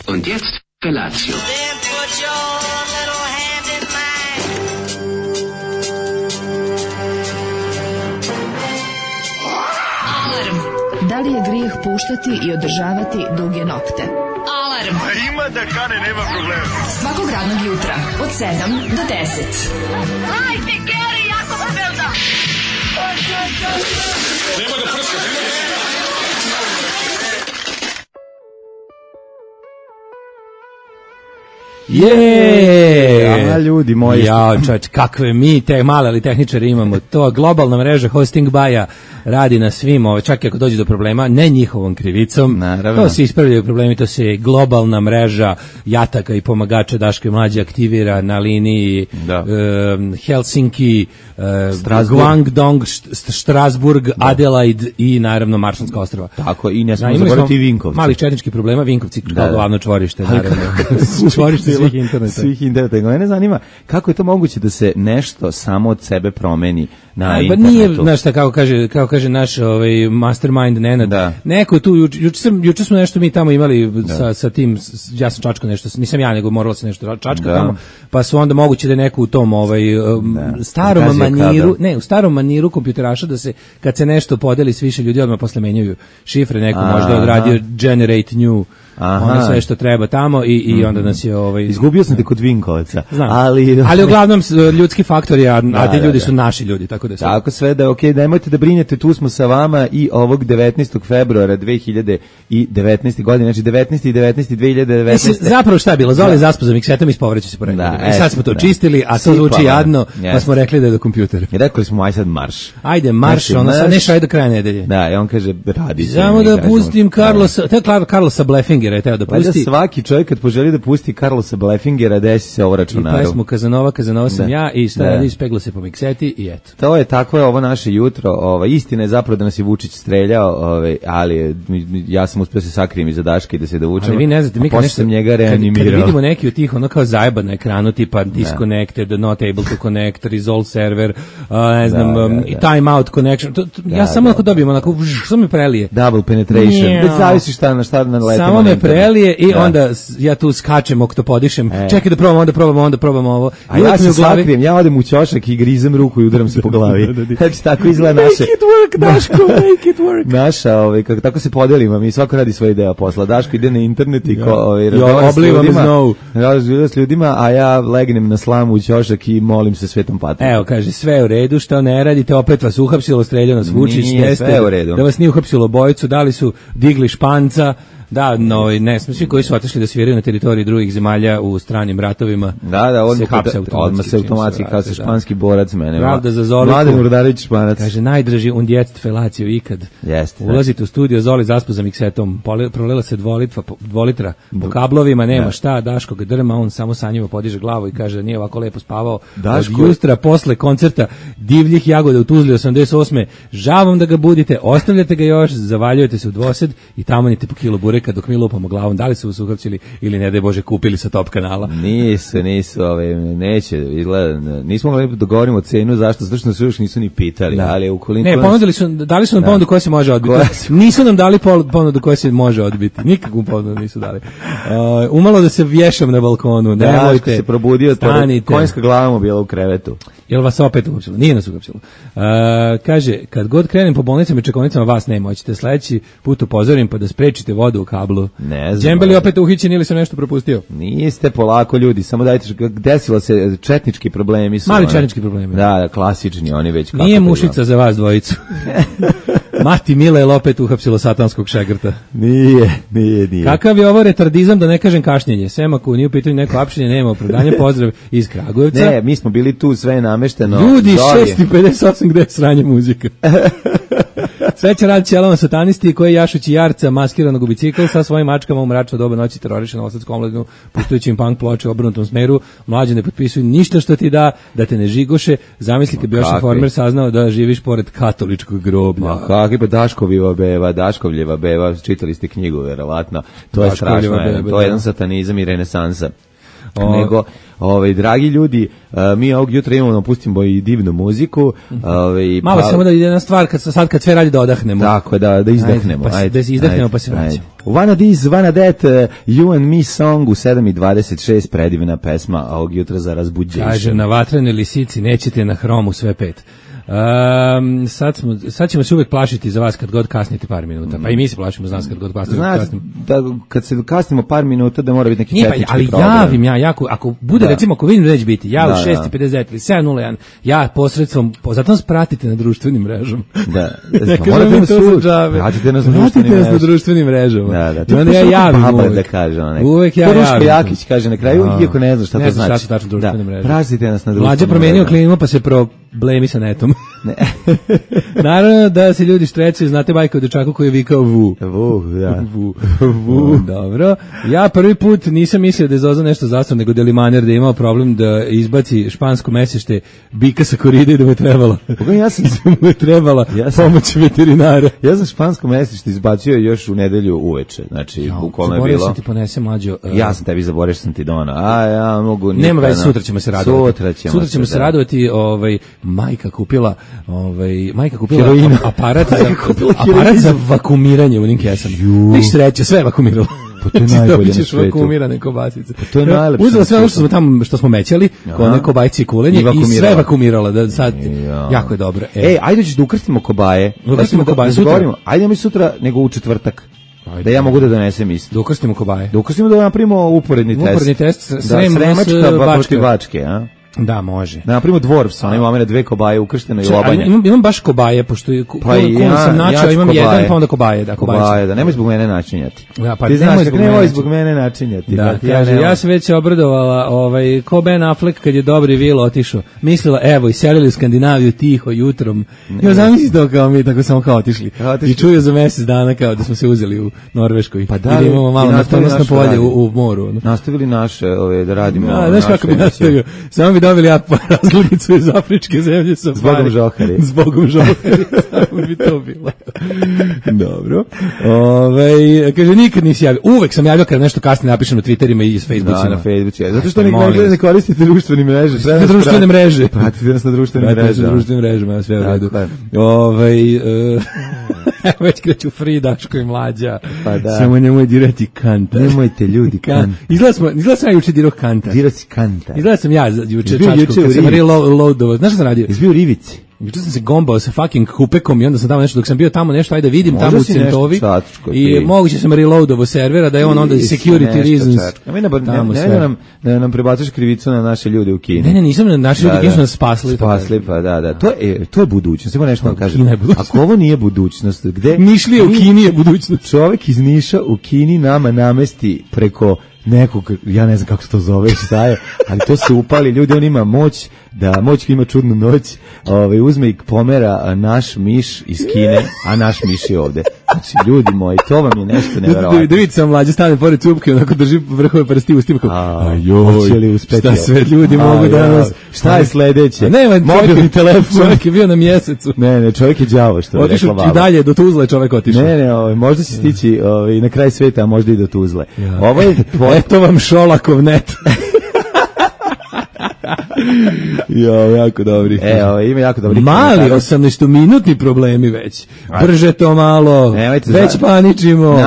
Und jetzt Felatio. Then put your little hand in mine. Alarm. Da li je grijeh puštati i održavati duge nokte? Alarm. Ima da kane, nema problema. Svakog radnog jutra od 7 do 10. Hajde, Geri, jako se velda. Nema da prska, nema da prska. A ljudi moji. Ja, čovječ, kakve mi te male ali tehničare imamo. To globalna mreža Hosting Baja radi na svim, čak i ako dođe do problema, ne njihovom krivicom. Naravno. To se ispravljaju problemi, to se globalna mreža jataka i pomagača Daško i Mlađe aktivira na liniji Helsinki, Guangdong, Strasburg, Adelaide i naravno Maršanska ostrava. Tako, i ne smo zaboraviti Vinkovci. Malih četničkih problema, Vinkovci kao glavno čvorište, naravno. Čvorište svih interneta. Svih interneta. Mene zanima kako je to moguće da se nešto samo od sebe promeni na internetu. Nije, znaš šta, kako kaže naš mastermind Nenad. Da. Neko tu, juče smo nešto mi tamo imali sa tim, ja sam čačkao nešto, nisam ja, nego moralo se nešto čačka tamo, pa su onda moguće da je neko u tom starom maniru, u starom maniru kompjuteraša da se, kad se nešto podeli s više ljudi, odmah posle menjaju šifre, neko možda odradio generate new, ono sve što treba tamo i onda nas je izgubio sam te kod Vinkovaca. Ali uglavnom ljudski faktori, a ti ljudi su naši ljudi, tako da sve. Tako sve da je okej, nemojte da brinete, tu smo sa vama i ovog 19. februara 2019. godine, znači 19. i 19. 2019. Zapravo šta je bilo? Zoli zaspo za miksetom i ispovreće se pored. I sad smo to čistili, a to zvuči jadno, pa smo rekli da je do kompjutera. I rekli smo, aj sad marš. Ajde, marš, ono sad nešto, ajde do kraja nedelje. Da, i on kaže, radi. Samo da pustim Carlosa Bleffingera je teo da pusti. Valjda svaki čovjek kad poželi da pusti Carlosa Bleffingera, desi se ovo računaru. I pesmu Kazanova sam ja i šta radi, ispegla se po mikseti i eto. To je tako je ovo naše jutro. Istina je zapravo da nas je Vučić streljao, ali ja sam uspio se sakrijem iza Daška i da se dovučemo. Ali vi ne znate, mi kad nešto njega reanimirao. Kad vidimo neki od tih, ono kao zajeba na ekranu, tipa disconnected, not able to connect, resolve server, ne znam, time out connection. Ja samo ako dobijem onako, što mi prelije? Double penetration. Već zavisi šta na letimo. Samo me prelije i onda ja tu skačem, oktopodišem. Čekaj da probamo ovo. A ja se sakrijem, ja odem u ćošak i grizem ruku i udaram se po glavi. Znači tako izgleda naše. Make it work, Daško, make it work. Naša, kako tako se podelimo, mi svako radi svoj deo posla. Daško ide na internet i razgovara s ljudima, a ja legnem na slamu u ćošak i molim se Svetom Patru. Evo, kaže, sve u redu, što ne radite, opet vas uhapsilo, streljao nas Vučić, sve u redu. Da vas nije uhapsilo bojicu, da li su digli španca. Da, ne, svi koji su otišli da sviraju na teritoriji drugih zemalja u stranim ratovima. Odmah se automatski kao se španski borac mene. Pravda za Zoliku. Mladen Urdarević Španac. Kaže, najdraži und jetzt felaciju ikad. Jeste. Ulazite u studio, Zoli zaspo za miksetom, prolila se 2 litra po kablovima, nema šta, Daško ga drma, on samo sa njima podiže glavu i kaže, nije ovako lepo spavao. Daško od jutra posle koncerta Divljih jagoda u Tuzli 88. Žavom da ga budite, ostavljate ga još, zavaljujete se u dvosed i tamanite po kilo bureka dok mi lupamo glavom, da li su vas uhapsili ili ne daj Bože kupili sa Top kanala. Nisu, neće, izgleda, nismo mogli dogovorimo cenu, zašto? Zato što nas još nisu ni pitali, ali ukoliko... Ne, ponudili su, dali su nam ponudu koja se može odbiti. Nisu nam dali ponudu koja se može odbiti. Nikakvu ponudu nisu dali. Umalo da se vješam na balkonu, nemojte, se probudio, konjska glava mu bila u krevetu. Jel vas opet uhapsilo? Nije nas uhapsilo. Kaže, kad god krenem po bolnicama i čekovnicama, vas nema, hoćete sledeći put upozorim pa da sprečite vodu u kablu. Ne znam. Džembeli opet uhićen ili sam nešto propustio? Niste, polako ljudi, samo dajte, desilo se četnički problemi. Mali četnički problemi. Da, klasični, oni već kako. Nije mušica za vas dvojicu. Mati Mila je opet uhapsilo satanskog šegrta. Nije. Kakav je ovo retardizam, da ne kažem kašnjenje? Sem ako nije u pitanju neko apšenje, nema opravdanja, pozdrav iz Kragujevca. Ne, mi smo bili tu, sve namešteno. Ljudi, 6:58, gde je sranje muzika? Sreća rad ćelama satanisti koji jašući jarca maskiranog u bicikl sa svojim mačkama u mračno doba noći teroriše novosadsku omladinu puštajući im punk ploče u obrnutom smeru. Mlađe ne potpisuju ništa što ti da te ne žigoše. Zamisli kad bi još informer saznao da živiš pored katoličkog groblja. Kakvi pa Daškovljeva beba, čitali ste knjigu verovatno. To je strašno, to je jedan satanizam i renesansa. nego dragi ljudi, mi ovog jutra imamo, pustimo i divnu muziku. Malo samo da ide jedna stvar, kad sve radi da odahnemo. Tako, da izdahnemo. Da izdahnemo pa se vraćamo. One of these, one of that, You and Me song u 7:26, predivna pesma ovog jutra za razbuđenje. Kaže, na vatrenoj lisici nećete na hromu sve pet. Sad ćemo se uvek plašiti za vas kad god kasnite par minuta. Pa i mi se plašimo za nas kad god kasnimo. Znači, da kad se kasnimo par minuta da mora biti neki tehnički problem. Ali javim ako bude, recimo, ako vidim da neće biti, ja u 6:59 ili 7:01, ja posredstvom, zato nas pratite na društvenim mrežama. Da. Ne kažem mi to za džabe. Pratite nas na društvenim mrežama. Da. I onda ja javim uvek. Uvek ja javim. Ruško Jakić kaže na kraju, iako ne zna šta to znači. Ne zna šta su tačno društvene mreže. Pratite nas na društvenim mrežama. Mlađe promenio klimu pa se problemi sa netom. Ne. Naravno da se ljudi štrecaju, znate bajka o dečaku koji je vikao vu. Vu. Dobro. Ja prvi put nisam mislio da je Zoza nešto zastao, nego da je Limaner da je imao problem da izbaci špansko mesešte bika sa koride i da mu je trebalo. Mu je trebala pomoć veterinara. Ja sam špansko mesešte izbacio još u nedelju uveče. Znači, bukvalno je bilo. Zaboravio sam ti ponese mlađo. Ja sam tebi zaboravio što sam ti donao. Ja mogu. Nema veze, sutra ćemo se radovati. Sutra ćemo se radovati, majka kupila heroina. aparat za vakumiranje u onim kesama. Viš sreće, sve je vakumiralo. Pa to je najbolje na svetu. Vakumirane kobasice. Pa to je najlepše. Uzela sve ono što smo mećali, one kobajci i kulenje i sve vakumirala. Da sad, jako je dobro. Ajde ćeš da ukrstimo kobaje. Ukrstimo kobaje sutra. Ajde mi sutra, nego u četvrtak. Da ja mogu da donesem isto. Da ukrstimo kobaje. Da ukrstimo da napravimo uporedni test. Uporedni test, Sremačka protiv Bačke, a? Da, može. Da napravimo Dvorfs, ona imamo dve kobaje ukrštene i lobanje. Imam baš kobaje, pošto sam načao, imam jedan, pa onda kobaje. Kobaje, da, nemoj zbog mene načinjati. Da, pa ti znaš, nemoj zbog mene načinjati. Da, kaže, ja sam već obradovala, ko Ben Affleck kad je Dobri Vil otišao. Mislila, evo, iselili u Skandinaviju tiho jutrom. Ja zamisli to kao mi, tako samo kao otišli. I čuju za mjesec dana kao da smo se uzeli u Norveškoj. Pa da, imamo malo nastavnosno polje u moru. Nastavili naše, da radimo. Znaš kako bi nastavio? Samo bi dobili razglednicu iz afričke zemlje. Zbogom žohari. Zbogom žohari. Samo bi to bilo. Dobro. Kaže, nikad nisi javio. Uvek sam javio kad nešto kasnije napišem na Twitterima i s Facebookima. Da, na Facebooku. Zato što ne koristite društvene mreže. Društvene mreže. Pratite nas na društvenim mrežama. Pratite na društvenim mrežama, sve u redu. Već kreću Free, Daško i Mlađa. Pa da. Samo nemoj dirati Kanta. Nemojte ljudi Kanta. Izgleda sam ja juče dirao Kanta. Dirao si Kanta. Izgleda sam ja juče čačku, kad sam reloadovo. Znaš što sam radio? Izbio u Rivici. Juče sam se gombao sa fucking kupekom i onda sam tamo nešto, dok sam bio tamo nešto, ajde vidim tamo u Centovi i moguće sam reloadovo servera da je on onda security reasons. Ne nam prebacuješ krivicu na naše ljude u Kini. Ne, nisam na naše ljude, Kini su nas spasli. Spasli, pa da. To je budućnost, samo nešto vam kažem. Ako ovo nije budućnost, gde... Nišlije u Kini je budućnost. Čovek iz Niša u Kini nama namesti preko nekog, ja ne znam kako se to zove, šta je, ali to se upali, ljudi, on ima moć ima čudnu noć, uzme i pomera naš miš iz Kine, a naš miš je ovde. Znači, ljudi moji, to vam je nešto neverovatno. Da vidite sam mlađe stane pored cupke, onako drži vrhove prsti u stima, ajoj, šta sve ljudi mogu danas. Šta je sledeće? Mobilni telefon. Čovjek je bio na mjesecu. Ne, čovjek je đavo, što je rekla baba. I dalje, do Tuzle čovjek otišao. Ne, možda će stići na kraj sveta, a možda i do Tuzle. Eto vam Šolakov net. Jako dobri. Ima jako dobri. Mali 18-minutni problemi već. Brže to malo. Već paničimo.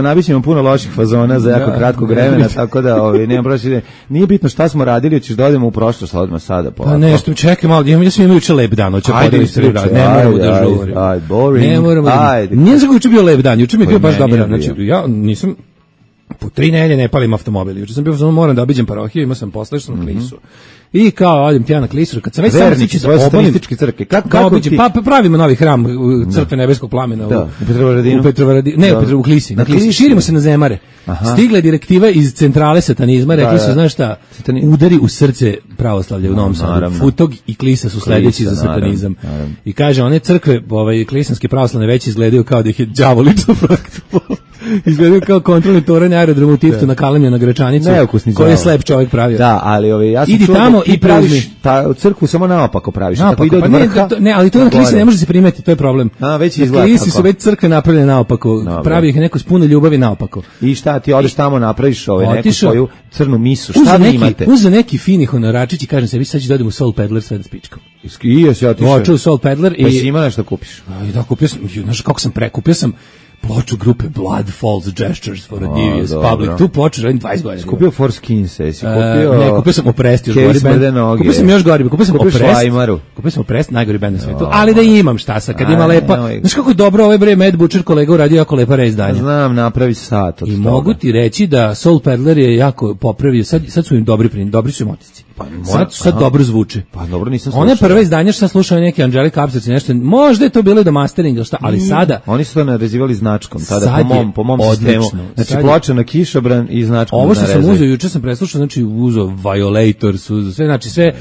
Nabićemo puno loših fazona za jako kratkog vremena, tako da nema prošle. Nije bitno šta smo radili, hoćeš da odemo u prošlost, odmah sada. Pa nešto, čekaj malo. Ja sam imao juče lep dan, hoću podeliti se rad. Ne moramo da žurim. Ajde. Nije za juče bio lep dan, juče mi je bio baš dobar dan. Znači, ja nisam po 3 nedelje ne palim automobil. Juče sam bio, moram da obiđem parohiju, imao sam posle, što sam na Klisu. I kao, odim ti ja na Klisuru, kad sam već samo stići svoje satanističke crkve. Kako obiđem, pa pravimo novi hram crkve nebeskog plamena u Petrovaradinu. Ne, u Klisi. Širimo se na Zemare. Stigla je direktiva iz centrale satanizma, rekli su, znaš šta, udari u srce pravoslavlja u Novom Sadu. Futog i Klisa su sledeći za satanizam. I kaže, one crkve, klisanske pravoslavne već izgledaju kao da ih je đavo lično projektovao. Izgledaju kao kontrolni toranj aerodromu u Tiftu na Kalemlju na Gračanicu, koji je slep čovjek pravio. Da, ali ja sam idi čuo tamo da ti i praviš crkvu samo naopako praviš. Naopako, ide od vrha, ne, ali to na klisi ne može se primetiti, to je problem. Već izgleda klisi su već crkve napravljene naopako, pravi ih neko s puno ljubavi naopako. I šta, ti odeš tamo, napraviš neku svoju crnu misu, šta vi imate? Uza neki fini honoračić i kažem se, vi sad ću da odem u Soul Peddler sve da spičkam. I ja se otišao. Očeo u Soul Peddler i... Pa si ima nešto kupiš? Da, kupio sam, znaš kako sam kupio sam ploču grupe Blood Falls Gestures for a Devious Public. Tu ploču radim 20 godina. Kupio For Skins, jesi kupio... Ne, kupio sam Oprest, još gori band. Kupio sam još gori, kupio sam Oprest, najgori band na svetu. Ali da imam šta sa, kad ima lepa... Znaš kako je dobro ovaj bre Mad Butcher kolega uradio jako lepa reizdanja. Znam, napravi sat od toga. I mogu ti reći da Soul Peddler je jako popravio, sad su im dobri su im otisci. Sad dobro zvuče. Pa dobro, nisam slušao. One prve izdanja što sam slušao neki Angelica Upstarts i nešto, možda je to bilo i do masteringa, šta, ali sada... Oni su to narezivali značkom, tada po mom sistemu. Znači ploča na kišobran i značkom. Ovo što sam uzeo, juče sam preslušao, znači uzeo Violators, sve, znači sve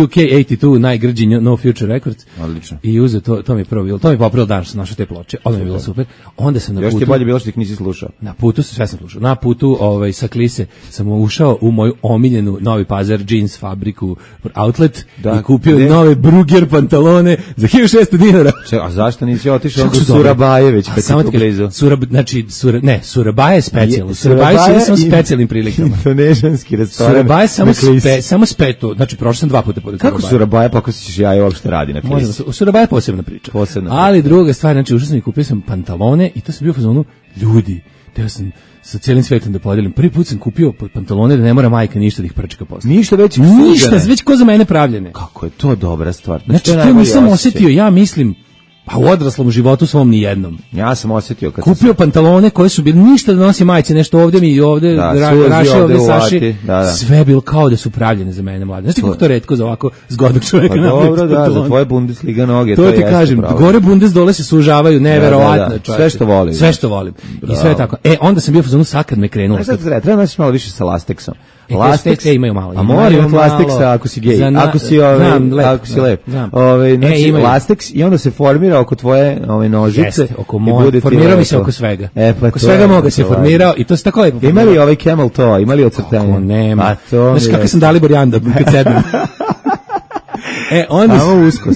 UK 82, najgrđi No Future Records. Odlično. I uzeo, to mi je prvo bilo, to mi je popravilo dan što sam našao te ploče, ono mi je bilo super. Onda sam na putu... Još ti je bolje bilo što ih nisi slušao. Na putu, sve sam slušao. Na putu sa Klise sam ušao u moju omiljenu Novi Pazar jeans fabriku outlet i kupio nove Bruger pantalone za 1600 dinara. A zašto nisi otišao do Surabajeveć, pa ti tu blizu? Surabaj je specijalno. Surabaj je samo specijalnim prilikama. Indonežanski restoran. Surabaj je samo speto. Znači, prošao sam 2 puta pored Surabaj. Kako Surabaj, pa ako si ćeš ja uopšte radi na Klisi? U Surabaj je posebna priča. Ali druga stvar, znači, ušao sam i kupio sam pantalone i to sam bio u fazonu, ljudi, teo sam sa cijelim svetom da podelim. Prvi put sam kupio pantalone da ne mora majka ništa da ih prčka posle. Ništa već ko za mene pravljene. Kako je to dobra stvar. Znači, to nisam osjetio, ja mislim, pa u odraslom životu svom ni jednom. Ja sam osjetio kad kupio pantalone koji su bili ništa da nosi majice, nešto ovde mi i ovde, raše ovde saši. Sve je bilo kao da su pravljene za mene mlade. Znači kako to retko za ovako zgodnog čovjeka napraviti. Dobro, da, za tvoje Bundesliga noge. To ti kažem, gore Bundes dole se sužavaju, neverovatno. Sve što volim. Sve što volim. I sve tako. Onda sam bio fazonu sad kad me krenulo. Treba nosiš malo više sa lasteksom. Lastex imaju malo. A mora imati lasteksa ako si gej, ako si lep. Znači lasteks i onda se formira oko tvoje nožice. Formirao mi se oko svega. Oko svega moga se formirao i to se tako lepo. Ima li ovaj camel toe, ima li ocrtanje? Nema. Znaš kako sam Dalibor Janda kad sedem.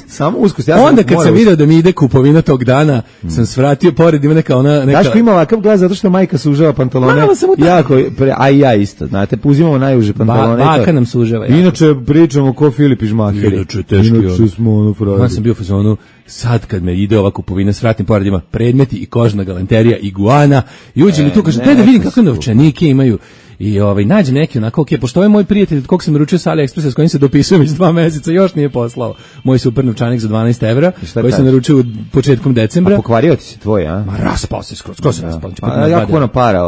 Samo uskost. Onda kad sam video da mi ide kupovina tog dana, sam svratio pored, ima neka ona... Daško ima ovakav glas zato što majka sužava pantalone. Jako, a i ja isto, znate, uzimamo najuže pantalone. Baka nam sužava. Inače pričamo ko Filip i Žmakeri. Inače smo ono frajer. Ja sam bio u fazonu, sad kad me ide ova kupovina, svratim pored, ima predmeti i kožna galanterija, iguana, i uđem i tu kažem, da vidim kakve novčanike imaju. I nađem neki onako, pošto ovaj moj prijatelj od kog sam naručio sa AliExpressa s kojim se dopisujem iz 2 meseca, još nije poslao moj super novčanik za 12 evra, koji sam naručio početkom decembra. A pokvario ti se tvoj, a? Ma raspao se skroz se raspao. Jako puno para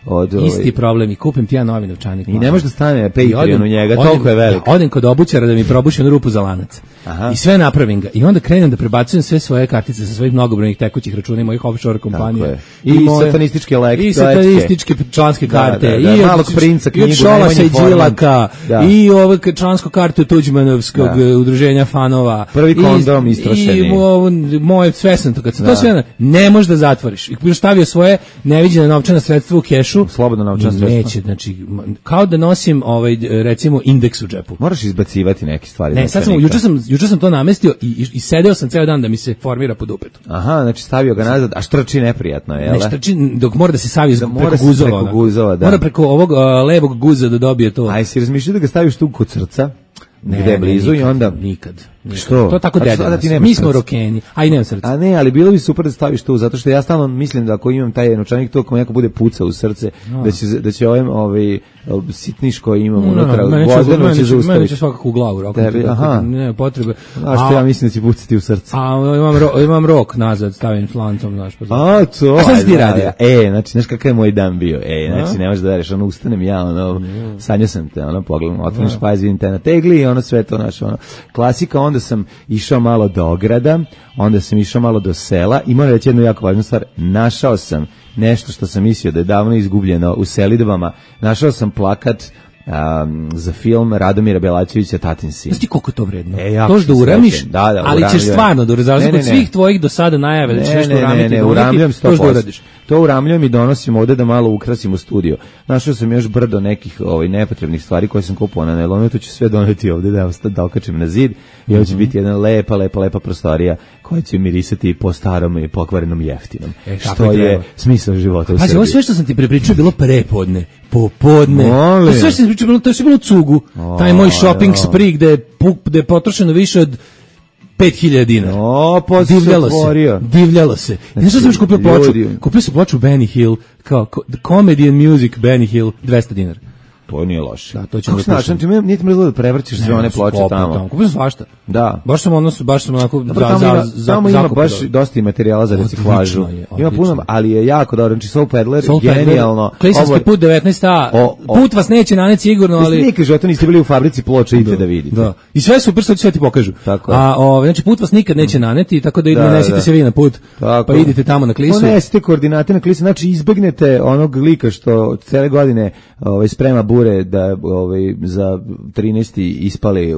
od isti problem i kupim ti ja novi novčanik. I ne može da stane Patreon u njega, toliko je velik. Odem kod obućara da mi probuši onu rupu za lanac. I sve napravim ga. I onda krenem da prebacujem sve svoje kartice sa svojih mnogobrojnih tekućih računa i mojih offshore kompanija. I satanističke lekcije. I satanističke članske karte. I Malog princa knjigu, i od Šolasa i Đilaka, i ove člansku kartu Tuđmanovskog udruženja fanova. Prvi kondom istrošeni. I moje sve sam to, kad sam to sve, ne možeš da zatvoriš. I stavio svoje neviđene novčana sredstva u kešu. Slobodno novčana sredstva. Neće, znači, kao da nosim, recimo, indeks u džepu. Moraš izbacivati neke stvari. Ne, sad juče sam to namestio i sedeo sam ceo dan da mi se formira pod upetu. Aha, znači stavio ga nazad, a štrči neprijatno, je li? Ne štrči, dok mora da se savi preko guzova. Mora preko ovog levog guza da dobije to. Aj, si razmišljao da ga staviš tu kod srca, gde je blizu i onda... Nikad. Što? To tako deda. Mi smo rokeni, a i nemam srce. A ne, ali bilo bi super da staviš tu, zato što ja stalno mislim da ako imam taj novčanik tu, ako neko bude pucao u srce, da će ovaj sitniš koji imam unutra, Gvozdeno će zaustaviti. Meni će svakako u glavu rokati. Ne, potrebe. A što ja mislim da će pucati u srce? A imam rok nazad, stavim slancom, znaš. A to? A šta si ti radio? Znači, znaš kakav je moj dan bio? Znači, ne možeš da veriš, ustanem ja, sanjao sam te, pogledam, otvorim špajz, vidim te na tegli i sve to, znaš, klasika. Onda sam išao malo do ograda, onda sam išao malo do sela i moram reći jednu jako važnu stvar, našao sam nešto što sam mislio da je davno izgubljeno u selidbama, našao sam plakat za film Radomira Belačevića Tatin sin. Znaš ti koliko je to vredno? To da uramiš, da, ali ćeš stvarno da razliku od svih tvojih do sada najave da ćeš nešto uramiti, ne, uramljam 100%. To uramljam i donosim ovde da malo ukrasimo studio. Našao sam još brdo nekih nepotrebnih stvari koje sam kupovao na nailonu, to ću sve doneti ovde da okačim na zid i ovo će biti jedna lepa prostorija koja će mirisati po starom i pokvarenom jeftinom. Što je smisao života u Srbiji. Pazi, ovo sve što sam ti prepričao bilo prepodne, popodne. To sve što sam ti pričao, to je sve bilo cugu. Taj moj shopping spree gde je potrošeno više od 5.000 dinara. Divljalo se. Znaš što sam još kupio ploču? Kupio sam ploču Benny Hill, kao Comedy and Music Benny Hill, 200 dinara. To nije loše. Da, to ćemo da slušamo. Znači, nije ti mrzlo da prevrćeš sve one ploče tamo. Kupio sam svašta. Da. Baš sam onako tamo ima baš dosta i materijala za reciklažu. Ima puno, ali je jako dobro. Znači, Soul Peddler, genijalno. Klisanski put 19a. Put vas neće naneti sigurno, ali... Nikad života niste bili u fabrici ploče, idete da vidite. Da. I sve super, što sve ti pokažu. Znači, put vas nikad neće naneti, tako da nesite se vi na put, pa idite tamo na Klisu. Nesite koordinate na Klisu, znači izbegnete onog lika što cele godine sprema bure da za 13. ispali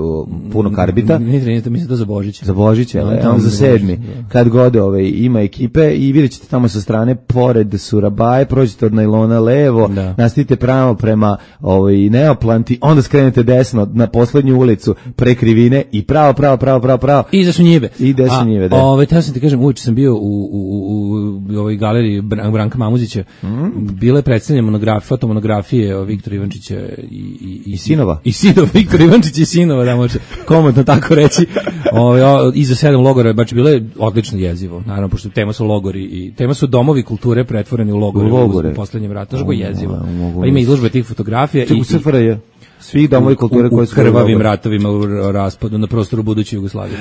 puno karbita. Nije 13. mislim to za Božić. Za Božić, on za 7. Kad god ima ekipe i vidjet ćete tamo sa strane, pored Surabaje, prođete od nailona levo, nastavite pravo prema Neoplanti, onda skrenete desno na poslednju ulicu pre Krivine i pravo. I za Sunjive. I desno njive, da. Teo sam ti kažem, uveče sam bio u ovoj galeriji Branka Mamuzića. Bila je predstavljena fotomonografije Viktora Ivančića i sinova. I sinova, Viktor Ivančić i sinova, da može komotno tako reći. Iza 7 logora, baš bilo je odlično jezivo. Naravno, pošto tema su logori i tema su domovi kulture pretvoreni u logore. U poslednjem ratu. Znaš ko je jezivo. Pa ima izložbe tih fotografija. U SFRJ. Svih domovi kulture koji su u krvavim ratovima u raspadu na prostoru buduće Jugoslavije.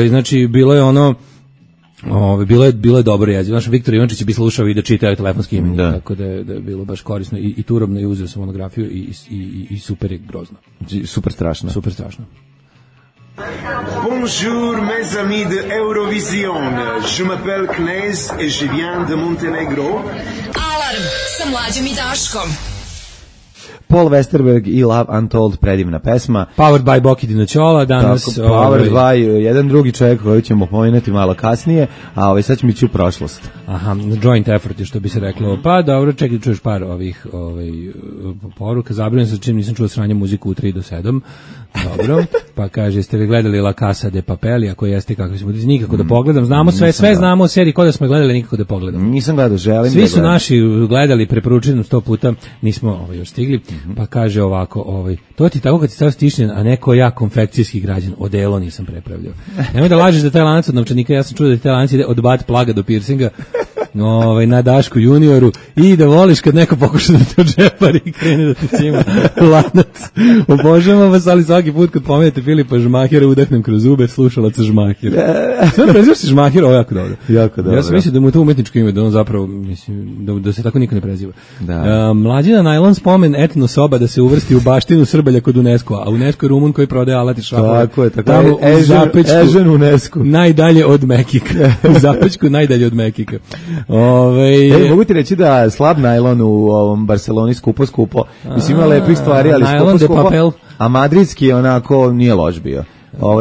Znači, bilo je bilo je dobro jezivo. Naš Viktor Ivančić bi slušao i da čita telefonski imenik, tako da je bilo baš korisno i turobno, i uzeo sam monografiju i super je grozno. Super strašno. Bonjour mes amis de Eurovision. Je m'appelle Knez et je viens de Montenegro. Alarm sa Mlađom i Daškom. Paul Westerberg i Love Untold, predivna pesma. Powered by Boki Dinoćola, danas... Tako, powered by jedan drugi čovjek koji ćemo pomenuti malo kasnije, a sad ćemo ići u prošlost. Aha, joint effort je što bi se reklo. Pa dobro, čekaj, čuješ par ovih poruka. Zabrinuo sam čim nisam čuo sranje muziku u 3 do 7. Dobro, pa kaže, jeste li gledali La Casa de Papel, ako jeste, kako smo nikako da pogledam. Znamo sve znamo o seriji, kod da smo gledali, nikako da pogledam. Nisam gledao, želim. Svi su naši gledali, preporučujem 100 puta, nismo još stigli. Pa kaže ovako, to ti tako kad si stav stišnjen, a neko ja konfekcijski građan, odelo nisam prepravljao. Nemoj da lažeš da taj lanac od novčanika, ja sam čuo da taj lanac ide od bat plaga do piercinga, na Dašku junioru, i da voliš kad neko pokuša da te odžepari i krene da ti cima lanac. Obožavam vas, ali svaki put kad pomenete Filipa Žmahera udahnem kroz zube slušalaca Žmahera. Sve prezivaš si Žmahera, ovo jako dobro. Jako dobro. Ja sam mislio da mu je to umetničko ime, da on zapravo, mislim, da se tako niko ne preziva. Mlađina najlon spomen etno soba da se uvrsti u baštinu Srbalja kod UNESCO, a UNESCO je Rumun koji prodaje alat i šrafove. Tako je, tamo u Zapečku, UNESCO. najdalje od Mekika. U Zapečku najdalje od Mekika. Mogu ti reći da slab najlon u ovom Barceloni skupo. Mislim, ima lepih stvari, ali skupo. A madridski onako nije loš bio.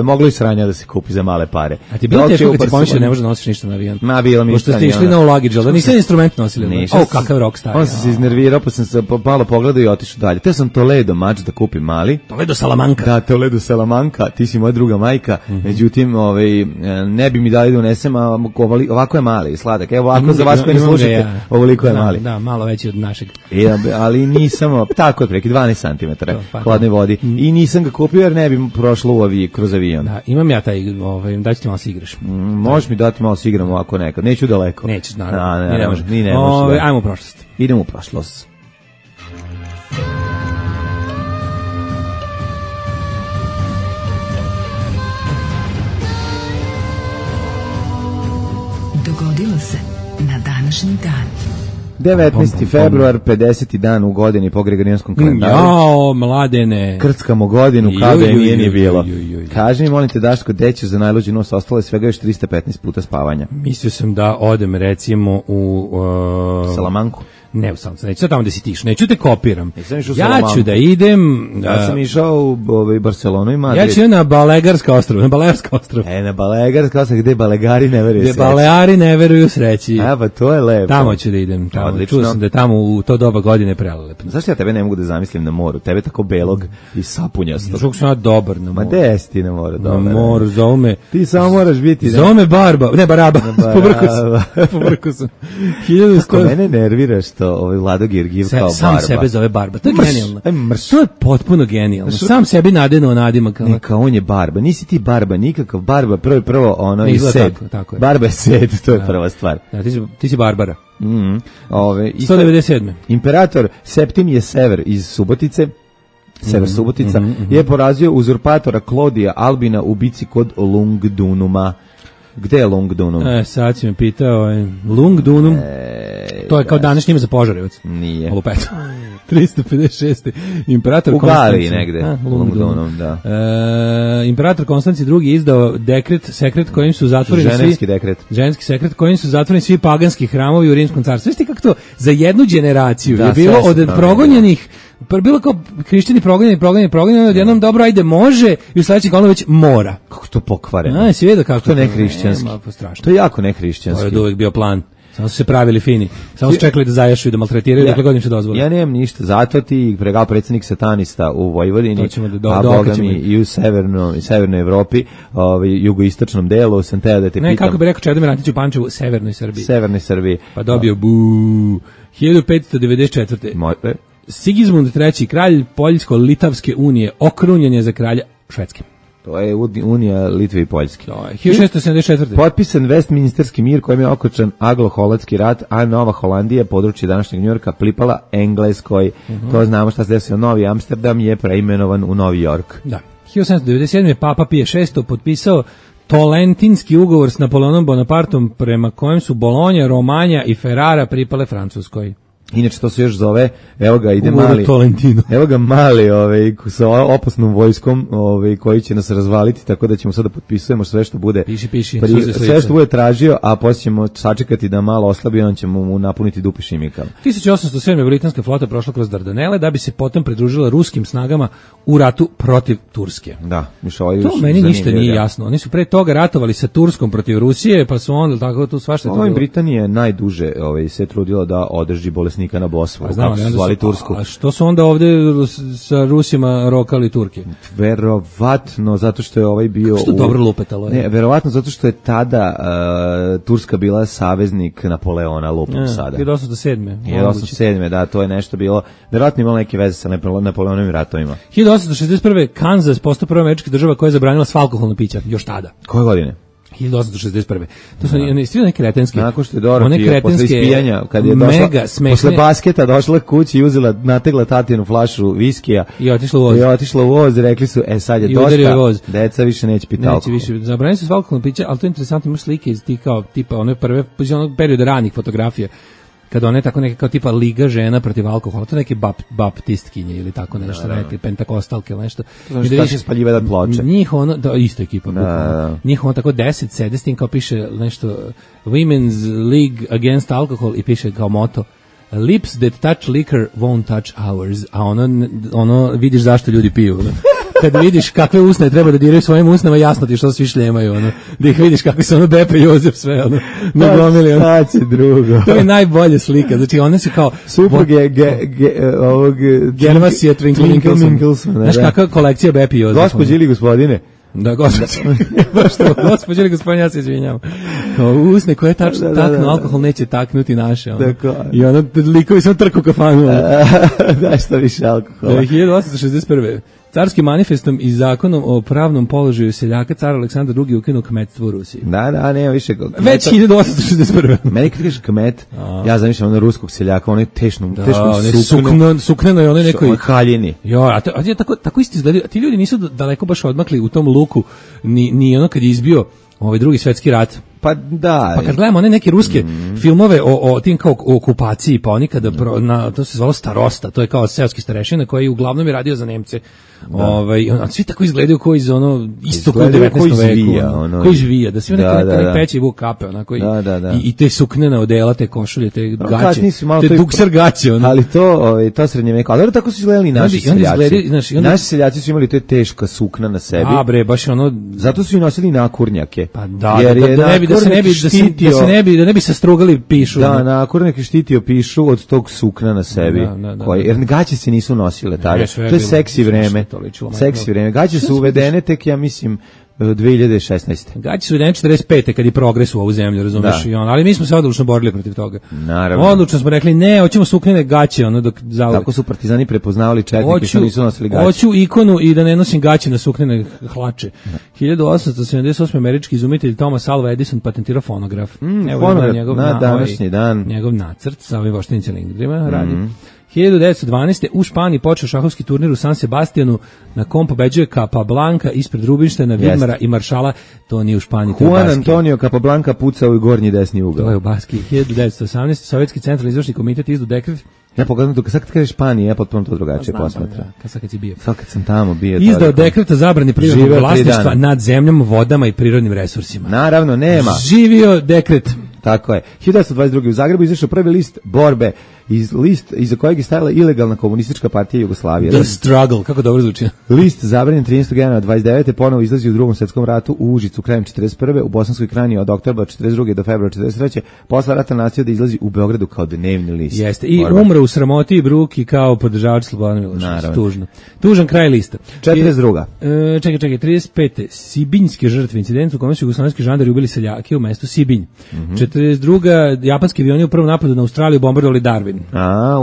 Moglo i sranja da se kupi za male pare. A ti bilo teško kad ti pomišljao ne može da nosiš ništa na avion? Bilo mi pošto ste išli na luggage, da niste instrument nosili? Kakav rockstar. On se iznervirao, pa sam se malo pogledao i otišao dalje. Te sam Toledo mač da kupim mali. Toledo Salamanca. Da, Toledo Salamanca, ti si moja druga majka. Međutim, ne bi mi dali da unesem, a ovako je mali i sladak. Evo, ovako za vas koji ne slušate, ovoliko je mali. Da, malo veći od našeg. Ali nisam, tako je preki 12 cm hladne vodi. I nisam ga kupio jer ne bi prošlo kroz avion. Da, imam ja taj, daj ti malo si igraš. Možeš mi dati malo si igram ovako nekad. Neću daleko. Nećeš, naravno. Ne može. Ajmo u prošlost. Idemo u prošlost. Dogodilo se na današnji dan. 19. februar, 50. dan u godini po Gregorijanskom kalendaru. Jao, Mladene. Krckamo godinu, kao da je nije bilo. Kaži mi, molim te, Daško, deće za najluđi nos ostalo je svega još 315 puta spavanja. Mislio sam da odem, recimo, u... Salamanku. Ne u Salomonskom, neću sad tamo da si tiš, neću te kopiram. išao Ja ću da idem... Ja sam išao u Barcelonu i Madrid. Ja ću na Balegarska ostrava, Na Balegarska ostrava, gde Balegari ne veruju sreći. Gde Baleari ne veruju sreći. Pa to je lepo. Tamo ću da idem, čuo sam da je tamo u to doba godine prelelepno. Zašto ja tebe ne mogu da zamislim na moru? Tebe tako belog i sapunjastog. Žuk sam ja dobar na moru. Ma gde si ti na moru? Na moru, zove me... Ti samo moraš biti... Zove me Barba, ne Baraba, pobrko sam. Kako mene nervira što Vlado Georgijev kao Barba. Sam sebe zove Barba, to je genijalno. To je potpuno genijalno. Sam sebi nadenuo nadimak. Neka, on je Barba, nisi ti Barba, nikakav Barba, prvo ono i Sed. Tako je. Barba je Sed, to je prva stvar. Ti si Barbara. 197. Imperator Septimije Sever iz Subotice, Sever Subotica, je porazio uzurpatora Klodija Albina u bici kod Lungdunuma. Gde je Lungdunum? Sad si me pitao, Lungdunum, to je kao današnje ime za Požarevac. Nije. Olupeto. 356. Imperator u Galiji negde. Lungdunum, da. Imperator Konstanci II izdao sekret kojim su zatvoreni ženski sekret kojim su zatvoreni svi paganski hramovi u Rimskom carstvu. Viš ti kako to za jednu generaciju je bilo od progonjenih, bilo kao hrišćani progonjeni, odjednom dobro, ajde može, i u sledećeg ono već mora. Kako to pokvareno? Si vidio kako to ne hrišćanski. To je jako ne hrišćanski. To je uvek bio plan. Samo su se pravili fini. Samo su čekali da zajašu i da maltretiraju, dokle god im se dozvoli. Ja nemam ništa. Zato ti pregal predsjednik satanista u Vojvodini, a boga mi i u severnoj Evropi, jugoistočnom delu, sam teo da te pitam. Ne, kako bi rekao Čedomir Antić u Pančevu, severnoj Srbiji. Pa dobio 1594. Sigismund III, kralj Poljsko-Litavske unije, okrunjen je za kralja Švedske. To je Unija Litve i Poljske. 1674. Potpisan Westminsterski mir kojim je okončan Anglo-Holandski rat, a Nova Holandija, područje današnjeg Njujorka, pripala Engleskoj. To znamo šta se desilo. Novi Amsterdam je preimenovan u Novi York. Da. 1797. Papa Pije VI potpisao Tolentinski ugovor s Napoleonom Bonapartom, prema kojem su Bolonja, Romanja i Ferrara pripale Francuskoj. Inače to se još zove, evo ga ide mali sa opasnom vojskom koji će nas razvaliti, tako da ćemo sada potpisujemo sve što bude sve što bude tražio, a poslije ćemo sačekati da malo oslabi, on ćemo mu napuniti dupe šimikama. 1807. britanska flota prošla kroz Dardanele da bi se potom pridružila ruskim snagama u ratu protiv Turske. Da, to meni ništa nije jasno. Oni su pre toga ratovali sa Turskom protiv Rusije, pa su onda tako tu svašta to bilo. Britanija najduže se trudila da održi bolesnika na Bosforu, kako su zvali Tursku. A što su onda ovde sa Rusima rokali Turke? Verovatno, zato što je bio... Kako što dobro lupetalo je? Ne, verovatno zato što je tada Turska bila saveznik Napoleona, lupom sada. 1807. Da, to je nešto bilo, verovatno imalo neke veze sa Napoleonovim ratovima. 1861. Kansas postao prva američka država koja je zabranila sva alkoholna pića, još tada. Koje godine? 1861. To su one kretenske. Nakon što je Dorothy posle ispijanja, kad je došla, posle basketa došla kući i nategla tatinu flašu viskija i otišla u voz, rekli su, sad je dosta, deca više neće piti alkohol. Zabranili su alkoholno piće, ali to je interesantno, imaš slike iz tipa one prve, onog perioda ranih fotografija, kada one tako neke kao tipa liga žena protiv alkohola, to neke baptistkinje ili tako nešto, rekli, pentakostalke ili nešto. To znači da će spaljivati ploče. Njih isto ekipa. Njih tako 10 sede s tim kao piše nešto Women's League Against Alcohol i piše kao moto Lips that touch liquor won't touch ours. A ono vidiš zašto ljudi piju. Kad vidiš kakve usne treba da diraju svojim usnama, jasno ti što svi šljemaju, da ih vidiš kako se Bepe i Jozef sve, nagomili, drugo. To je najbolja slika, znači one su kao supruge ovog Gervasija Twinkle. Znaš kakva kolekcija Bepe i Jozef? Gospođe ili gospodine? Da, gospođe ili gospodine, ja se izvinjam. Kao usne koje taknu alkohol neće taknuti naše. I likovi sam trku kafanu. Da, što više alkohola. 1861. Carskim manifestom i zakonom o pravnom položaju seljaka car Aleksandar II ukinuo kmetstvo u Rusiji. Da, nema više kmeta. Već 1861. Meni kad kažeš kmet, ja zamišljam ruskog seljaka, onaj tešnom sukneno je onaj nekoj haljini. A tako isto izgledaju. Ti ljudi nisu daleko baš odmakli u tom luku, ni ono kad je izbio Drugi svjetski rat, Pa da. Pa kad gledamo one neke ruske filmove o tim kao o okupaciji, pa oni kada to se zvalo Starosta, to je kao seoski starešina koji uglavnom je radio za Nemce. Svi tako izgledaju kao iz istoka 19. veku. Koji žvija, da svi neki peći vuk kape, onako i te suknene odela, te košulje, te gaće, te dukser gaće. Ali to srednje veko, ali tako su izgledali naši seljaci. Naši seljaci su imali te teška sukna na sebi. A bre, baš zato su i nosili nakurnjake. Pa da ne bi se strugali pišu. Da, nakurnjak je štitio pišu od tog sukna na sebi. Jer gaće se nisu nosile tada. To je seksi vreme. Seksi vreme. Gaće su uvedene tek, ja mislim, 2016. Gaće su uvedene 45. kad je progres u ovu zemlju, razumeš? Ali mi smo se odlučno borili protiv toga. Naravno. Odlučno smo rekli, ne, hoćemo suknene gaće. Tako su partizani prepoznavali četnike što nisu nosili gaće. Hoću ikonu i da ne nosim gaće na suknene hlače. 1878. američki izumitelj Thomas Alva Edison patentirao fonograf. Fonograf na današnji dan. Njegov nacrt sa ovim voštenim cilindrima radi. 1912. u Španiji počeo šahovski turnir u San Sebastianu na kom pobeđuje Capablanca ispred Rubinštejna, Vidmara i Maršala. To nije u Španiji, to je u Juan Antonio Capablanca pucao u gornji desni ugao. To je u Baskiji. 1918. Sovjetski centralni izvršni komitet izdao dekret. Ja pogledam to, sad kad kažeš Španije, ja potpuno to drugačije posmatram. Kad si bio. Sad kad sam tamo bio. Izdao dekret o zabrani privatnog vlasništva nad zemljom, vodama i prirodnim resursima. Naravno, nema. Živio dekret. Tako je. 1922. u Zagrebu izašao prvi list borbe, list iza kojeg je stajala ilegalna komunistička partija Jugoslavije. The Struggle, kako dobro zvuči. List zabranjen 13. januara 29. ponovo izlazi u Drugom svjetskom ratu u Užicu krajem 41. u Bosanskoj Krajini od oktobra 42. do februara 43. Posle rata nastavio da izlazi u Beogradu kao dnevni list. Jeste. I umro u sramoti i bruki kao podržavač Slobodana Miloševića. Tužno. Tužan kraj lista. 42. Čekaj, 35. Sibinjski žrtve, incident u kome su jugoslovenski žandari ubili seljake u mestu Sibinj. 42. japanski avioni u prvom napadu na Australiju bombardovali Darwin.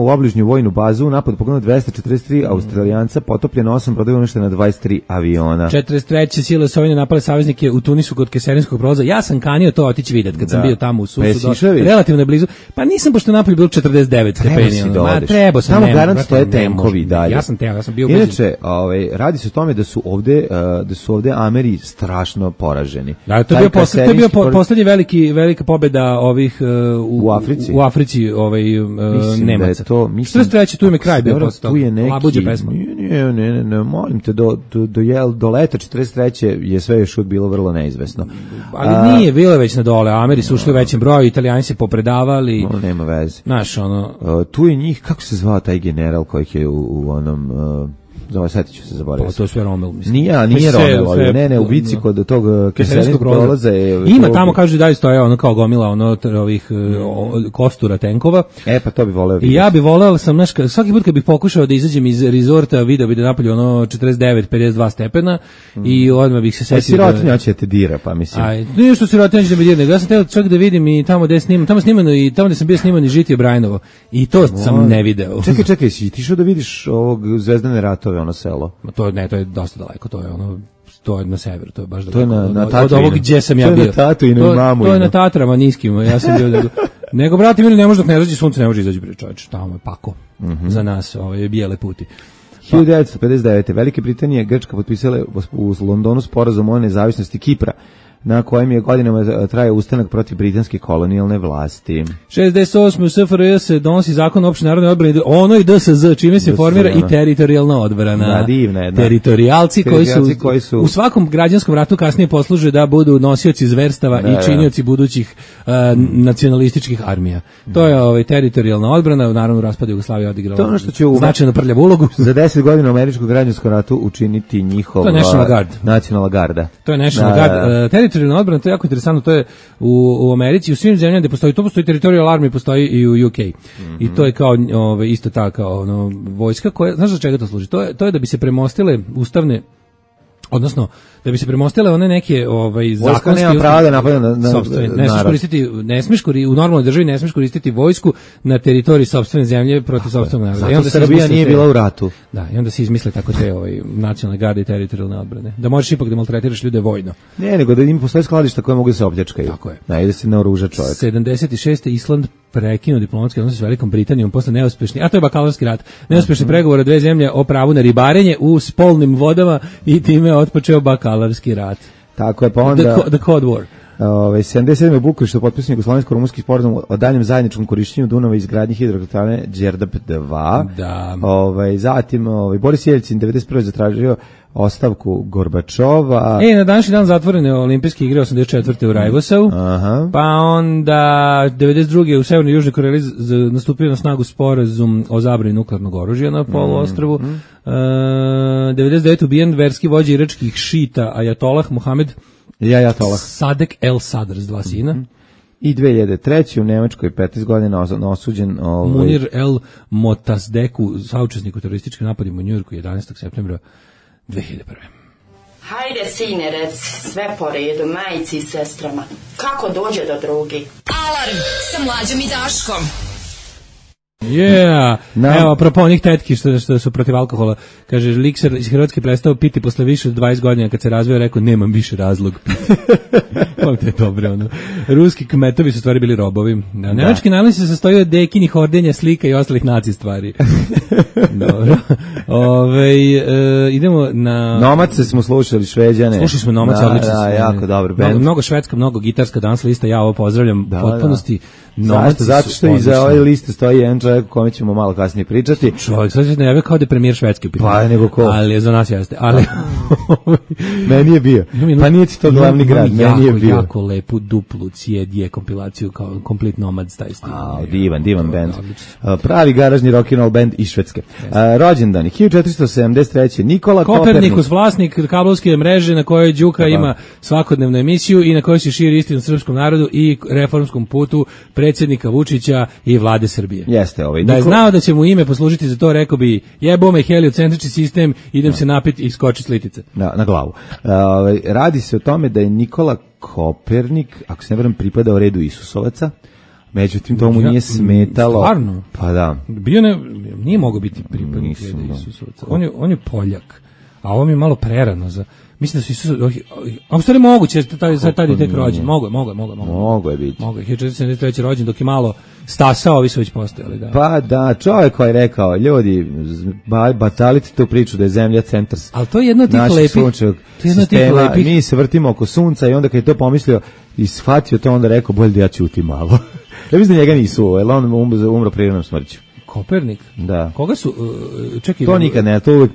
U obližnju vojnu bazu napad poginulo 243 Australijanca, potopljeno 8 brodova, uništeno 23 aviona. 43. sile Sovjene napale saveznike u Tunisu kod Keserinskog prolaza. Ja sam kanio to otići vidjeti kad sam bio tamo u Susu, relativno blizu. Pa nisam, pošto napolju bilo 49 stepeni. Trebao sam. Tamo garant stoje tenkovi dalje. Ja sam bio inače, radi se o tome da su ovde Ameri strašno poraženi. Da, to je bio poslednji velika pobeda ovih u Africi Nemaca. Što je treći, tu je mi kraj bio postao. Tu je neki, ne, molim te, do leta 43. je sve još bilo vrlo neizvesno. Ali nije bilo već na dole, Ameri su ušli u većem broju, Italijani se popredavali. Nema veze. Znaš, tu je njih, kako se zvao taj general kojih je u onom... Sjetit ću se zaboraviti. To je sve Rommel, mislim. Nije Rommel, ne, u bici kod tog Keserinskog prolaza. Ima tamo, kaže, da stoje kao gomila ovih kostura tenkova. Pa to bi voleo vidjeti. I ja bi voleo, svaki put kad bih pokušao da izađem iz rezorta, video bi da napolju 49-52 stepena i odmah bih se setio. Sirotinja će te dira, pa mislim. Nije što sirotinja će da me dira, nego ja sam teo čak da vidim i tamo gde snimano i tamo gde sam bio snimano i Žitije Brajnovo. I to sam ne video. Čekaj, si ti šao da vidiš ovog Zvezdane ratove, ono selo? To je dosta daleko, to je na severu, to je baš daleko. To je na Tatru. Od ovog gdje sam ja bio. To je na Tatuinu i Mamu. To je na Tatrama niskim, ja sam bio. Nego, brati mili, ne može dok ne zađe sunce, ne može izaći bre čovječ. Tamo je pako za nas, bijele puti. 1959. Velike Britanije i Grčka potpisale u Londonu sporazum o nezavisnosti Kipra, na kojem je godinama trajao ustanak protiv britanske kolonijalne vlasti. 68. u SFRJ se donosi zakon o opštoj narodnoj odbrani, ono i DSZ, čime se formira i teritorijalna odbrana. Divna jedna. Teritorijalci koji su u svakom građanskom ratu kasnije posluže da budu nosioci zverstava i činioci budućih nacionalističkih armija. To je teritorijalna odbrana, naravno raspad Jugoslavije odigrala značajno prljavu ulogu. Za 10 godina u američkom građanskom ratu učiniti njihov nacionalna garda. To je National Guard. Teritorijalna odbrana, to je jako interesantno, to je u Americi, u svim zemljama gde postoji, to postoji teritorijalna armija, postoji i u UK. I to je kao isto ta kao vojska koja, znaš za čega to služi? To je da bi se premostile ustavne, odnosno da bi se premostile one neke zakonske nema prava da napada na ne smiješ u normalnoj državi ne smiješ koristiti vojsku na teritoriji sopstvene zemlje protiv sopstvenog naroda. Zato Srbija nije bila u ratu. Da, i onda se izmisle tako te nacionalne garde i teritorijalne odbrane. Da možeš ipak da maltretiraš ljude vojno. Ne, nego da im postoje skladišta koje mogu da se opljačkaju. Tako je. Da se naoruža čovjek. 76. Island prekinuo diplomatske odnose s Velikom Britanijom posle neuspešnih, a to je bakalarski rat, neuspešni pregovora dve zemlje o pravu na ribarenje u spolnim vodama i time otpočeo bakalarski rat. Tako je, pa onda... The Cold War. 77. u Bukureštu potpisan jugoslovensko-rumunski sporazum o daljem zajedničkom korišćenju Dunava i izgradnji hidroelektrane Đerdap 2. Da. Zatim Boris Jelcin 91. zatražio ostavku Gorbačova. Na današnji dan zatvorene olimpijske igre 84. u Rajvosavu. Pa onda 92. u Severnoj i Južnoj Koreji nastupio na snagu sporazum o zabrani nuklearnog oružja na poluostrvu. 99. ubijen verski vođa iračkih šita Ajatolah Muhamed Sadek El Sadr s 2 sina. I 2003. u Nemačkoj 15 godina osuđen Munir El Motasdeku, saučesnik u terorističkim napadima u Njujorku 11. septembra 2001. Hajde, sine, reci, sve po redu, majici i sestrama. Kako dođe do drugi? Alarm sa Mlađom i Daškom. Evo, apropo onih tetki što su protiv alkohola, kaže, Likser iz Hrvatske prestao piti posle više od 20 godina, kad se razveo, rekao, nemam više razlog piti. Kako je dobro, ono. Ruski kmetovi su stvari bili robovi. Nemački najlon se sastoji od dekinih ordenja, slika i ostalih naci stvari. Dobro. Idemo na... Nomace smo slušali, Šveđane. Slušali smo Nomace, odlično. Da, jako dobro. Mnogo švedska, mnogo gitarska dance lista, ja ovo pozdravljam potpunosti. Zato što iza ove liste stoji jedan čovjek o kome ćemo malo kasnije pričati. Čovjek, sad se najavio kao da je premijer Švedske u pitanju. Pa nego ko? Ali za nas jeste. Ali meni je bio. Pa nije ti to glavni grad, meni je bio. Jako lepu duplu CD kompilaciju kao Complete Nomads, taj stil. Divan band. Pravi garažni rock and roll band iz Švedske. Rođendani 1473. Nikola Kopernikus, vlasnik kablovske mreže na kojoj Đuka ima svakodnevnu emisiju i na kojoj se širi istinu srpskom narodu i reformskom putu predsjednika Vučića i vlade Srbije. Jeste Da je znao da će mu ime poslužiti za to, rekao bi, jebo me heliocentrični sistem, idem se napiti i skoči s litice. Na glavu. Radi se o tome da je Nikola Kopernik, ako se ne varam, pripadao redu Isusovaca, međutim to mu nije smetalo. Stvarno? Pa da. Nije mogao biti pripadnik redu Isusovaca. On je Poljak, a ovo mi je malo prerano za... Mislim da su Isus... A u stvari moguće, tad je tek rođen. Mogo je biti. Mogo je, 1473. rođen, dok je malo stasao, ovi su već postojali. Da. Pa da, čovjek koji je rekao, ljudi, batalite tu priču da je zemlja centar. Ali to je jedno od tih lepih. Mi se vrtimo oko sunca i onda kad je to pomislio i shvatio to, onda rekao, bolje da ja ćutim malo. Ja mislim da njega nisu, jer on umro prirodnom smrću. Kopernik? Da. Koga su, čekaj... To nikad ne, to uvijek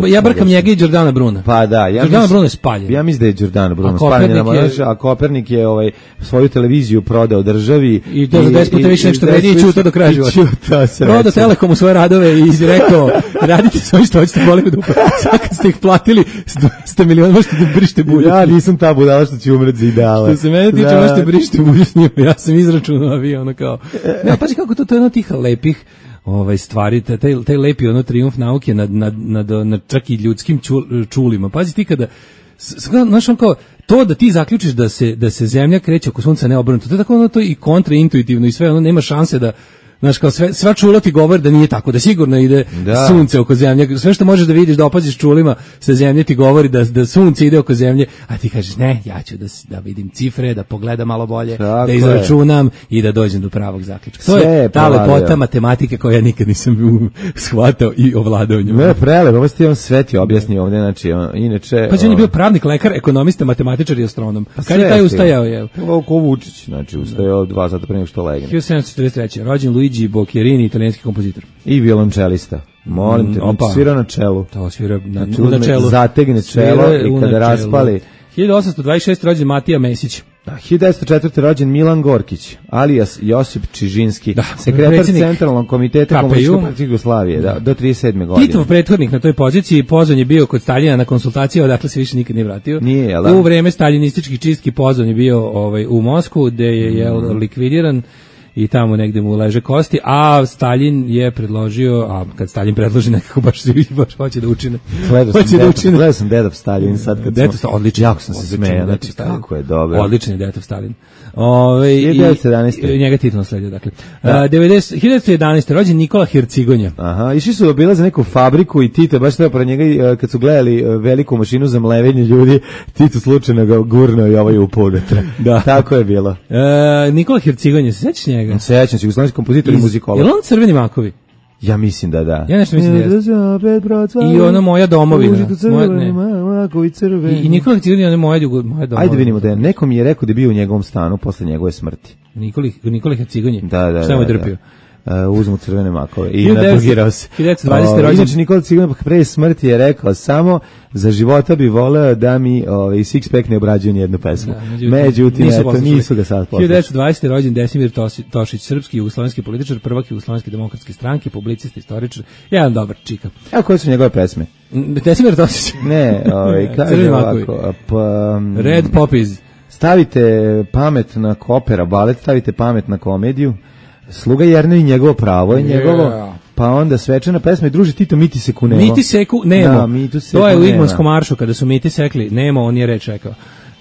Ja brkam njega i Đordana Bruna. Pa da. Đordana Bruna je spaljen. Ja mislim da je Đordana Bruna spaljen, a Kopernik je svoju televiziju prodao državi. I to za 10 puta više nešto vredi i čuta do kraja života. Prodao Telekomu svoje radove i rekao, radite svoje što hoćete, boli me dupa. Sad kad ste ih platili 100 miliona, možete da brište bulju. Ja nisam ta budala što ću umret za ideale. Što se mene tiče, možete brište bulju s njima. Ja sam izračunao, ono kao... Ne, pazi kako to je jedno tih lepih stvari, taj lepi trijumf nauke nad čak i ljudskim čulima. Pazi ti kada, znaš, on kao, to da ti zaključiš da se zemlja kreće oko sunca neobrnuto, to je tako to i kontraintuitivno i sve, nema šanse da, znaš, kao sva čula ti govori da nije tako, da sigurno ide sunce oko zemlje. Sve što možeš da vidiš, da opaziš čulima sa zemlje ti govori da sunce ide oko zemlje, a ti kažeš ne, ja ću da vidim cifre, da pogledam malo bolje, tako da izračunam i da dođem do pravog zaključka. To je ta lepota matematike koju ja nikad nisam shvatao i ovladao njom. Ne, prelepo, ovo ste on sve ti objasnio ovdje, znači, inače... Pa on je bio pravnik, lekar, ekonomista, matematičar i astronom. Kad je taj ustajao, je? Ko Vučić, znači, ustajao 2 sata pre nego što legne. 1743. Rođen Luigi Boccherini, italijanski kompozitor. I violončelista. Molim te, svira na čelu. To svira na čelu. Zategne čelo i kada raspali. 1826. rođen Matija Mesić. 1904. rođen Milan Gorkić, alias Josip Čižinski, sekretar Centralnog komiteta Komunističke partije Jugoslavije, do 37. godine. Titov prethodnik na toj poziciji, pozvan je bio kod Staljina na konsultacije, odakle se više nikad nije vratio. U vreme staljinističkih čistki pozvan je bio u Moskvu, gde je likvidiran i tamo negde mu leže kosti, a Stalin je predložio, a kad Stalin predloži nekako baš hoće da učine. Gledao sam Dedov Stalin sad kad smo... Odličan. Jako sam se smejao, znači kako je dobro. Odličan je Dedov Stalin. 1911. Njega Tito nasledio, dakle. 1911. rođen Nikola Hercigonja. Aha, išli su obilaze neku fabriku i Tito baš treba pored njega, kad su gledali veliku mašinu za mlevenje ljudi, Tito slučajno ga gurnuo i ovaj upao unutra. Da. Tako je bilo. Nikola Hercigonja, se sećaš njega? Sećam se, jugoslovenski kompozitor i muzikolog. Je li on Crveni makovi? Ja mislim da da. Ja nešto mislim da jeste. I ono Moja domovina. I Nikola Ciganj, ono Moja domovina. Ajde vidimo da je. Neko mi je rekao da je bio u njegovom stanu posle njegove smrti. Nikola Ciganj. Da. Šta mu je drpio? Uzmu crvene makove i nadrogirao se. 1920. rođen. Inače, Nikola Ciganj pre smrti je rekao samo za života bi voleo da mi Sixpack ne obrađuje nijednu pesmu. Međutim, nisu ga sad poslušali. 1920. rođen Desimir Tošić, srpski jugoslovenski političar, prvak Jugoslovenske demokratske stranke, publicist, istoričar, jedan dobar čika. Evo koje su njegove pesme? Desimir Tošić. Ne, kaže ovako. Red Poppies. Stavite pamet na opera balet, stavite pamet na komediju. Sluga Jerna i njegovo pravo je njegovo, pa onda svečana pesma i druži Tito Miti seku Nemo. Miti seku Nemo, da, Mitu seku to je u Nema. Igmanskom maršu kada su Miti sekli Nemo, on je reč rekao.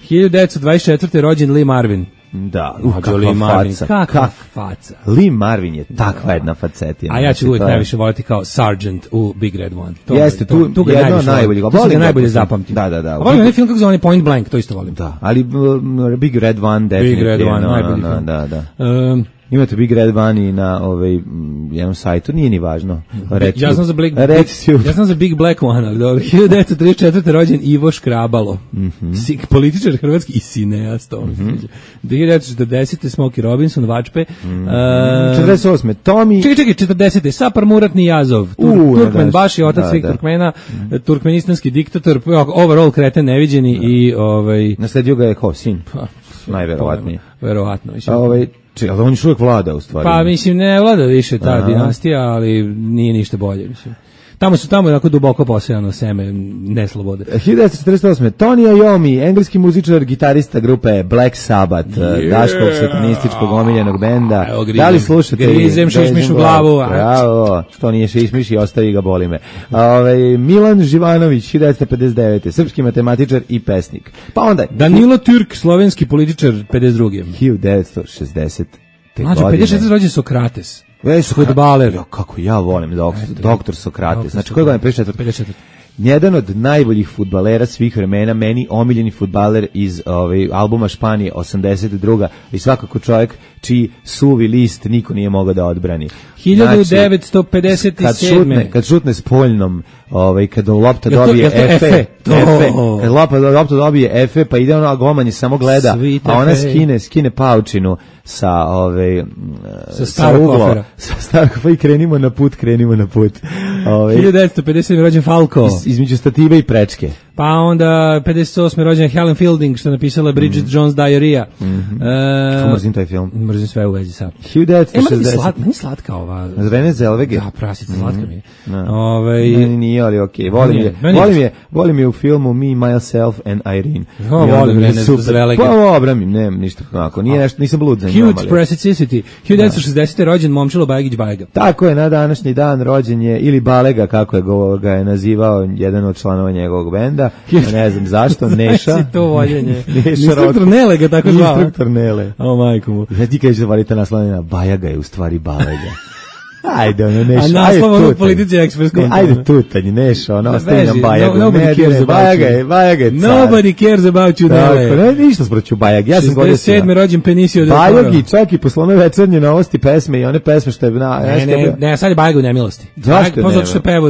1924. rođen Lee Marvin. Da, kakva faca. Lee Marvin je takva jedna facetina. A ja ću uvijek najviše voliti kao Sergeant u Big Red One. Jeste, tu ga jedno najbolje. Tu ga najbolje zapamtim. Da. Volim onaj film kako zove Point Blank, to isto volim. Da, ali Big Red One definitivno. Big Red One, najbolji film. Da. Imate Big Red One i na jednom sajtu, nije ni važno. Ja sam za Big Black One, ali dobro. 1934. rođen Ivo Škrabalo. Političar hrvatski i cineast. 1940. Smokey Robinson, Vačpe. 48. Tommy... Čekaj, 40. Sapar Muratni Jazov. Turkmen Baši, otac svih Turkmena, turkmenistanski diktator, overall kreten neviđeni i... Nasledio ga je ko, sin? Najverovatnije. Verovatno. Ali on još uvijek vlada u stvari. Pa mislim ne vlada više ta dinastija, ali nije ništa bolje. Mislim. Tamo je onako duboko posejano seme neslobode. 1948. Tony Iommi, engleski muzičar, gitarista grupe Black Sabbath, daškog satanističkog omiljenog benda. Da li slušate? Grizem šišmiš u glavu. Bravo, to nije šišmiš i ostavi ga, boli me. Milan Živanović, 1959. Srpski matematičar i pesnik. Pa onda... Danilo Türk, slovenski političar, 52. 1960. Znači, 56. rođen Sokrates. Fudbaler. Kako ja volim doktor Sokrates. Znači, koje godine 54? Jedan od najboljih fudbalera svih vremena, meni omiljeni fudbaler iz albuma Španije 82. I svakako čovjek čiji suvi list niko nije mogao da odbrani. 1957. Kad šutne s poljnom, kad lopta dobije Efe, kad lopta dobije Efe, pa ide ono, a golman samo gleda, a ona skine paučinu sa starog pa i krenimo na put. 1957. rođen Falco. Između stative i prečke. Pa onda 58. rođen Helen Fielding, što je napisala Bridget Jones' Diarrhea. Mrzim taj film. Mrzim sve u vezi sa. 1960. Meni slatka ova. Rene Zellweger. Da, prasica, slatka mi je. Meni nije, ali okej. Volim je u filmu Me, Myself and Irene. Volim Rene Zellweger. Pa obramim, nemam ništa onako. Nije nešto, nisam blud za njom. Huge Preciosity. 1960. rođen Momčilo Bajagić Bajaga. Tako je, na današnji dan rođen je, ili Balega, kako ga je nazivao jedan od članova njegovog benda. Ne znam zašto, Neša. Si to voljenje. Instruktor Nele ga tako zvao. Instruktor Nele. O majku mu. Ja ti kažeš da valite naslovljena, Bajaga je u stvari Balega. Ajde, ono, Neša. A naslov ono Politici Ekspres kontra. Ajde tutanj, Neša, ono, ostaje nam Bajagu. Nobody cares about you. Bajaga je car. Nobody cares about you, Nele. Tako, ne, ništa sproću Bajag. Ja sam godio 67. rođen Benicio del Toro. Bajag i čak i poslovne večernje novosti pesme i one pesme što je... Ne, sad je Bajag u nemilosti. Zašto ne? Zato što je pevo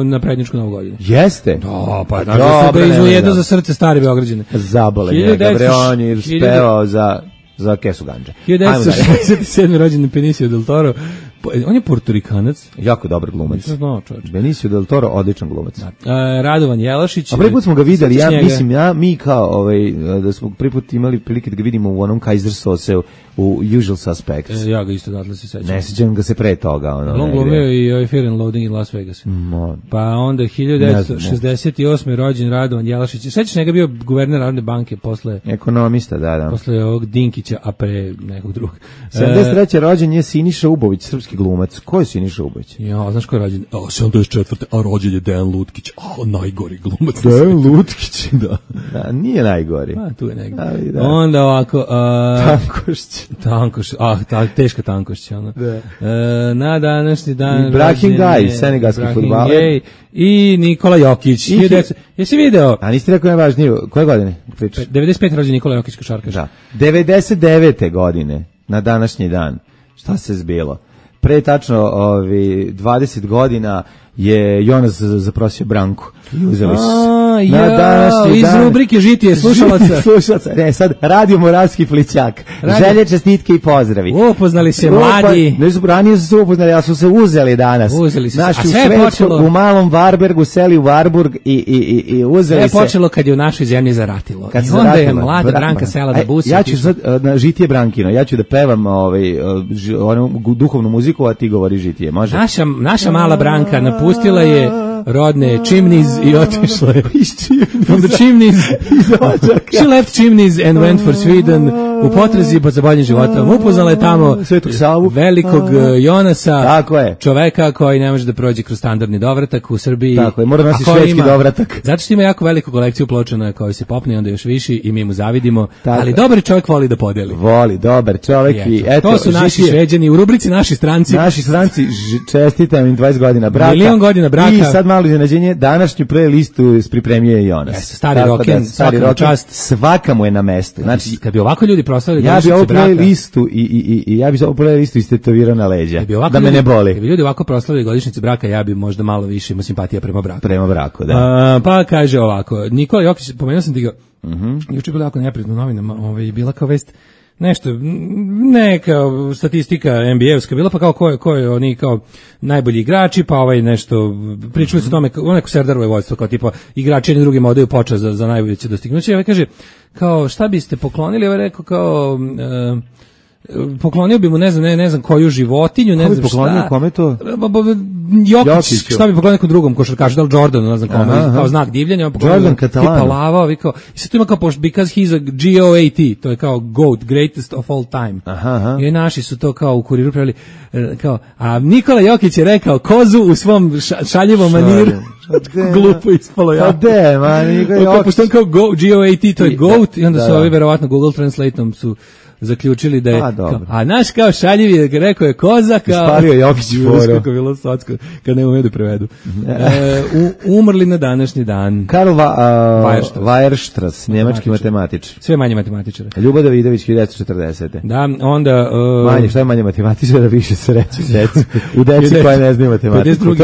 na prednjičku novu godinu. Jeste? Da, pa znači su ga izvujedo za srce stari Beograđane. Zabole njega, bre, on je spevao za kesu ganđa. 1967. rođen Benicio del Toro. On je Portorikanac. Jako dobar glumac. Znao, čovječ. Benicio del Toro, odličan glumac. Radovan Jelašić. A prvi put smo ga videli, mi kao, da smo prvi put imali prilike da ga vidimo u onom Kaiser Soseu, u Usual Suspects. Ja ga isto datle se sećam. Ne sećam ga se pre toga. On glumio i Fear and Loathing in Las Vegas. Pa onda 1968. rođen Radovan Jelašić. Sećaš njega bio guverner Narodne banke posle... Ekonomista, da. Posle ovog Dinkića, a pre nekog drugog. 73. rođen je Siniša Ubović, srpski glumac. Ko je Siniša Ubović? Ja, znaš ko je rođen? 74. A rođen je Dejan Lutkić. Najgori glumac. Dejan Lutkić, da. Nije najgori. Tu je negdje. Onda ovako... Tankošć. Teška Tankošć. Na današnji dan... Ibrahim Gaj, senegalski fudbaler. I Nikola Jokić. Jesi video? A niste rekao najvažnije, koje godine pričaš? 95. rođen Nikola Jokić, košarkaš. Da. 99. godine, na današnji dan, šta se zbilo? pre tačno 20 godina je Jonas zaprosio Branku i uzeli su iz rubrike Žitije slušalaca. Ne, sad Radio Moravski Flićak. Želje, čestitke i pozdravi. Upoznali se mladi. Ne su ranije su upoznali, a su se uzeli danas. Uzeli su se. Naši u Švedsku, u Malom Varbergu, seli u Varburg i uzeli se. Sve je počelo kad je u našoj zemlji zaratilo. I onda je mlada Branka sela da busi. Ja ću sad na Žitije Brankino, ja ću da pevam onu duhovnu muziku, a ti govori Žitije, može? Naša mala Branka napustila je rodne Chimneys i otišla je from the Chimneys. She left Chimneys and went for Sweden u potrazi za boljim životom. Upoznala je tamo Svetog Savu, velikog Jonasa, tako je, čoveka koji ne može da prođe kroz standardni dovratak u Srbiji. Tako je, mora nosi švedski dovratak. Zato što ima jako veliku kolekciju ploča na kojoj se popne, onda još viši i mi mu zavidimo. Tako ali dobar čovjek voli da podeli. Voli, dobar čovjek i eto. To su naši Šveđani u rubrici Naši stranci. Naši stranci, čestitam im 20 godina braka. Milion godina braka. I sad malo iznenađenje, današnju playlistu pripremio Jonas. Stari roken, svaka mu je na mestu. Znači, kad bi ovako ljudi proslavili ja bi ovu playlistu ja bi ovu playlistu istetovirao na leđa, da me ne boli. Kad bi ljudi ovako proslavili godišnjicu braka, ja bi možda malo više imao simpatija prema braku. Prema braku, da. Pa kaže ovako, Nikola Jokić, pomenuo sam ti ga, juče je bilo jako neprijatno u novinama, bila kao vest, nešto, neka statistika NBA-evska bila, pa kao ko je oni kao najbolji igrači, pa nešto, pričali su o tome, neko Serdarovo je vodstvo, kao tipa igrači jedni drugima odaju počast za najbolje dostignuće. Ovaj kaže, kao šta biste poklonili, ovaj rekao kao... poklonio bi mu ne znam koju životinju, ne znam šta. Kome to? Jokić, šta bi poklonio nekom drugom košarkašu, da li Jordanu, ne znam kome, kao znak divljenja, Jordan Catalano. Tipa lava, kao, i sad tu ima kao, because he's a GOAT, to je kao GOAT, greatest of all time. I naši su to kao u Kuriru pravili, kao, a Nikola Jokić je rekao kozu u svom šaljivom maniru. Glupo ispalo ja. Pošto on kao GOAT, to je GOAT, i onda su ovi verovatno Google Translateom su zaključili da je a naš kao šaljiv je rekao je koza kao ispalio Jokić foru kako bilo socko kad ne umeju da prevedu. Umrli na današnji dan Karl Weierstrass, njemački matematičar, sve manje matematičara. Ljubo Davidović 1940. Da, onda manje, šta je manje matematičara, više se reći decu u deci koja ne znaju matematiku.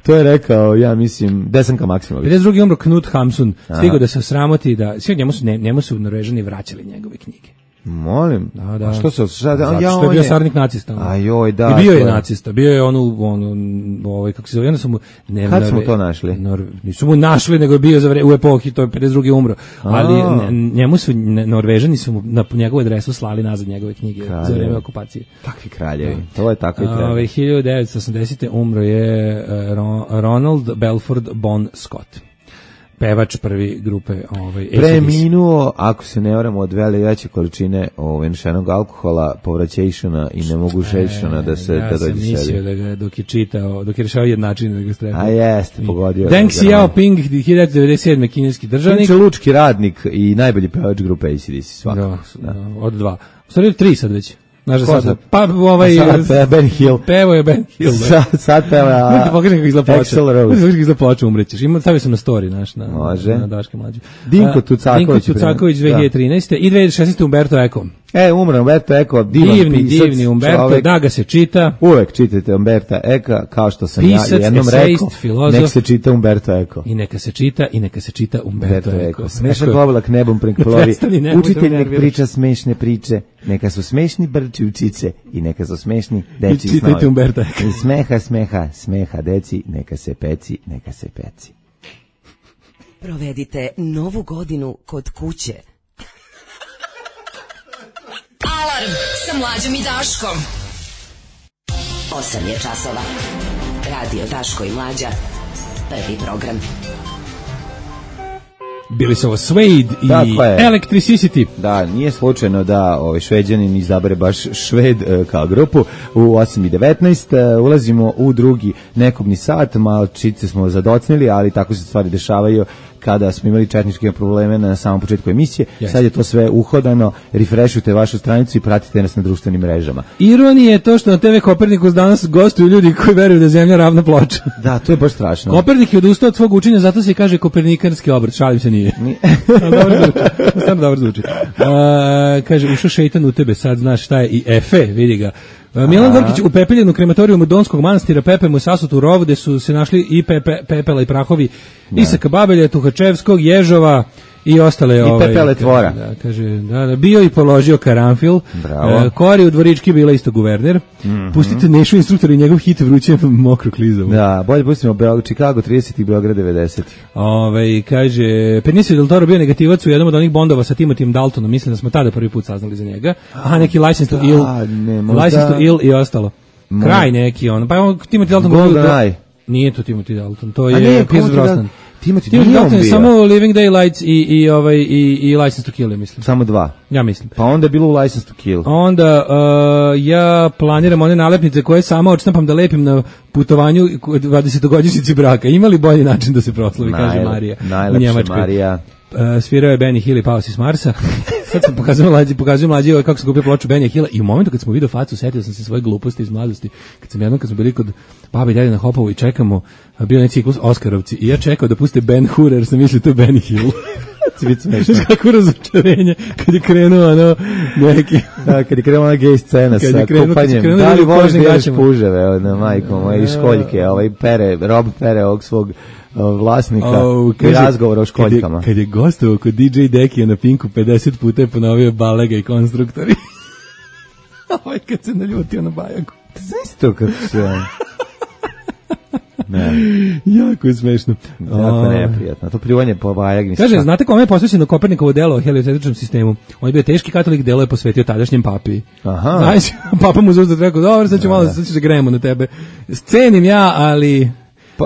To je rekao, ja mislim, Desanka Maksimović. 52. umro Knut Hamsun, stigao da se osramoti da sve njemu su Norvežani vraćali njegove knjige. Molim. Da. A što se zato što je bio saradnik nacista. Ajoj, da. I bio je nacista. Bio je kako se zove, onda su mu kad smo to našli? Nisu mu našli, nego je bio u epohi, to je 52. umro. Ali njemu su Norvežani su mu na njegovu adresu slali nazad njegove knjige za vreme okupacije. Takvi kraljevi. To je tako i treba. 1980. umro je Ronald Belford Bon Scott. Pevač prvi grupe preminuo, ako se ne varam, od veće količine nešenog alkohola, povraćejšana i nemogućejšana da se ja sam mislio da ga dok je rešao jednačin da ga strefa. A jeste, pogodio. Deng Xiaoping, 1997. kineski državnik. Inače lučki radnik i najbolji pevač grupe AC/DC svakako. Od 2. U stvari 3 sad već. Znaš da sad, pa Ben Hill. Pevo je Ben Hill. Sad peva Možete pokažem kako izgleda ploča. Možete kako izgleda ploča, umrećeš. Stavio sam na story na Daške mlađe. Dinko Tucaković 2013. I 2016. Umberto Eco. Umro Umberto Eco, divni Umberto, da ga se čita. Uvek čitajte Umberto Eco, kao što sam ja jednom rekao. Nek se čita Umberto Eco. I neka se čita Umberto Eco. Smešan oblak nebom preklovi. Učitelj nek priča smešne priče. Neka su smešni brči učice i neka su smešni deči snovi. Čitajte Umberto Eco. I smeha deci, neka se peci. Provedite novu godinu kod kuće. Alarm sa Mlađom i Daškom. 8 je časova. Radio Daško i Mlađa. Prvi program. Bili su ovo Suede i Electricity. Da, nije slučajno da Šveđanin izabere baš Šved kao grupu. U 8:19 ulazimo u drugi nekobni sat, malo čice smo zadocnili, ali tako se stvari dešavaju kada smo imali četničke probleme na samom početku emisije. Sad je to sve uhodano, refreshujte vašu stranicu i pratite nas na društvenim mrežama. Ironija je to što na TV Kopernikus danas gostuju ljudi koji veruju da je zemlja ravna ploča. Da, to je baš strašno. Kopernik je odustao od svog učenja, zato se kaže kopernikanski obrt, šalim se nije. Stvarno dobro zvuči. Kaže, ušao šeitan u tebe, sad znaš šta je i Efe, vidi ga. Milan Gorkić upepeljen u krematorijumu Donskog manastira, pepem u sasutu u rovu, gde su se našli i pepela i prahovi Isaka Babelja, Tuhačevskog, Ježova i ostale i pepele tvora. Kaže, bio i položio karanfil. Kori u Dvorički bila isto guverner. Pustite Nešu instruktor i njegov hit Vruće mokro klizavu. Da, bolje pustimo Chicago 30 i Beograd 90. Kaže, Benicio del Toro bio negativac u jednom od onih bondova sa Timothym Daltonom. Mislim da smo tada prvi put saznali za njega. Neki License to Ill i ostalo. Kraj neki on. Pa Timothy Dalton GoldenEye. Nije to Timothy Dalton, to je Pierce Brosnan. Timothy Dalton je samo Living Daylights i License to Kill, mislim. Samo 2. Ja mislim. Pa onda je bilo u License to Kill. Onda ja planiram one nalepnice koje sama odštampam da lepim na putovanju 20-godišnjici braka. Ima li bolji način da se proslavi, kaže Marija u Njemačkoj. Marija. Svirao je Benny Hill i pao si s Marsa. Sad sam pokazujem mlađi kako se kupio ploču Benny Hilla i u momentu kad smo vidio facu, setio sam se svoje gluposti iz mladosti. Kad smo bili kod babi i djede na Hopovu i čekamo, bio je ciklus Oskarovci i ja čekao da puste Ben Hur, jer sam mislio to je Benny Hill. Znaš kako razočarenje kad je krenuo neki... kad je krenuo ona gej scena sa kupanjem. Da li voliš gledaš puževe na majkom moje i školjke, Rob pere ovog svog vlasnika i razgovora o školjkama. Kad je gostovao kod DJ Dekija na Pinku 50 puta je ponovio Balega i Konstruktori. Kad se naljutio na Bajagu. Znaš to kako se... Ne. Jako je smešno. Jako neprijatno. To pljuvanje po Bajagi. Kaže, znate kome je posvećeno Kopernikovo delo o heliocentričnom sistemu? On je bio teški katolik, delo je posvetio tadašnjem papi. Aha. Znaš, papa mu zauzdat rekao, dobro, sad ću malo, sad ću se gremo na tebe. Scenim ja,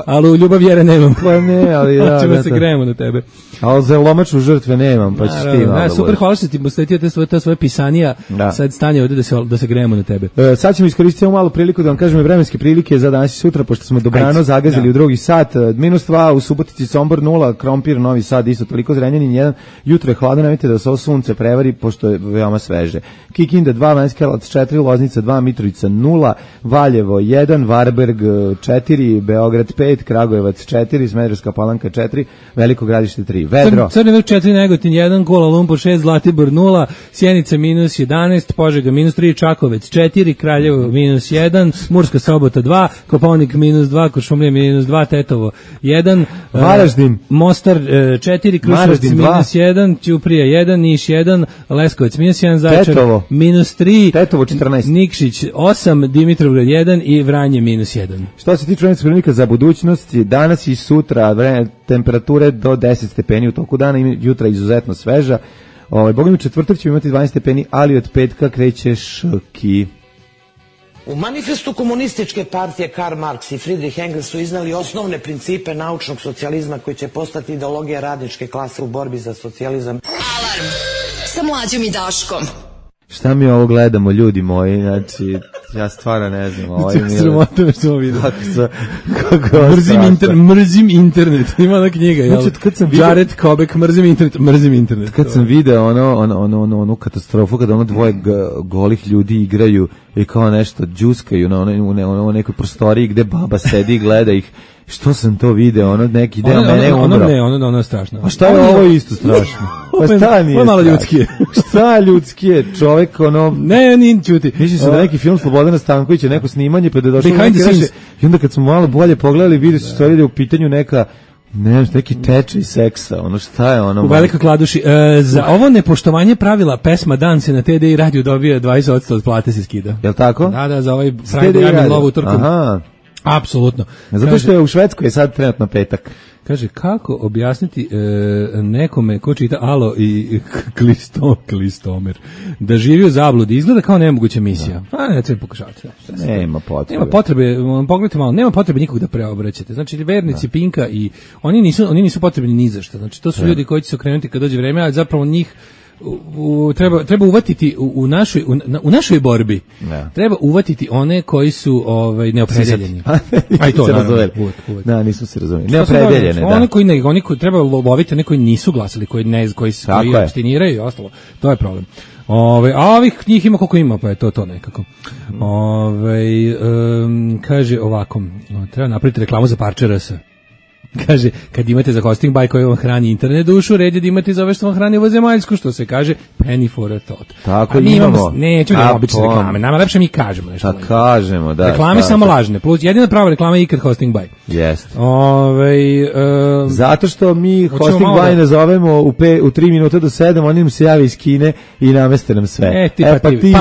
ali u ljubav vjere nemam. Pa ne, ali da. Hoćemo se gremo na tebe. Ali za lomaču žrtve nemam, pa ćeš ti malo. Super, hvala što ti posvetio te svoje pisanija. Sad stanje ovdje da se gremo na tebe. Sad ćemo iskoristiti malu priliku da vam kažemo vremenske prilike za danas i sutra, pošto smo dobrano zagazili u drugi sat. -2 u Subotici, Sombor 0, Krompir, Novi Sad isto toliko, Zrenjanin 1. Jutro je hladno, nemojte da se ovo sunce prevari, pošto je veoma sveže. Kikinda 2, Banjska Karlovac 4, Loznica 2, Mitrovica 0, Valjevo 1, Varberg 4, Beograd 5, Kragujevac 4, Smederevska Palanka 4, Veliko Gradište 3. Vedro. Crni Vrh 4, Negotin 1, Kuala Lumpur 6, Zlatibor 0, Sjenica -11, Požega -3, Čakovec 4, Kraljevo -1, Murska Sobota 2, Kopaonik -2, Kuršumlija -2, Tetovo 1, Varaždin, Mostar 4, Kruševac -1, Ćuprija 1, Niš 1, Leskovac -1, Zaječar -3, Tetovo 14, Nikšić 8, Dimitrovgrad 1 i Vranje -1. Što se tiče vremenskih prilika za budućnost, danas i sutra temperature do 10 stepeni u toku dana, jutra izuzetno sveža. Bogom u četvrtak ćemo imati 12 stepeni, ali od petka kreće ški. U manifestu komunističke partije Karl Marx i Friedrich Engels su iznali osnovne principe naučnog socijalizma koji će postati ideologija radničke klase u borbi za socijalizam. Alarm sa Mlađom i Daškom. Šta mi ovo gledamo, ljudi moji, znači, ja stvarno ne znam. Sramota me što vidio. Kako mrzim internet. Ima ona knjiga, jel? Jared Kobek, mrzim internet. Kad sam video onu katastrofu, kada ono dvoje golih ljudi igraju i kao nešto džuskaju u nekoj prostoriji gde baba sedi i gleda ih. Što sam to video, ono neki deo mene umro. Ono je strašno. A šta je ovo isto strašno? Pa šta nije strašno? Malo ljudski. Šta ljudski je? Čovek ono... Ne, nije čuti. Mislim se da neki film Slobodana Stankovića, neko snimanje, pa da je došlo i onda kad smo malo bolje pogledali, vidi se stvari da je u pitanju neki tečaj seksa, ono šta je ono... U Velikoj Kladuši. Za ovo nepoštovanje pravila pesma Dan se na TDI radiju dobija 20% od plate se skida. Jel tako? Da, za ovaj Friday lovu utorkom. Aha. Apsolutno. Zato što je u Švedskoj sad trenutno petak. Kaže, kako objasniti nekome ko čita Alo i Klistomer da živi u zabludi, izgleda kao nemoguća misija. Ne treba pokušavati. Nema potrebe. Nema potrebe, pogledajte malo, nema potrebe nikog da preobraćate. Znači, vernici Pinka i oni nisu potrebni ni za šta. Znači, to su ljudi koji će se okrenuti kad dođe vreme, ali zapravo njih treba uvatiti u našoj borbi. Treba uvatiti one koji su neopredeljeni. Aj to razumeli. Da, nisu se razumeli. Neopredeljene, da. Oni koji treba loviti, one koji nisu glasali, koji abstiniraju i ostalo. To je problem. A ovih njih ima koliko ima, pa je to nekako. Kaže ovako, treba napraviti reklamu za parče RS. Kaže, kad imate za hosting buy koji vam hrani internet dušu, red je da imate za ove što vam hrani ovozemaljsku, što se kaže penny for a thought. Tako imamo. Neću da obične reklame, nama lepše mi kažemo nešto. Da kažemo, da. Reklame samo lažne, plus jedina prava reklama je ikad hosting buy. Jeste. Zato što mi hosting buy ne zovemo u 3 minuta do 7, oni nam se jave iz Kine i nameste nam sve. Pa ti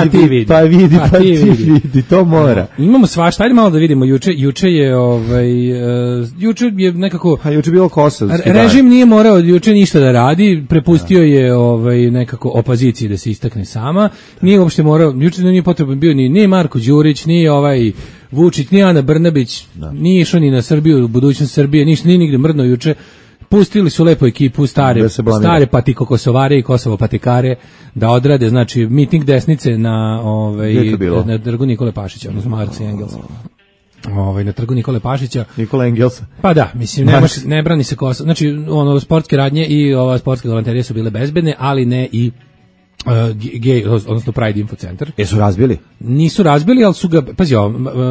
vidi, to mora. Imamo svašta, ajde malo da vidimo, juče je nekako juče bilo kosovski. Režim nije morao juče ništa da radi, prepustio je nekako opoziciji da se istakne sama. Nije uopšte morao, juče nije potreban bio ni Marko Đurić, ni Vučić, ni Ana Brnabić, nije išao ni na Srbiju, budućnost Srbije, ništa, nije nigde mrdno juče. Pustili su lepo ekipu stare patiko kosovare i kosovo patikare da odrade, znači miting desnice na Trgu Nikole Pašića, odnosno Marks i Engels. Na Trgu Nikole Pašića. Nikola Engelsa. Pa da, mislim, ne brani se Kosovo. Znači, sportske radnje i ova sportske galanterije su bile bezbedne, ali ne i odnosno Pride Info Centar. Jesu razbili? Nisu razbili, ali su ga, pazi,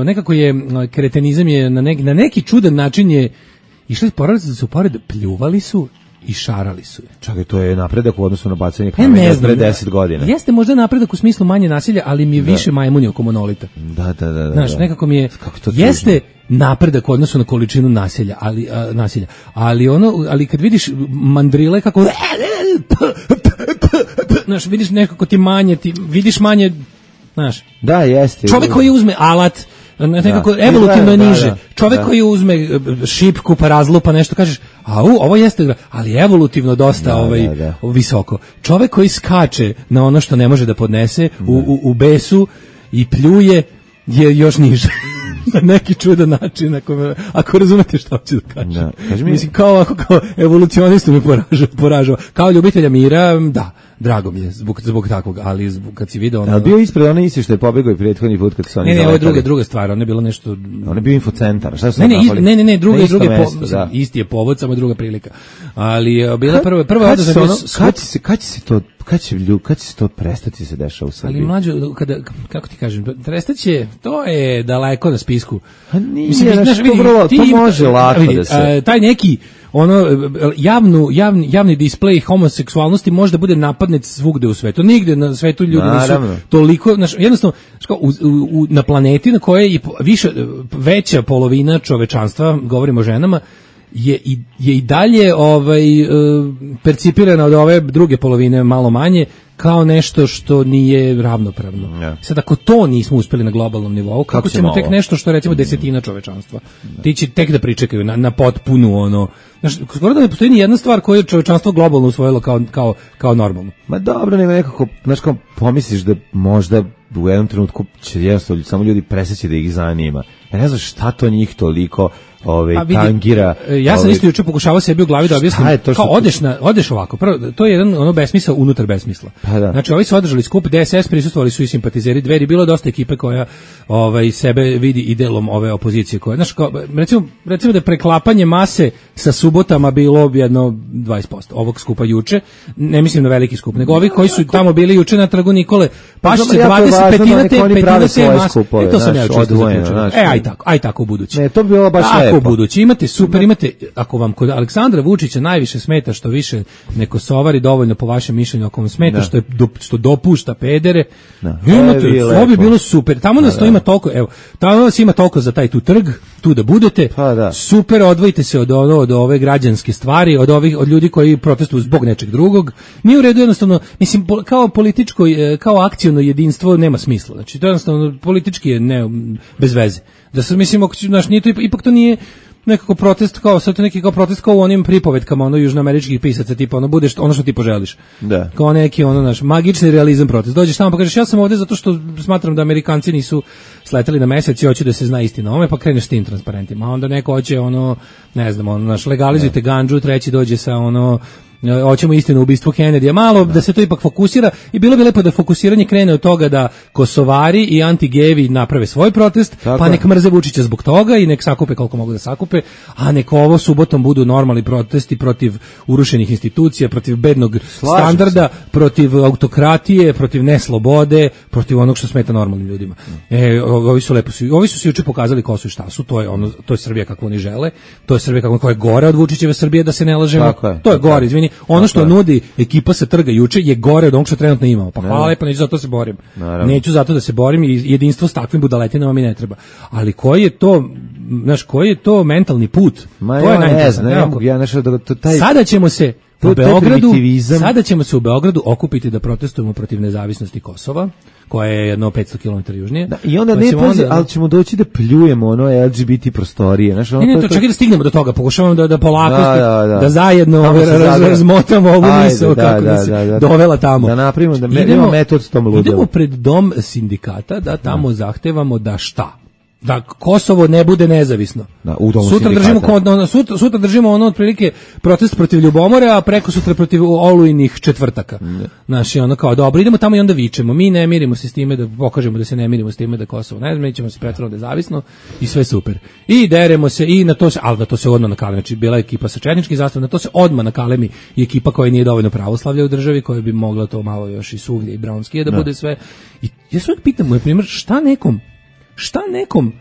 nekako je, kretenizam je na neki čudan način je išli poradice da su pored, pljuvali su i šarali su je. Čakaj, to je napredak u odnosu na bacanje kamenja pre 10 godina. Jeste možda napredak u smislu manje nasilja, ali mi je više majmuni oko monolita. Da. Znaš, nekako mi je, jeste napredak u odnosu na količinu nasilja, ali kad vidiš mandrile kako, znaš, vidiš nekako ti manje, vidiš manje, znaš. Da, jeste. Čovjek koji uzme alat, nekako evolutivno niže. Čovjek koji uzme šipku pa razlupa nešto, kažeš, ovo jeste, ali evolutivno dosta visoko. Čovjek koji skače na ono što ne može da podnese u besu i pljuje je još niže. Na neki čudan način, ako razumete što hoću da kažem. Mislim, kao evolucionistu me poražava. Kao ljubitelja mira, da, drago mi je zbog takvog, ali kad si video ono... Ali bio ispred onaj isti što je pobegao i prethodni put kad su oni zaletali. Ne, ovo je druga stvar, ono je bilo nešto... On je bio infocentar, šta su Ne, isti je povod, samo druga prilika. Ali bila prva odazva... Kad će se to prestati se dešava u Srbiji? Ali mlađo, kako ti kažem, prestaće, to je daleko na spisku. To može lako da se... Taj neki, javni displej homoseksualnosti može da bude napadnet svugde u svetu. Nigde na svetu ljudi nisu toliko, jednostavno, na planeti na kojoj je veća polovina čovečanstva, govorimo o ženama, je i dalje percipirana od ove druge polovine malo manje kao nešto što nije ravnopravno. Sad ako to nismo uspeli na globalnom nivou, kako ćemo tek nešto što recimo desetina čovečanstva? Ti će tek da pričekaju na potpunu skoro da ne postoji ni jedna stvar koju je čovečanstvo globalno usvojilo kao normalno. Ma dobro, nego nekako, kao pomisliš da možda u jednom trenutku će jednostavno samo ljudi preseći da ih zanima. Ja ne znam šta to njih toliko tangira. Ja sam isto juče pokušavao sebi u glavi da objasnim, kao odeš ovako, prvo, to je jedan besmisao unutar besmisla. Znači, ovi su održali skup, DSS prisustvovali su i simpatizeri Dveri, bilo dosta ekipe koja sebe vidi i delom ove opozicije koja, znači, recimo da je preklapanje mase sa subotama bilo jedno 20% ovog skupa juče, ne mislim na veliki skup, nego ovi koji su tamo bili juče na Trgu Nikole Pašića, 25 te mase, to sam ja čisto zaključio. Aj tako u budući. Ne, to bi bilo baš lepo. U budući imate, ako vam kod Aleksandra Vučića najviše smeta što više ne Kosovari dovoljno po vašem mišljenju, ako vam smeta što dopušta pedere, imate, ovo bi bilo super. Tamo nas to ima toliko, tamo nas ima toliko za taj tu trg, tu da budete, super, odvojite se od ove građanske stvari, od ljudi koji protestuju zbog nečeg drugog. Mi u redu jednostavno, mislim, kao političko, kao akciono jedinstvo nema smisla. Znači, to jednostavno politički je bez veze. Da se mislim, ipak to nije nekako protest kao protest kao u onim pripovetkama južnoameričkih pisaca, tipa budeš ono što ti poželiš. Da. Kao neki naš magični realizam protest. Dođeš tamo pa kažeš ja sam ovdje zato što smatram da Amerikanci nisu sleteli na mesec i hoću da se zna istina. Ome pa kreneš s tim transparentima. A onda neko hoće ne znam, legalizujte gandžu, treći dođe sa hoćemo istinu o ubistvu Kennedyja, malo da se to ipak fokusira i bilo bi lepo da fokusiranje krene od toga da Kosovari i anti-gevi naprave svoj protest, pa nek mrze Vučića zbog toga i nek sakupe koliko mogu da sakupe, a nek ovo subotom budu normalni protesti protiv urušenih institucija, protiv bednog standarda, protiv autokratije, protiv neslobode, protiv onog što smeta normalnim ljudima. Ovi su se juče pokazali ko su i šta su, to je Srbija kako oni žele, to je Srbija kako je gore od Vučićeve Srbije, da se ne lažemo. To je gore, izvini. Ono što nudi ekipa sa trga juče je gore od onog što trenutno imamo. Pa hvala lepo, neću zato se borim. Neću zato da se borim i jedinstvo s takvim budaletinama mi ne treba. Ali koji je to mentalni put? To je najinteresantnije. Sada ćemo se u Beogradu okupiti da protestujemo protiv nezavisnosti Kosova, koja je jedno 500 km južnije. I onda ali ćemo doći da pljujemo ono LGBT prostorije. Ne, čekaj da stignemo do toga, pokušavamo da polako, da zajedno razmotamo ovu misao kako da se dovela tamo. Da napravimo, da imamo metod s tom ludilo. Idemo pred dom sindikata da tamo zahtevamo da šta? Da Kosovo ne bude nezavisno. Sutra držimo ono otprilike protest protiv ljubomore, a preko sutra protiv olujnih četvrtaka. Znači ono kao dobro, idemo tamo i onda vičemo. Mi ne mirimo se s time da pokažemo da se ne mirimo s time da Kosovo ne znam, mi ćemo se pretvarati nezavisno i sve super. I deremo se i na to se, ali na to se odmah nakalemi. Znači bila je ekipa sa četničkim zastavom, na to se odmah nakalemi i ekipa koja nije dovoljno pravoslavlja u državi, koja bi mogla to malo još i suvlje i braunskije da bude sve. I ja se uvijek pitam, na primjer, šta nekom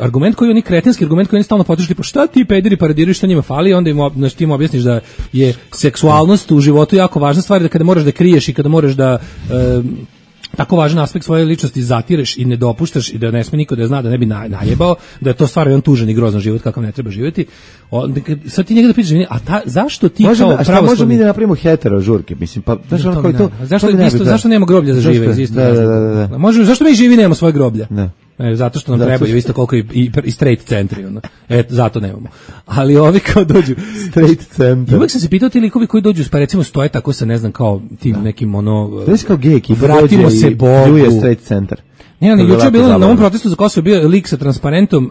argument koji oni kretenski argument koji oni stalno potiču, pa šta ti pederi paradiraju, šta njima fali, onda im objasniš da je seksualnost u životu jako važna stvar, da kada moraš da kriješ i kada moraš da tako važan aspekt svoje ličnosti zatireš i ne dopuštaš i da ne sme niko da zna, da ne bi najebao, da je to stvarno jedan tužan i grozan život kakav ne treba živjeti. Sad ti njega da pitaš, zašto ti kao pravoslavni... Možemo mi da napravimo hetero žurke, mislim, pa zašto nema groblja za žive? Zašto mi živi nemamo svoje groblja? Zato što nam trebaju isto koliko i straight centri, zato nemamo. Ali ovi kao dođu straight centar. Uvijek sam se pitao ti likovi koji dođu, pa recimo stoje tako sa ne znam kao tim nekim to je kao gej ekipa, vratimo se Bogu. Je straight centar. Juče je bilo na ovom protestu za Kosovo bio lik sa transparentom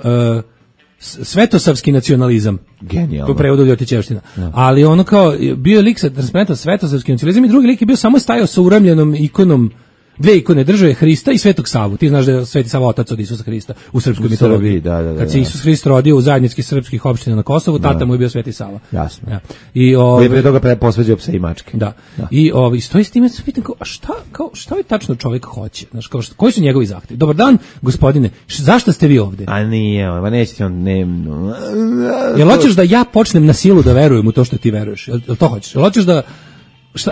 svetosavski nacionalizam. Genijalno. Po prevodu Ljotićevština. Ali ono kao, bio je lik sa transparentom svetosavski nacionalizam i drugi lik je bio samo stajao sa uramljenom ikonom, dve ikone države, Hrista i Svetog Savu. Ti znaš da je Sveti Sava otac od Isusa Hrista u srpskoj mitologiji. Kad se Isus Hrist rodio u zajednički srpskih opština na Kosovu, tata mu je bio Sveti Sava. Jasno. Ja. I pre toga posveđao pse i mačke. Da. I stoji s time, se pitam šta je tačno čovjek hoće? Znaš, koji su njegovi zahtevi? Dobar dan, gospodine, zašto ste vi ovde? A nije, nećete on, Jel hoćeš da ja počnem na silu da verujem u to što ti veruješ? Jel to hoćeš? Jel hoćeš da,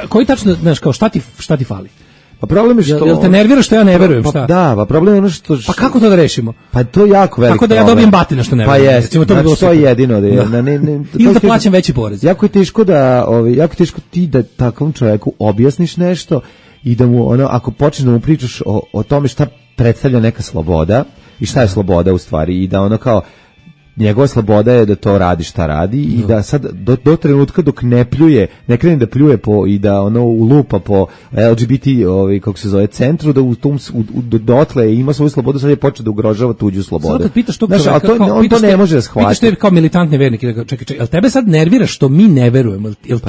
koji tačno, znaš, kao šta ti fali? Pa problem je što... Jel te nervira što ja ne verujem, šta? Da, pa problem je ono što... Pa kako to da rešimo? Pa to je jako veliko. Kako da ja dobijem batina što ne verujem? Pa jest, znači to je jedino. Ili da plaćam veći porez. Jako je teško ti da takvom čovjeku objasniš nešto i da mu, ako počneš da mu pričaš o tome šta predstavlja neka sloboda i šta je sloboda u stvari i da ono kao... Njegova sloboda je da to radi šta radi i da sad do trenutka dok ne krene da pljuje i da lupa po LGBT kako se zove centru, da u tom dotle ima svoju slobodu, sad je počeo da ugrožava tuđu slobodu. Sad kad pitaš tog čoveka, on to ne može da shvati. Pitaš te kao militantne vernike, čekaj, jel tebe sad nervira što mi ne verujemo? Jel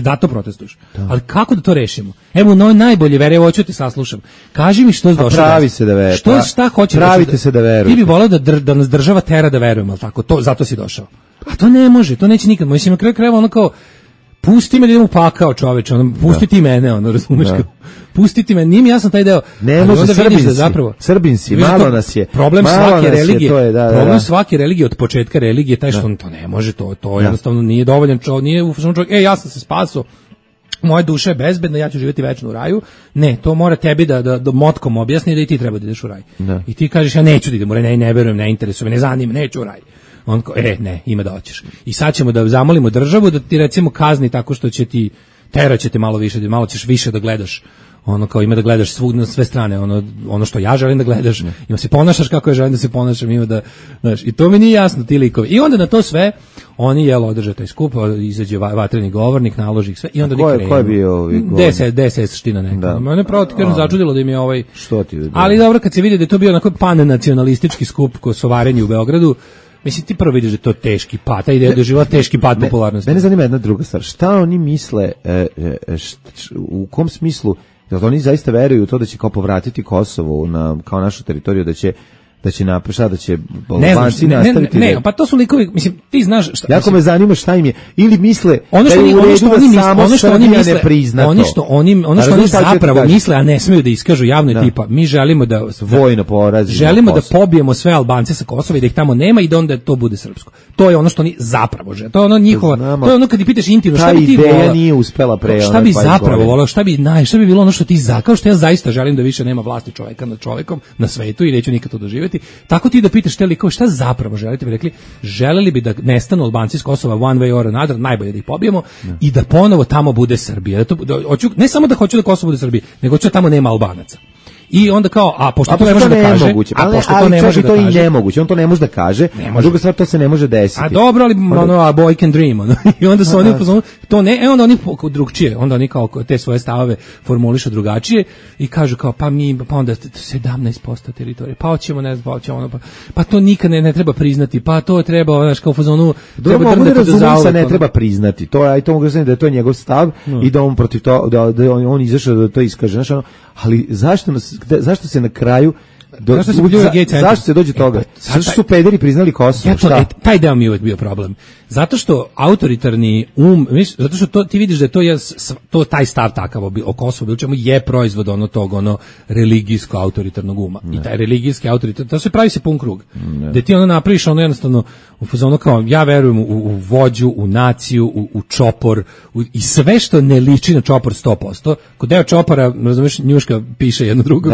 da to protestuješ? Ali kako da to rešimo? Evo najbolje vere, hoću ti saslušam. Kaži mi što je došlo. Pravi se da veruješ. Šta hoćeš? Pravite se da veruješ. Ti bi voleo da nas država tera da verujemo, al tako? Zato si došao. A to ne može, to neće nikad. Mislim, na kraju krajeva ono kao, pusti me da idem u pakao, čoveče, pusti ti mene, razumeš kao. Pusti ti me, nije mi jasan taj deo. Ne može, Srbinsi, malo nas je. Problem svake religije, problem svake religije od početka religije, taj što to ne može, to jednostavno nije dovoljan čovjek, nije u čovjek, ja sam se spasao, moja duša je bezbedna, ja ću živjeti večno u raju. Ne, to mora tebi da motkom objasni da i ti treba da ideš u raj. I ti kažeš, ja neću da idem u raj, ne verujem, ne interesuje me, ne zanima, neću u raj. On kao, ne, ima da hoćeš. I sad ćemo da zamolimo državu da ti recimo kazni tako što će ti, teraće te malo više, malo ćeš više da gledaš, kao ima da gledaš svugdje na sve strane, ono što ja želim da gledaš, ima se ponašaš kako ja želim da se ponašam, ima da, znaš, i to mi nije jasno, ti likovi. I onda na to sve, oni održe taj skup, izađe vatreni govornik, naloži ih sve, i onda krenu. Ko je bio DSS ština neka. Mene pravo ti kažem začudilo da im je Što ti? Ali dobro, kad se vidi da je to bio onako pan-nacionalistički skup kosovarenja u Beogradu, Mislim, ti prvo vidiš da je to teški pad, ta ideja doživjela teški pad popularnosti. Mene zanima jedna druga stvar. Šta oni misle, u kom smislu, da oni zaista veruju u to da će kao povratiti Kosovo kao našu teritoriju, da će da će Albanci nastaviti. Ne, pa to su likovi, mislim, ti znaš šta. Jako me zanima šta im je. Ili misle da je u redu da samo Srbija ne prizna to. Ono što oni zapravo misle, a ne smiju da iskažu javno, tipa, mi želimo da vojno porazimo. Želimo da pobijemo sve Albance sa Kosova i da ih tamo nema i da onda to bude srpsko. To je ono što oni zapravo žele. To je ono njihova, to je ono kad ih pitaš intimno, šta bi ti voleo? Ta ideja nije uspela pre. Šta bi zapravo voleo? Šta bi bilo ono što ti kao što ja zaista želim da više nema vlasti čoveka nad čovekom na svetu i neću nikad to doživjeti. Tako ti da pitaš te likove šta zapravo želite, bi rekli, želeli bi da nestanu Albanci iz Kosova one way or another, najbolje da ih pobijemo i da ponovo tamo bude Srbija. Ne samo da hoću da Kosovo bude Srbija, nego hoću da tamo nema Albanaca. I onda kao, pošto to ne može da kaže, to ne može da kaže, to je nemoguće, on to ne može da kaže, a druga stvar, to se ne može desiti. A dobro, ali a boy can dream, i onda su oni to ne, onda oni drugčije, onda oni kao te svoje stavove formulišu drugačije i kažu kao, pa onda 17% teritorije, pa hoćemo, ne znam, pa to nikad ne treba priznati, pa to treba, znaš, kao u fazonu, treba drndati do zauvek. Ne treba priznati, to mogu da je to njegov stav i da on protiv to, da on izašao da to iskaže, znaš, ali zašto se na kraju zašto se dođe toga? Zašto su pederi priznali Kosovo? Taj deo mi je uvijek bio problem. Zato što autoritarni zato što ti vidiš da je to taj stav takav o Kosovu, bilo čemu je proizvod tog religijsko autoritarnog uma. I taj religijski autoritarni, to se pravi se pun krug. Da ti napraviš jednostavno u fazonu kao ja verujem u vođu, u naciju, u čopor, i sve što ne liči na čopor 100%. Kod deo čopora, razumiješ, njuška piše jedno drugom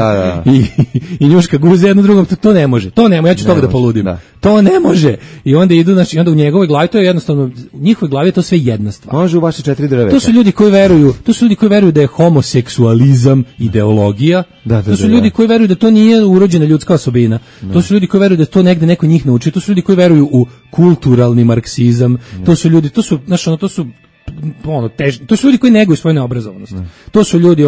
i njuška guze jedno drugom, to ne može. Ja ću toga da poludim. To ne može. I onda idu, znači, onda u njegovoj glavi to je jednostavno, u njihovoj glavi je to sve jedna stvar. Može u vaše 4 drveta. To su ljudi koji veruju da je homoseksualizam ideologija. To su ljudi koji veruju da to nije urođena ljudska osobina. To su ljudi koji veruju da to negde neko njih nauči. To su ljudi koji veruju u kulturalni marksizam. To su ljudi, to su ljudi koji neguju svoju neobrazovanost. To su ljudi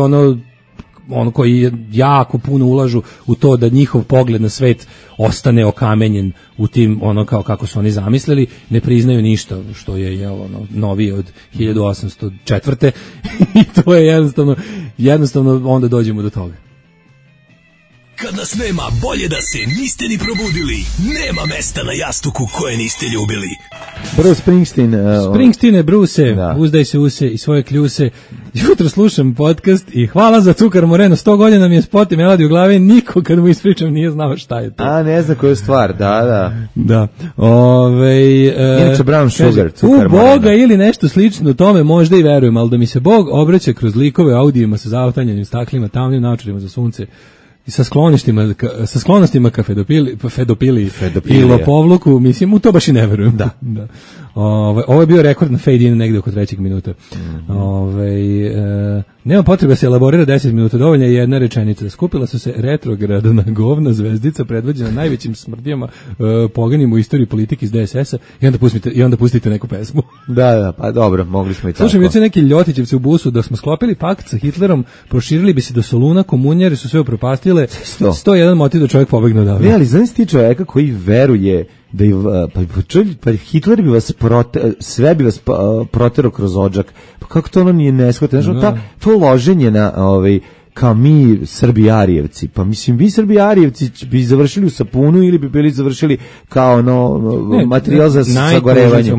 koji jako puno ulažu u to da njihov pogled na svet ostane okamenjen u tim kao kako su oni zamislili, ne priznaju ništa što je novije od 1804. I to je jednostavno onda dođemo do toga. Kad nas nema, bolje da se niste ni probudili. Nema mesta na jastuku koje niste ljubili. Bruce Springsteen. Springsteene, Bruce, uzdaj se use i svoje kljuse. Jutro slušam podcast i hvala za Cukar Moreno. 100 godina mi je spot i melodiju u glavi. Niko kad mu ispričam nije znao šta je to. A ne zna koju stvar, da. Inače Brown Sugar, Cukar Moreno. U Boga ili nešto slično tome možda i verujem, ali da mi se Bog obraća kroz likove audijima sa zavatanjenim staklima, tamnim naočarima za sunce i sa sklonostima ka fedopili i lopovluku, mislim, u to baš i ne verujem. Da. Ovo je bio rekord na fade in negde oko 3. minuta. Nema potrebe da se elaborira 10 minuta, dovoljna je jedna rečenica. Skupila su se retrogradna govna zvezdica predvođena najvećim smrdijama poganim u istoriji politike iz DSS-a i onda pustite neku pesmu. Da, pa dobro, mogli smo i tako. Slušam, juče neki Ljotićevci u busu, da smo sklopili pakt sa Hitlerom, proširili bi se do Soluna, komunjari su sve upropastile, 101 motiv da čovjek pobegne odavde. Ne, ali znaš ti čovjeka koji veruje da pa Hitler bi vas sve bi vas proterao kroz odžak. Pa kako to nije neshvatno? Znači, to loženje na kao mi Srbijarijevci. Pa mislim, vi Srbijarijevci bi završili u sapunu ili bi bili završili kao materijal za sagorevanje.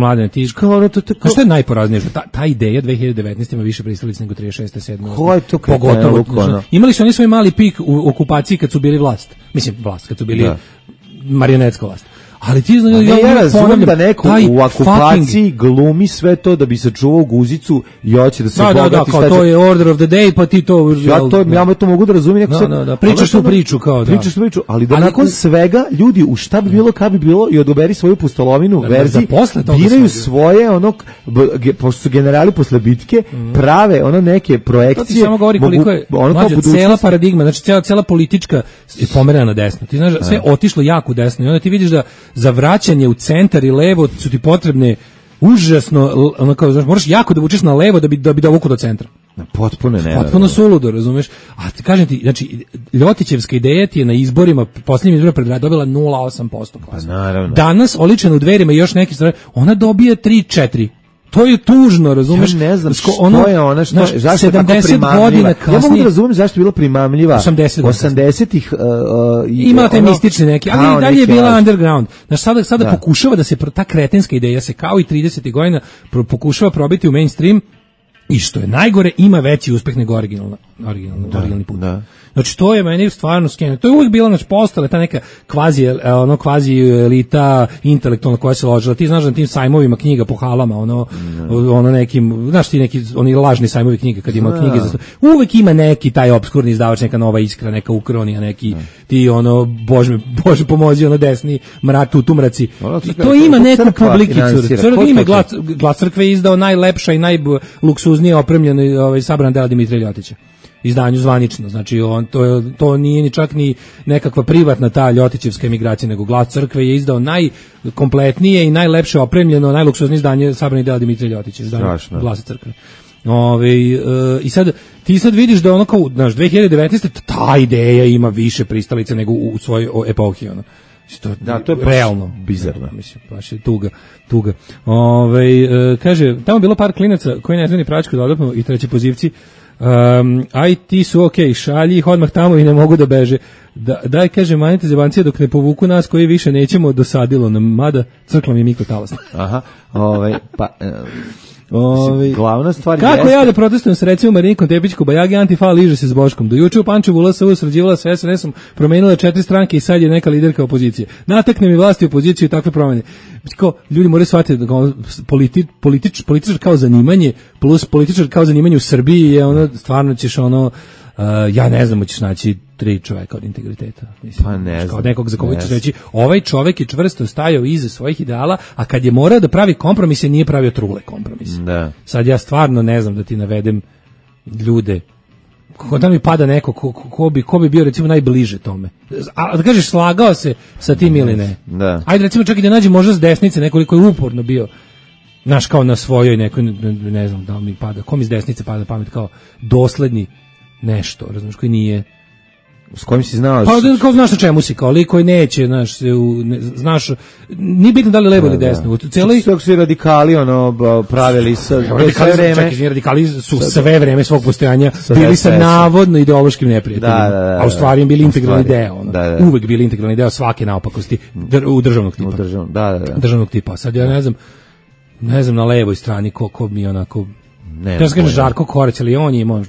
A što je najporaznije? Ta ideja 2019 ima više pristalica nego 36. 7. Ko je to pogotovo? Imali su oni svoj mali pik u okupaciji kad su bili vlast. Mislim, kad su bili marionetska vlast. Ali ti znaš, ja razumijem da neko u okupaciji glumi sve to da bi sačuvao guzicu i hoće da se bogati. Da, kao to je order of the day, pa ti to... Ja to mogu da razumijem. Pričaš tu priču, kao da. Pričaš tu priču, ali da nakon svega ljudi u šta bi bilo, kad bi bilo i odoberi svoju pustolovinu verziji, biraju svoje, pošto su generali posle bitke, prave neke projekcije. To ti samo govori koliko je cela paradigma, znači cela politička je pomerena na desno. Ti znaš, sve otišlo jako desno i onda ti vidiš da za vraćanje u centar i levo su ti potrebne užasno, znaš, moraš jako da vučeš na levo da bi dovuku do centra. Potpuno suludo, razumeš? A ti kažem ti, znači Ljotićevska ideja ti je na izborima, posljednjim izborima dobila 0,8% glasa. Pa naravno. Danas oličena u Dverima i još neki stvari, ona dobije 3-4. To je tužno, razumeš? Ja ne znam što je ona, zašto je tako primamljiva. Ja mogu da razumem zašto je bila primamljiva. 80-ih. Ima te mistične neke, ali i dalje je bila underground. Znaš, sada pokušava da se, ta kretenska ideja se kao i 30. godina pokušava probiti u mainstream i što je najgore, ima veći uspeh nego originalni put. Da. Znači, to je meni stvarno skeno. To je uvijek bilo, znači, postale ta neka kvazi elita intelektualna koja se ložila. Ti znaš na tim sajmovima knjiga po halama, ono nekim, znaš ti neki, oni lažni sajmovi knjiga, kad ima knjige za... Uvijek ima neki taj obskurni izdavač, neka Nova Iskra, neka Ukronija, neki ti, Bože pomozi, desni tumraci. To ima neku publikicu. Glas crkve je izdao najlepša i najluksuznije opremljeno sabran dela Dimitrija Ljotića. Izdanju zvanično, znači to nije ni čak ni nekakva privatna ta Ljotićevska emigracija, nego Glas crkve je izdao najkompletnije i najlepše opremljeno, najluksuznije izdanje sabranih dela Dimitrija Ljotića, izdanje Glasa crkve. I ti sad vidiš da ono kao, znaš, 2019. ta ideja ima više pristalica nego u svojoj epohi, ono. To je realno bizarno. Mislim, baš je tuga. Kaže, tamo bilo par klinaca koji ne znaju ni pračku dodatno i treći pozivci. Aj ti su okej, šalji ih odmah tamo i ne mogu da beže. Daj, kaže, manjite zebancije dok ne povuku nas koji više nećemo, dosadilo nam, mada crkla mi je mikrotalasna. Aha, glavna stvar kako ja da protestujem sa recimo Marinikom Tepić Bajagi, Antifa liže se s Boškom. Do juče u Pančevu LSV srađivala sa SNS-om, promenila 4 stranke i sad je neka liderka opozicije. Natakne mi vlasti opoziciju i takve promene. Kao, ljudi moraju shvatiti da političar kao zanimanje plus političar kao zanimanje u Srbiji je ono, stvarno ćeš ono, ja ne znam, ćeš naći 3 čoveka od integriteta. Mislim, pa ne znam. Kao nekog za koga ćeš reći, ovaj čovek je čvrsto stajao iza svojih ideala, a kad je morao da pravi kompromise, nije pravio trule kompromise. Da. Sad ja stvarno ne znam da ti navedem ljude, kako da mi pada neko, ko bi bio recimo najbliže tome. A da kažeš, slagao se sa tim ili ne. Da. Ajde recimo čak i da nađe možda s desnice nekoliko je uporno bio, znaš, kao na svojoj nekoj, ne znam da mi pada, kom iz desnice pada pamet kao dosledni nešto, razumiješ, koji nije s kojim si znao? Pa kao znaš na čemu si, kao lik koji neće, znaš, nije bitno da li levo ili desno. Sve su radikali, pravili sve vreme. Radikali su sve vreme svog postojanja bili sa navodno ideološkim neprijateljima, a u stvari im bili integralni deo. Uvek bili integralni deo svake naopakosti u državnog tipa. Državnog tipa. Sad ja ne znam na levoj strani ko mi onako... Ja sam kažem Žarko Korać, ali on je imao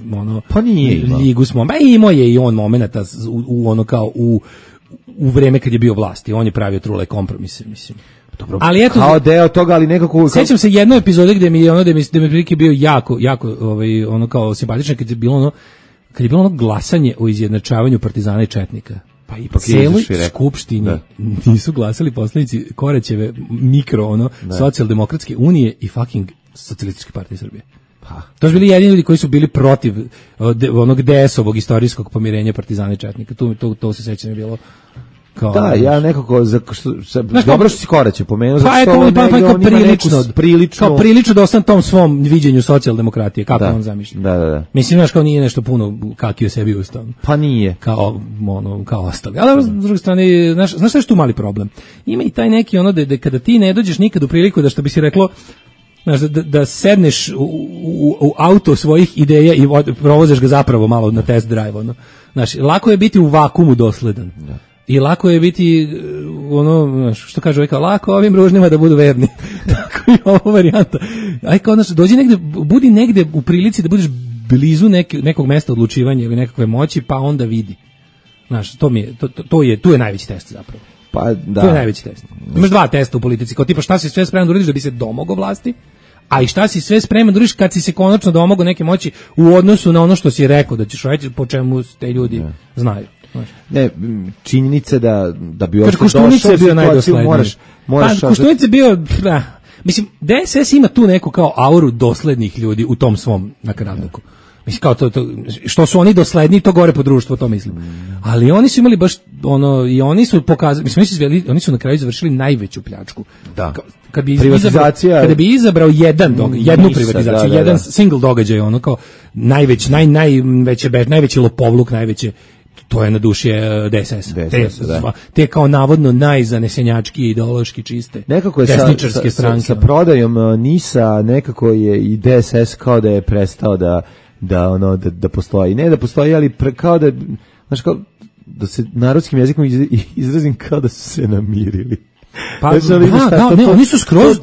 pa nije ligu smo, imao je i on momenata u vreme kad je bio vlasti, on je pravio trule kompromise, mislim. Dobro, ali eto, kao deo toga, ali nekako... Sećam se jedne epizode gde mi prilike bio jako kao simpatično, kad je bilo glasanje o izjednačavanju partizana i četnika. Pa ipak celoj skupštini nisu glasali poslanici Koraćeve socijaldemokratske unije i fucking Socijalističke partije Srbije. To su bili jedini ljudi koji su bili protiv onog DS-ovog istorijskog pomirenja partizana i četnika. To se sećam je bilo kao... Da, ja nekako... Dobro što si Koraće pomenuo, zato što on prilično dostan tom svom viđenju socijaldemokratije, kako on zamišlja. Da. Mislim, znaš, kao nije nešto puno kakio sebi ustao. Pa nije. Kao ostali. Ali s druge strane, znaš što je tu mali problem? Ima i taj neki da kada ti ne dođeš nikad u priliku da, što bi si reklo, znaš, da sedneš u auto svojih ideja i provoziš ga zapravo malo na test drive, Znaš, lako je biti u vakumu dosledan. I lako je biti što kaže lako ovim ružnima da budu verni. Tako je ovo varijanta. Aj kao, znaš, budi negde u prilici da budeš blizu nekog mesta odlučivanja ili nekakve moći, pa onda vidi. Znaš, tu je najveći test zapravo. Pa da. To je najveći test. Imaš 2 testa u politici, kao tipa šta si sve spreman da uradiš da bi se domogao vlasti, a i šta si sve spreman da uradiš kad si se konačno domogao neke moći u odnosu na ono što si rekao da ćeš raditi, po čemu te ljudi znaju. Ne, činjenica da bi uopšte došao u situaciju moraš... Koštunice je bio... Mislim, DSS ima tu neku kao auru doslednih ljudi u tom svom nakaradnuku. Mislim kao to što su oni dosledni, to gore po društvu, to mislim. Ali oni su imali baš ono, i oni su pokazali, mislim oni su na kraju završili najveću pljačku. Da. Kad bi privatizacija, kada bi izabrao jednu privatizaciju, jedan single događaj, ono kao najveći lopovluk, to je na duši DSS. Te kao navodno najzanesenjački ideološki čiste nekako je desničarske stranke. Sa prodajom NIS-a nekako je i DSS kao da je prestao da postoji. Ne da postoji, ali kao da, znaš, kao da se narodskim jezikom izrazim kao da su se namirili. Pa, oni su skroz,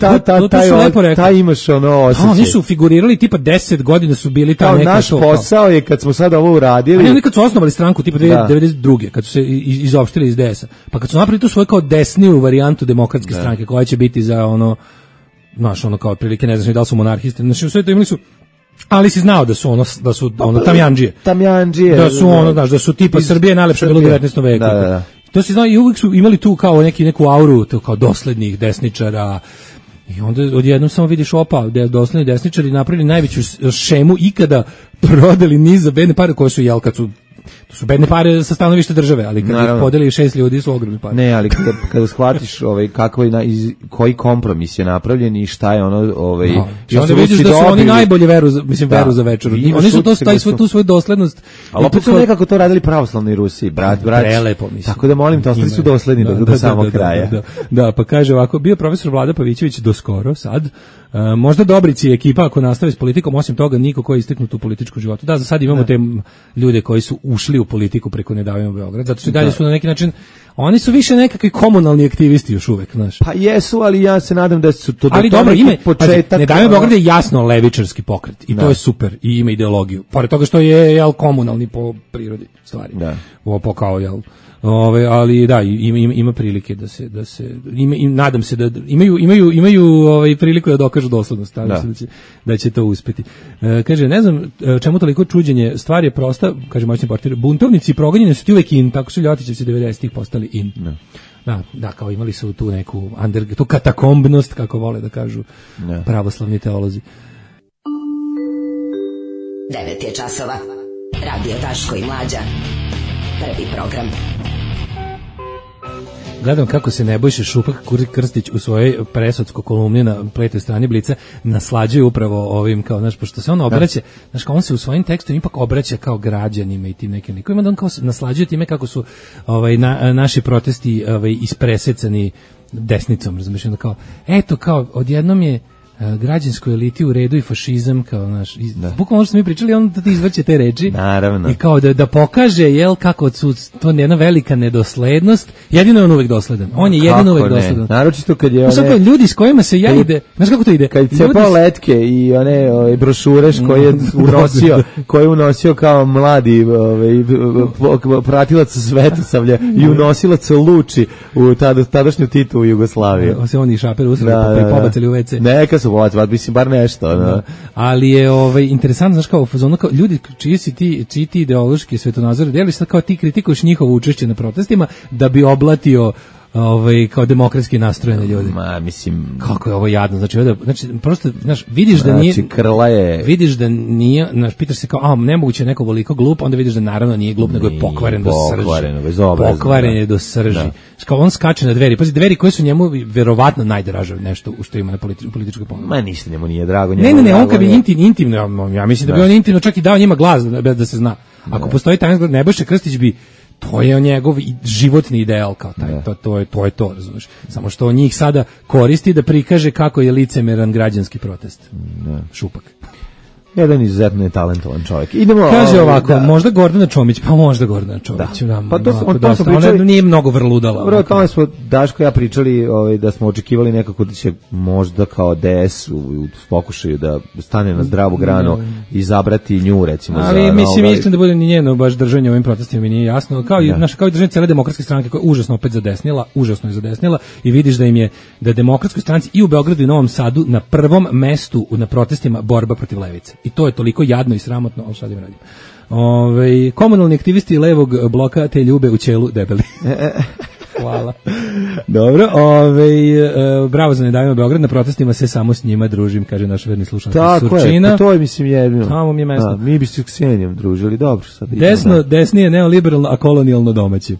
to su lepo rekli. Taj imaš ono osjećaj. Oni su figurirali, tipa 10 godina su bili ta neka... Naš posao je kad smo sad ovo uradili... A oni kad su osnovali stranku, tipa 1992. kad su se izopštili iz DS-a, pa kad su napravili tu svoju kao desniju varijantu demokratske stranke, koja će biti za ono, znaš, ono kao prilike, ne znaš da li su monarhisti, znači sve to imali su... Ali si znao da su tamjandžije. Da su ono, znaš, da su tipa Srbije najlepše bilo u 19. veku. Da. To se zna i uvijek su imali tu kao neku auru, to kao doslednih desničara. I onda odjednom samo vidiš dosledni desničari napravili najveću šemu ikada, prodali niz za bedne pare koje su to su bedne pare sa stanovišta države, ali kad ih podeli 6 ljudi su ogromne pare. Ne, ali kada shvatiš koji kompromis je napravljen i šta je ono i onda vidiš da su oni najbolje veru za večer. Oni su tu svoju doslednost. Ali opet su nekako to radili pravoslavni Rusi, brat. Prelepo, mislim. Tako da molim te, ostali su dosledni do samog kraja. Da, pa kaže ovako, bio profesor Vlada Pavićević do skoro, sad, možda Dobrici i ekipa ako nastave s politikom, osim toga niko ko je isteknut u političkom životu. Da, za sad imamo te ljude koji su ušli u politiku preko Ne davimo Beograd, zato što dalje su na neki način, oni su više nekakvi komunalni aktivisti još uvek, znaš. Pa jesu, ali ja se nadam da su to ali dobro, početak. Ne davimo Beograd je jasno levičarski pokret i to je super i ima ideologiju. Pored toga što je komunalni po prirodi stvari. Da. Ovo kao ali da, ima prilike da se nadam se da imaju priliku da dokažu doslednost, da će to uspeti. Kaže, ne znam čemu toliko čuđenje, stvar je prosta, kaže moćni portir, buntovnici progonjeni su ti uvek in, tako su Ljotićevci 90-ih postali in. Da, kao imali su tu neku tu katakombnost, kako vole da kažu pravoslavni teolozi. 9 je časova. Radio Daško i Mlađa. Prvi program. Gledam kako se Nebojša Šupak Krstić u svojoj presodskoj kolumni na Pletoj strani Blica naslađuje upravo ovim, kao, znaš, pošto se on obraća, znaš, kao on se u svojim tekstovima ipak obraća kao građanima i tim nekim likovima, da on kao naslađuje time kako su naši protesti ispresecani desnicom, razumiješ, onda kao, eto, kao, odjednom je građanskoj eliti u redu i fašizam, kao naš, bukvalno ono što smo mi pričali, on da ti izvrće te reči. Naravno. I kao da pokaže, kako su to jedna velika nedoslednost, jedino je on uvek dosledan. On je jedino uvek dosledan. Naročito kad je ljudi s kojima se ide, znaš kako to ide? Kad je cepao letke i one brošure koje je unosio kao mladi pratilac Svetosavlja i unosilac Luči u tadašnju Titu u Jugoslaviju. Se oni šaper usrali pa pobacili u WC. Neka su povacili, mislim, bar nešto. No. Ali je interesantno, znaš, kao u fazonu, kao ljudi čiji ti ideološki svetonazor deli, sad kao ti kritikuješ njihovo učešće na protestima da bi oblatio kao demokratski nastrojene ljudi. Mislim, kako je ovo jadno, znači prosto, znaš, vidiš da nije, krla je, vidiš da nije, znaš, pitaš se kao, nemoguće neko veliko glup, onda vidiš da naravno nije glup, nego je pokvaren do srži. Pokvaren je do srži. Kao on skače na dveri, pazi, dveri koje su njemu verovatno najdraže nešto što ima na političkoj ponudu. Ma ništa njemu nije drago. Ne, on kad bi intimno, ja mislim da bi on intimno čak i dao njima glas bez da se zna. Ako postoji taj Nebojša Krstić bi, to je njegov životni ideal, kao taj, to je to, razumiješ. Samo što on njih sada koristi da prikaže kako je licemeran građanski protest. Šupak. Jedan izuzetno je talentovan čovjek. Kaže ovako, možda Gordana Čomić, pa možda Gordana Čomić. Pa to smo pričali. Ona nije mnogo vrludala. Dobro, o tome smo, Daško i ja pričali da smo očekivali nekako da će možda kao DS u pokušaju da stane na zdravu granu i izabrati nju, recimo. Ali mislim, iskreno da bude ni njeno baš držanje ovim protestima mi nije jasno. Kao i držanje cijele demokratske stranke koja je užasno opet užasno je zadesnila i vidiš da im je, da demokratskoj stranci i u Beogradu i Novom Sadu na prvom mestu na protestima borba protiv levice. I to je toliko jadno i sramotno, ali šta da im radim. Komunalni aktivisti levog bloka te ljube u ćelu debeli. Hvala. Dobro, bravo za Ne davimo Beograd, na protestima se samo s njima družim, kaže naš verni slušalac Surčina. Tako je, to je mislim jedino. Tamo mi je mesto. Mi bi se s Ksenijom družili, dobro. Sad Desnije neoliberalno, a kolonijalno domaći.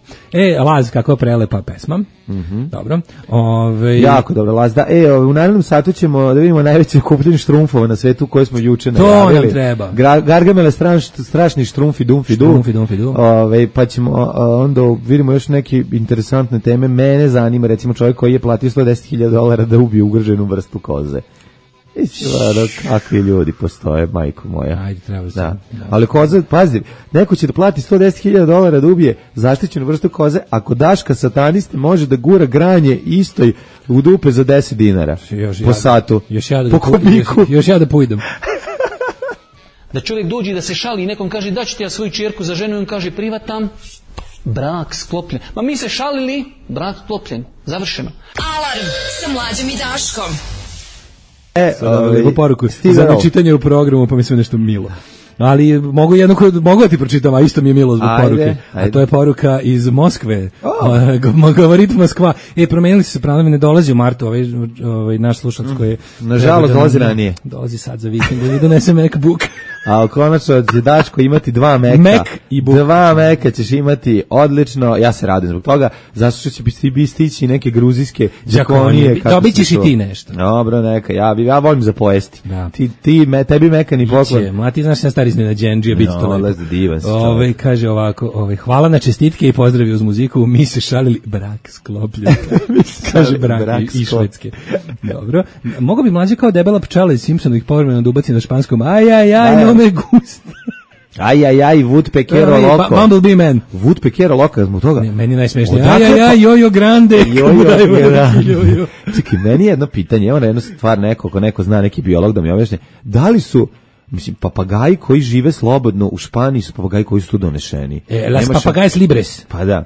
Laz, kakva prelepa pesma. Dobro. Jako dobro, Laz. Da, u narednom satu ćemo da vidimo najveće kupljenje štrumfova na svetu koje smo juče najavili. To nam treba. Gargamele strašni štrumfi, dumfi, du. Pa ćemo onda vidimo još neke interesantne teme. Mene zanima recimo čovjek koji je platio $110,000 da ubije ugroženu vrstu koze. Kakvi ljudi postoje, majko moja. Ajde, treba se. Da. Ali koza, pazi, neko će da plati $110,000 da ubije zaštićenu vrstu koze, ako Daška sataniste može da gura granje istoj u dupe za $10 po satu. Po kubiku. Još ja da pujdem. Da čovjek dođe i da se šali i nekom kaže da ću ti ja svoju čerku za ženu i on kaže privatam, brak sklopljen. Ma mi se šalili, brak sklopljen. Završeno. Alarm sa Mlađom i Daškom. Poruku za čitanje u programu, pa mislim nešto milo. Ali mogu da ti pročitam, a isto mi je milo zbog poruke. A to je poruka iz Moskve. Govorit Moskva. Promenili su se planovi, ne dolazi u martu ovaj naš slušalac koji je... Nažalost, dolazi ranije. Dolazi sad za vikend, da donese MacBook. A konačno će Daško imati 2 Maca. Mac i book. 2 Maca ćeš imati odlično. Ja se radim zbog toga. Zašto što će biti stići neke gruzijske džakonije. Dobit ćeš i ti nešto. Dobro, neka. Ja volim za pojesti. Tebi Maca ni poklon. Ma ti znaš na stari iznenađenđija, biti to lepo. Divan si kaže ovako, hvala na čestitke i pozdravi uz muziku. Mi se šalili, brak sklopljen. Kaže brak i Švedske. Dobro. Mogu bi Mlađe kao debela pčela iz Simpsonovih povremeno da ubaci na španskom. Aj, me gusta. Aj, Woodpeckero loco. Bumblebee man. Woodpeckero loco, zbog toga. Meni najsmešnije. Aj, jojo grande. Jojo. Čekaj, meni je jedno pitanje, evo na jednu stvar neko zna, neki biolog da mi objasni. Da li su, papagaji koji žive slobodno u Španiji su papagaji koji su tu donešeni? Las papagajs libres. Pa da.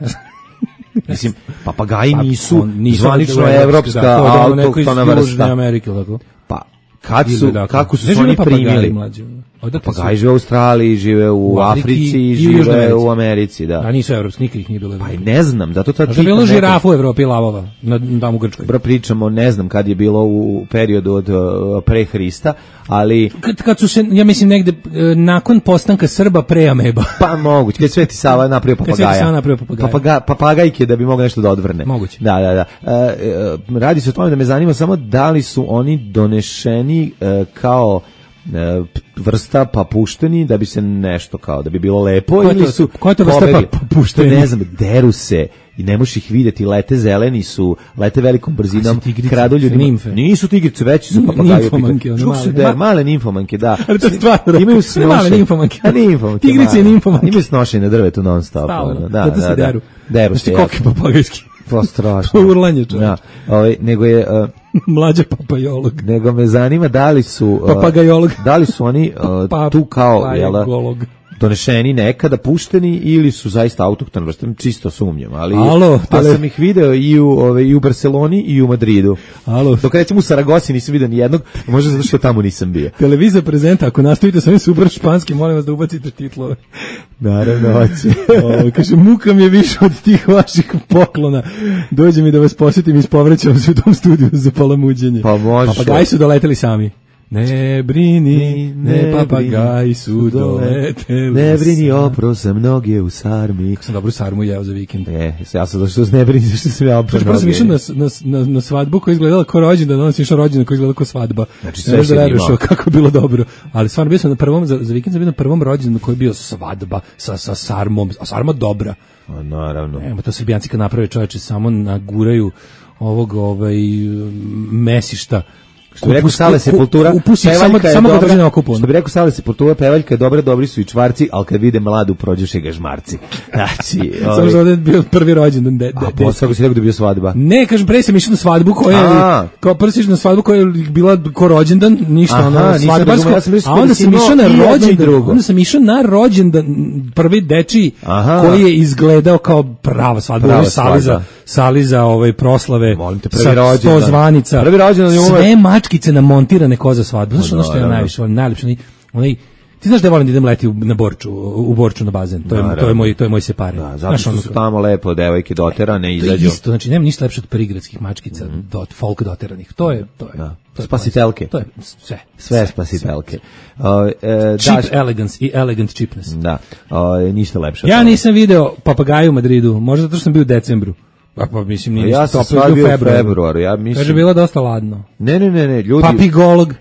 Mislim, papagaji nisu zvanično evropska autohtona vrsta. Pa, kako su oni primili? Papagaji žive u Australiji, žive u Africi, žive u Americi, da. A nisu evropski, nikad ih nije bilo. Pa ne znam, zato to pitam. Bilo žirafa u Evropi lavova, tamo u Grčkoj. Pričamo, ne znam kad je bilo u periodu od pre Hrista, ali... Kad su se, ja mislim, negde nakon postanka Srba pre ameba. Pa moguće, kad Sveti Sava napravio papagaja. Papagajke da bi mogao nešto da odvrne. Moguće. Da. Radi se o tome da me zanima samo da li su oni donešeni kao vrsta pa pušteni da bi se nešto kao da bi bilo lepo ili su koja to vrsta pa pušteni, ne znam, deru se i ne možeš ih vidjeti, lete zeleni su, lete velikom brzinom, kradu ljudima. Nisu tigrice, veći su papagaji. Male nimfomanke, da. Ali to je stvarno. Imaju snošenje. Nimfomanke. Tigrice i nimfomanke. Imaju snošenje na drvetu non stop. Da se deru. Deru se. Koke papagajski. To strašno. Urlanje čovječ. Nego je... Mlađa papajolog. Nego me zanima da li su... Papagajolog. Da li su oni tu kao... donešeni nekada, pušteni ili su zaista autohtoni vrste, čisto sumnjam, ali sam ih video i u Barceloni i u Madridu. Dok recimo u Saragosi nisam vidio ni jednog, možda zato što tamo nisam bio. Televizija prezenta, ako nastavite sa ovim super španski, molim vas da ubacite titlove. Naravno, hoće. Kaže, muka mi je više od tih vaših poklona. Dođe mi da vas posjetim i ispovrećam se u tom studiju za palamuđenje. Pa može. Papagaji su doleteli sami. Ne brini, ne papagaji su doleteli. Ne brini, opro sam noge u sarmi. Kako sam dobru sarmu jeo za vikend. Ja sam došao ne brini, zašto sam ja opro noge. Prvo sam išao na svadbu koja izgledala kao rođendan, onda sam išao rođendan koja izgledala kao svadba. Znači sve se imao. Kako je bilo dobro. Ali stvarno bio sam na prvom, za vikend sam bio na prvom rođendanu koji je bio svadba sa sarmom, a sarma dobra. Naravno. To Srbijanci kad naprave, čoveče, samo naguraju ovog mesišta. Što bi rekao Sale Sepultura, što bi rekao Sale Sepultura, pevaljka je dobra, dobri su i čvarci, ali kad vide mladu prođuše ga žmarci. Znači, samo što ovdje je bio prvi rođendan. A posle si rekao da je bio svadba? Ne, kažem, pre sam išao na svadbu koja je, kao prvi sam išao na svadbu koja je bila ko rođendan, ništa, ono, svadbarsko, a onda sam išao na rođendan, onda sam išao na rođendan, prvi dečiji, koji je izgledao kao prava svadba, sali za proslave, sa 100 zvanica, sve mačkice namontirane ko za svadbu. Znaš ono što je najviše, najlepše, onaj Ti znaš da volim da idem leti na Borču, u Borču na bazen. To je moj separe. Da, zato što su tamo lepo devojke doterane i izađu. Isto, znači nema ništa lepše od prigradskih mačkica, folk doteranih. To je. Spasitelke. To je sve spasitelke. Cheap elegance i elegant cheapness. Da. Ništa lepše. Ja nisam video papagaju u Madridu, možda zato što sam bio u decembru. Pa mislim nije ja ništa toplo u februaru. Ja mislim. Kaže bilo dosta ladno. Ne, ljudi. Papigolog.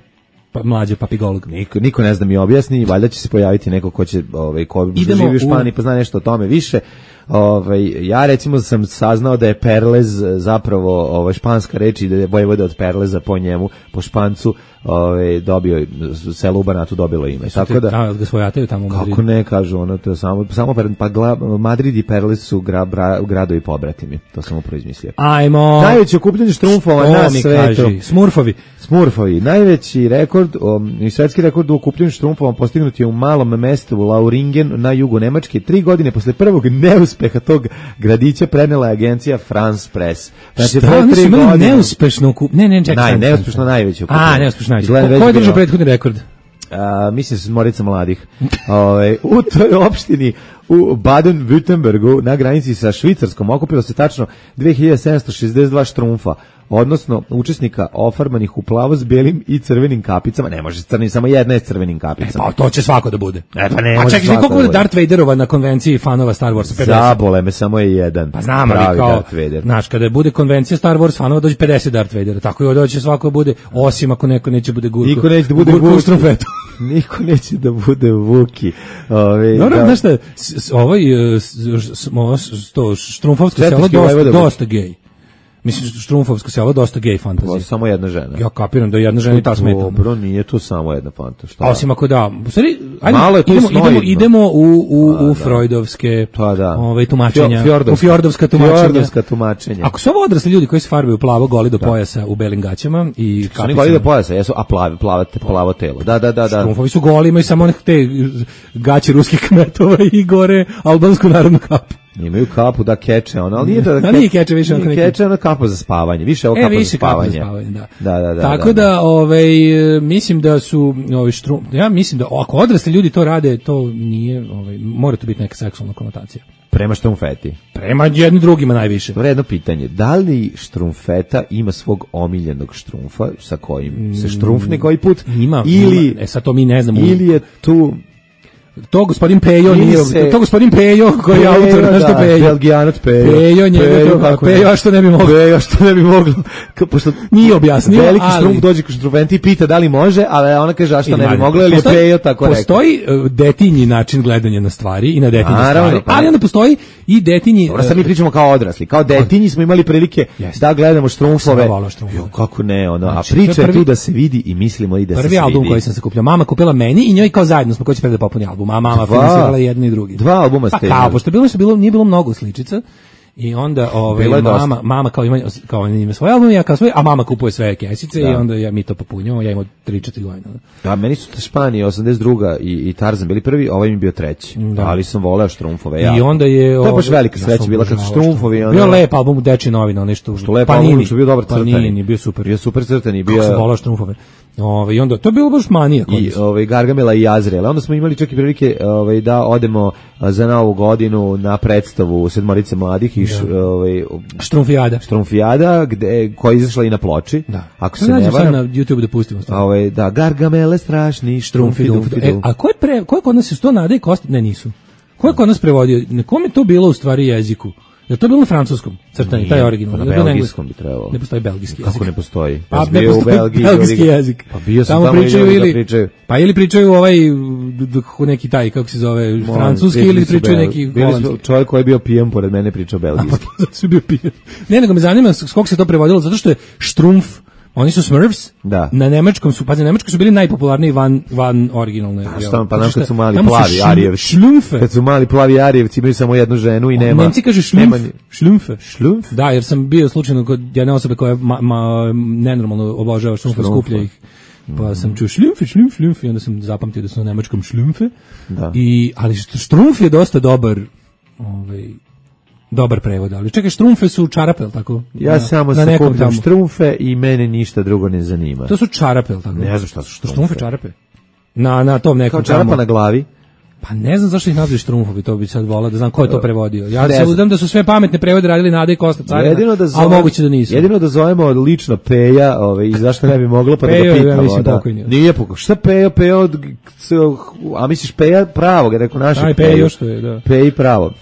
Mlađe papigolog. Niko ne zna mi objasni, valjda će se pojaviti neko ko će ko živi u Španiji pa zna nešto o tome više. Ja recimo sam saznao da je perlez zapravo španska reč i da je vojvoda od perleza po njemu, po Špancu, dobio selo u Banatu dobilo ime. Tako da ga svojataju tamo u Madridu. Kako ne kažu, ono to je samo Madrid i Perlez su gradovi pobratimi. To sam upravo izmislio. Ajmo. Najveće okupljanje štrumfova na svetu. Smurfovi. Najveći rekord i svetski rekord u okupljanju štrumfova postignut je u malom mestu Lauringen na jugu Nemačke. 3 godine posle prvog neuspeha tog gradića prenela je agencija France Press. Znači, oni su imali neuspešno okupljanje. Neuspešno najveće okupljanje. Neuspešno najveće. Ko je držao prethodni rekord? Mislim se Morica mladih. U toj opštini u Baden-Württembergu na granici sa Švicarskom okupilo se tačno 2762 štrumfa, odnosno učesnika ofarbanih u plavo s belim i crvenim kapicama. Ne može crni, samo jedna je s crvenim kapicama. Pa to će svako da bude. Pa ne može čekaj, koliko bude Darth Vaderova na konvenciji fanova Star Warsa? 50. Zabole me, samo je jedan. Pa znam, ali kao, znaš, kada bude konvencija Star Wars fanova, dođe 50 Darth Vadera. Tako i ovdje će svako bude, osim ako neko neće bude Gurko. Niko neće da bude Vuki. Niko neće da bude Vuki. Dobro, znaš šta, štrumfovsko selo dosta gej. Mislim, štrumfovsko selo dosta gej fantazije. Samo jedna žena. Ja kapiram da je jedna žena i ta smeta. Dobro, nije to samo jedna fantazija. A osim ako da. Ajde, idemo u freudovske tumačenja. U fjordovska tumačenja. Ako su ovo odrasli ljudi koji se farbaju plavo, goli do pojasa u belim gaćama i kapicama. Oni goli do pojasa, jesu, a plavo telo. Da. Štrumfovi su goli, imaju samo te gaće ruskih kmetova i gore albansku narodnu kapu. Imaju kapu da keče, ali nije to da nije keče više onako neki. Keče ona kapa za spavanje, više ovo kapa za spavanje. Da. Tako da, mislim da su ja mislim da ako odrasli ljudi to rade, to nije, mora to biti neka seksualna konotacija. Prema štrumfeti. Prema jednim drugima najviše. Dobro, jedno pitanje, da li štrumfeta ima svog omiljenog štrumfa sa kojim se štrumfne koji put? Ima, sad to mi ne znamo. Ili je tu to gospodin Pejo nije, to gospodin Pejo koji je autor, nešto Pejo. Belgijanac Pejo. Pejo što ne bi moglo. Pejo što ne bi moglo. Pošto nije objasnio, veliki štrumf dođe kod štrumfenti i pita da li može, ali ona kaže a što ne bi moglo, ili je Pejo tako rekao. Postoji detinji način gledanja na stvari i na detinje stvari, ali onda postoji i detinji. Dobro, sad mi pričamo kao odrasli. Kao detinji smo imali prilike da gledamo štrumfove. Kako ne, a priča je tu da se vidi i mislimo i da se vidi. Prvi album koji sam se kupio, mama kupila meni i njoj kao zajedno smo koji će da popuni album. Mama finansirala jedni i drugi. 2 albuma ste. Pa pošto nije bilo mnogo sličica. I onda mama kao ima svoj album, ja kao svoj, a mama kupuje sve kesice i onda mi to popunjamo, ja imam 3-4 godine. Da, meni su Španija 82. i Tarzan bili prvi, ovaj mi bio treći. Ali sam voleo štrumfove. I onda je to je baš velika sreća bila kad su štrumfovi. Bio lep album Dečije novine, nešto što lep album, što bio dobar crtani. Panini, bio super. Bio super crtani, bio. Kako sam voleo štrumfove. I onda to je bilo baš manija i Gargamela i Azrael. Onda smo imali čak i prilike da odemo za Novu godinu na predstavu Sedmorice mladih i Štrumfijada koja je izašla i na ploči. Ako se ne varam, na YouTube da pustimo stvar. Da, Gargamele strašni Štrumfidu. A ko je kod nas to Nade i Kosti? Ne, nisu. Ko je kod nas prevodio? Nekom je to bilo u stvari jeziku? Je to bilo na francuskom crtani, taj original? Na belgijskom bi trebalo. Ne postoji belgijski jezik. Kako ne postoji? Pa ne postoji belgijski jezik. Pa bio sam tamo pričaju. Pa ili pričaju neki taj, kako se zove, francuski ili pričaju neki holandski. Čovjek koji je bio pijen pored mene pričao belgijski. Zato su bio pijen. Ne, nego me zanima kako se to prevodilo, zato što je štrumf, oni su Smurfs, na nemačkom su, pazi, na nemačkom su bili najpopularniji van originalne. Pa nam kad su mali plavi Arijevci. Kad su mali plavi Arijevci imaju samo jednu ženu i nema. Nemci kažu šlumfe. Da, jer sam bio slučajno kod jedne osobe koja nenormalno obožava štrumfe, skuplja ih. Pa sam čuo šlumfe i onda sam zapamtio da su na nemačkom šlumfe. Ali štrumf je dosta dobar prevod, ali čekaj, štrumfe su čarape, ili tako? Ja samo sakupljam štrumfe i mene ništa drugo ne zanima. To su čarape, ili tako? Ne znam šta su štrumfe. Štrumfe čarape. na tom nekom kao čarapa na glavi. Pa ne znam zašto ih nazvaju štrumfovi, to bi sad volao da znam ko je to prevodio. Ja se uzdam da su sve pametne prevode radili Nada i Kosta Carina, ali moguće da nisu. Jedino da zovemo lično Peja, i zašto ne bi moglo, pa da ga pitamo. Ja mislim pokojni. Nije pokojni. Šta Peja, a misliš Peja pravog, je rekao naše Peja. Aj, Peja što je, da. Peji pravo.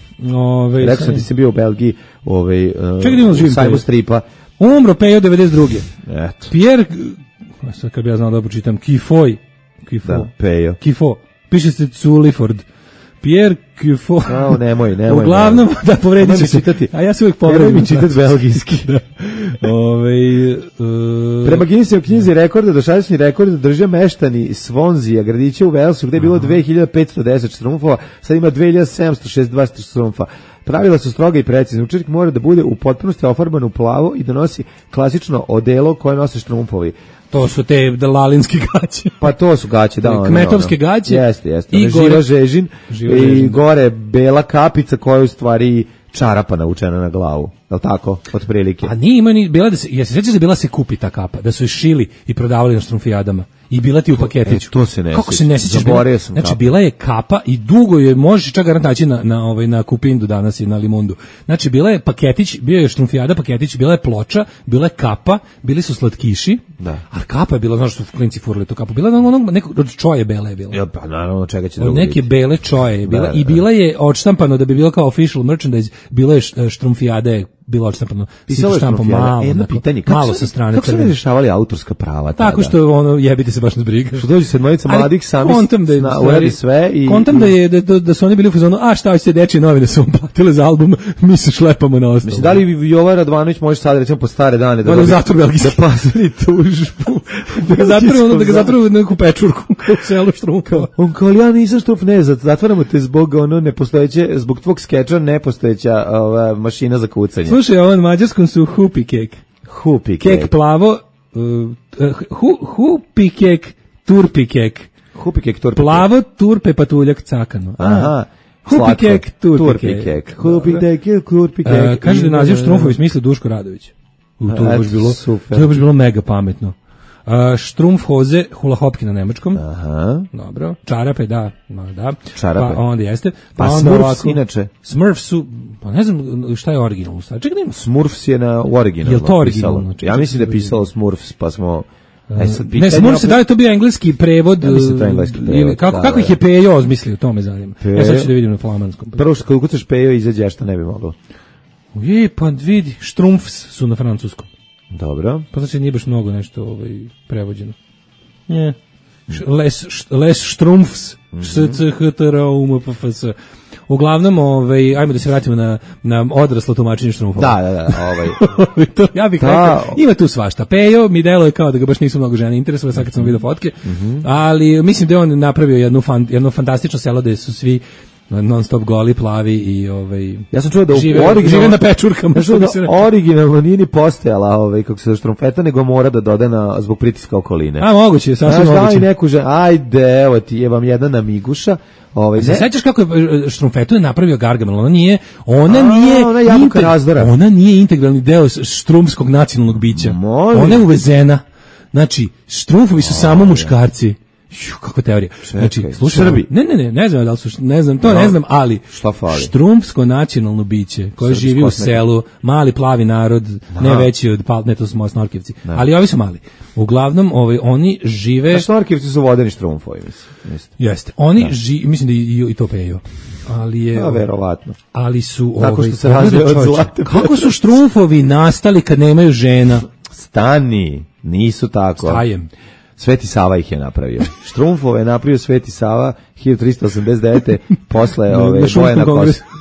Rekao sam ti sam bio u Belgiji, čekaj da imamo živim sajmu stripa. Umro Peja 92. Eto. Pierre, sad kad bi ja znao da pročitam, Kifoy. Da, Pejo. Kifo. Piše se Culiford. Pierre Kifo. Nemoj. Uglavnom, da povredit ću se. A ja se uvijek povredim. Nemoj mi čitati belgijski. Da. Prema Guinnessovoj knjizi rekorda, dosadašnji rekord drže meštani Swansea, gradića u Walesu, gde je bilo 2510 štrumfova, sad ima 2762 štrumfa. Pravila su stroga i precizna. Učesnik mora da bude u potpunosti ofarban u plavo i da nosi klasično odelo koje nose štrumfovi. To su te lalinske gaće. Pa to su gaće, da. Kmetovske gaće. Jeste. I živa žežin. I gore bela kapica koja je u stvari čarapa navučena na glavu. Je li tako? Otprilike. A nije ima ni bila da se, ja se sjećam da bila se kupi ta kapa, da su je šili i prodavali na štrumfijadama. I bila ti u paketiću. To se ne sjeća. Kako se ne sjećaš? Zaboravio sam znači, bila je kapa i dugo je, možeš čak garant naći na Kupindu danas i na Limundu. Znači, bila je paketić, bio je štrumfijada paketić, bila je ploča, bila je kapa, bili su slatkiši, a kapa je bila, znaš što klinci furali tu kapu, bila je od čoje bele je bila. Ja, pa naravno, čega će drugo od neke bele čoje je bila i bila je odštampano da bi bilo kao official merchandise, bilo je štrumfijade bilo odštampano. Pisalo je štrumfijada. Jedno pitanje, malo sa strane. Kako su ne rješavali autorska prava tada? Tako što jebite se baš na briga. Što dođe sedmojica mladih sami uradi sve i... Kontam da su oni bili u fazonu, a šta hoćete dečije novine su vam platile za album, mi se šlepamo na ostalo. Mislim, da li Jovan Radvanović može sad recimo po stare dane da pasali tužbu? Da ga zatvore neku pečurku u selu Štrumfova. On kao, ja nisam Štrumf, ne, zatvaramo te zbog nepostojeće, zbog tvog skeča nepostojeća mašina za kucanje. Slušaj, ovom mađarskom su hupi kek. Hupi kek. Kek plavo, hupi kek, turpi kek. Hupi kek, turpi kek. Plavo, turpe, patuljak, cakano. Aha. Hupi kek, turpi kek. Hupi kek, turpi kek. Kaže da naziv Štrumfovi smisli Duško Radović. To je baš bilo mega pametno. Štrumfhoze, hula hopki na nemačkom. Aha. Dobro. Čarape, da. Čarape. Pa onda jeste. Pa Smurfs inače. Smurfs su, pa ne znam šta je originalno. Čekaj da ima. Smurfs je u originalno. Je li to originalno? Ja mislim da je pisalo Smurfs, pa smo... Ne, Smurfs, da li to bio engleski prevod? Ja mislim to je engleski prevod. Kako ih je Pejo ozmislio, to me zanima. Ja sad ću da vidim na flamanskom. Prvo što kada ukucaš Pejo izađe, šta ne bi moglo. Pa vidi, Štrumfs su na francuskom. Dobro. Pa znači nije baš mnogo nešto prevođeno. Nie. Les Štrumfs, SCHTRUMPFS. Uglavnom, ajmo da se vratimo na odraslo tumačenje Štrumfova. Da. Ja bih rekao, ima tu svašta. Pejo mi deluje kao da ga baš nisu mnogo žena interesovali, sad kad sam vidio fotke, ali mislim da je on napravio jedno fantastično selo da su svi non stop goli, plavi i ja sam čuo da žive na pečurkama. Originalno nije ni postojala kako se štrumfeta, nego mora da doda zbog pritiska okoline. A moguće, sasvim moguće. Neku ajde, evo ti je vam jedna namiguša. Se sećaš kako je štrumfetu je napravio Gargamel? Ona nije integralni deo štrumskog nacionalnog bića. Ona je uvezena. Znači, štrumfovi su samo muškarci. Kako teorija. Znači, slušaj, Srbi. Ne znam da li su, ne znam, ali štrumfsko nacionalno biće koje živi u selu, mali plavi narod, ne veći od ne, to su Snorkevci, ali ovi su mali. Uglavnom, oni žive... Snorkevci su vodeni štrumfovi, mislim. Jeste. Oni mislim da i to Pejo. Ali je... verovatno. Ali su... Tako što se razvije od zlate. Kako su štrumfovi nastali kad nemaju žena? Stani, nisu tako. Stajem. Sveti Sava ih je napravio. Štrumfove je napravio Sveti Sava 1389.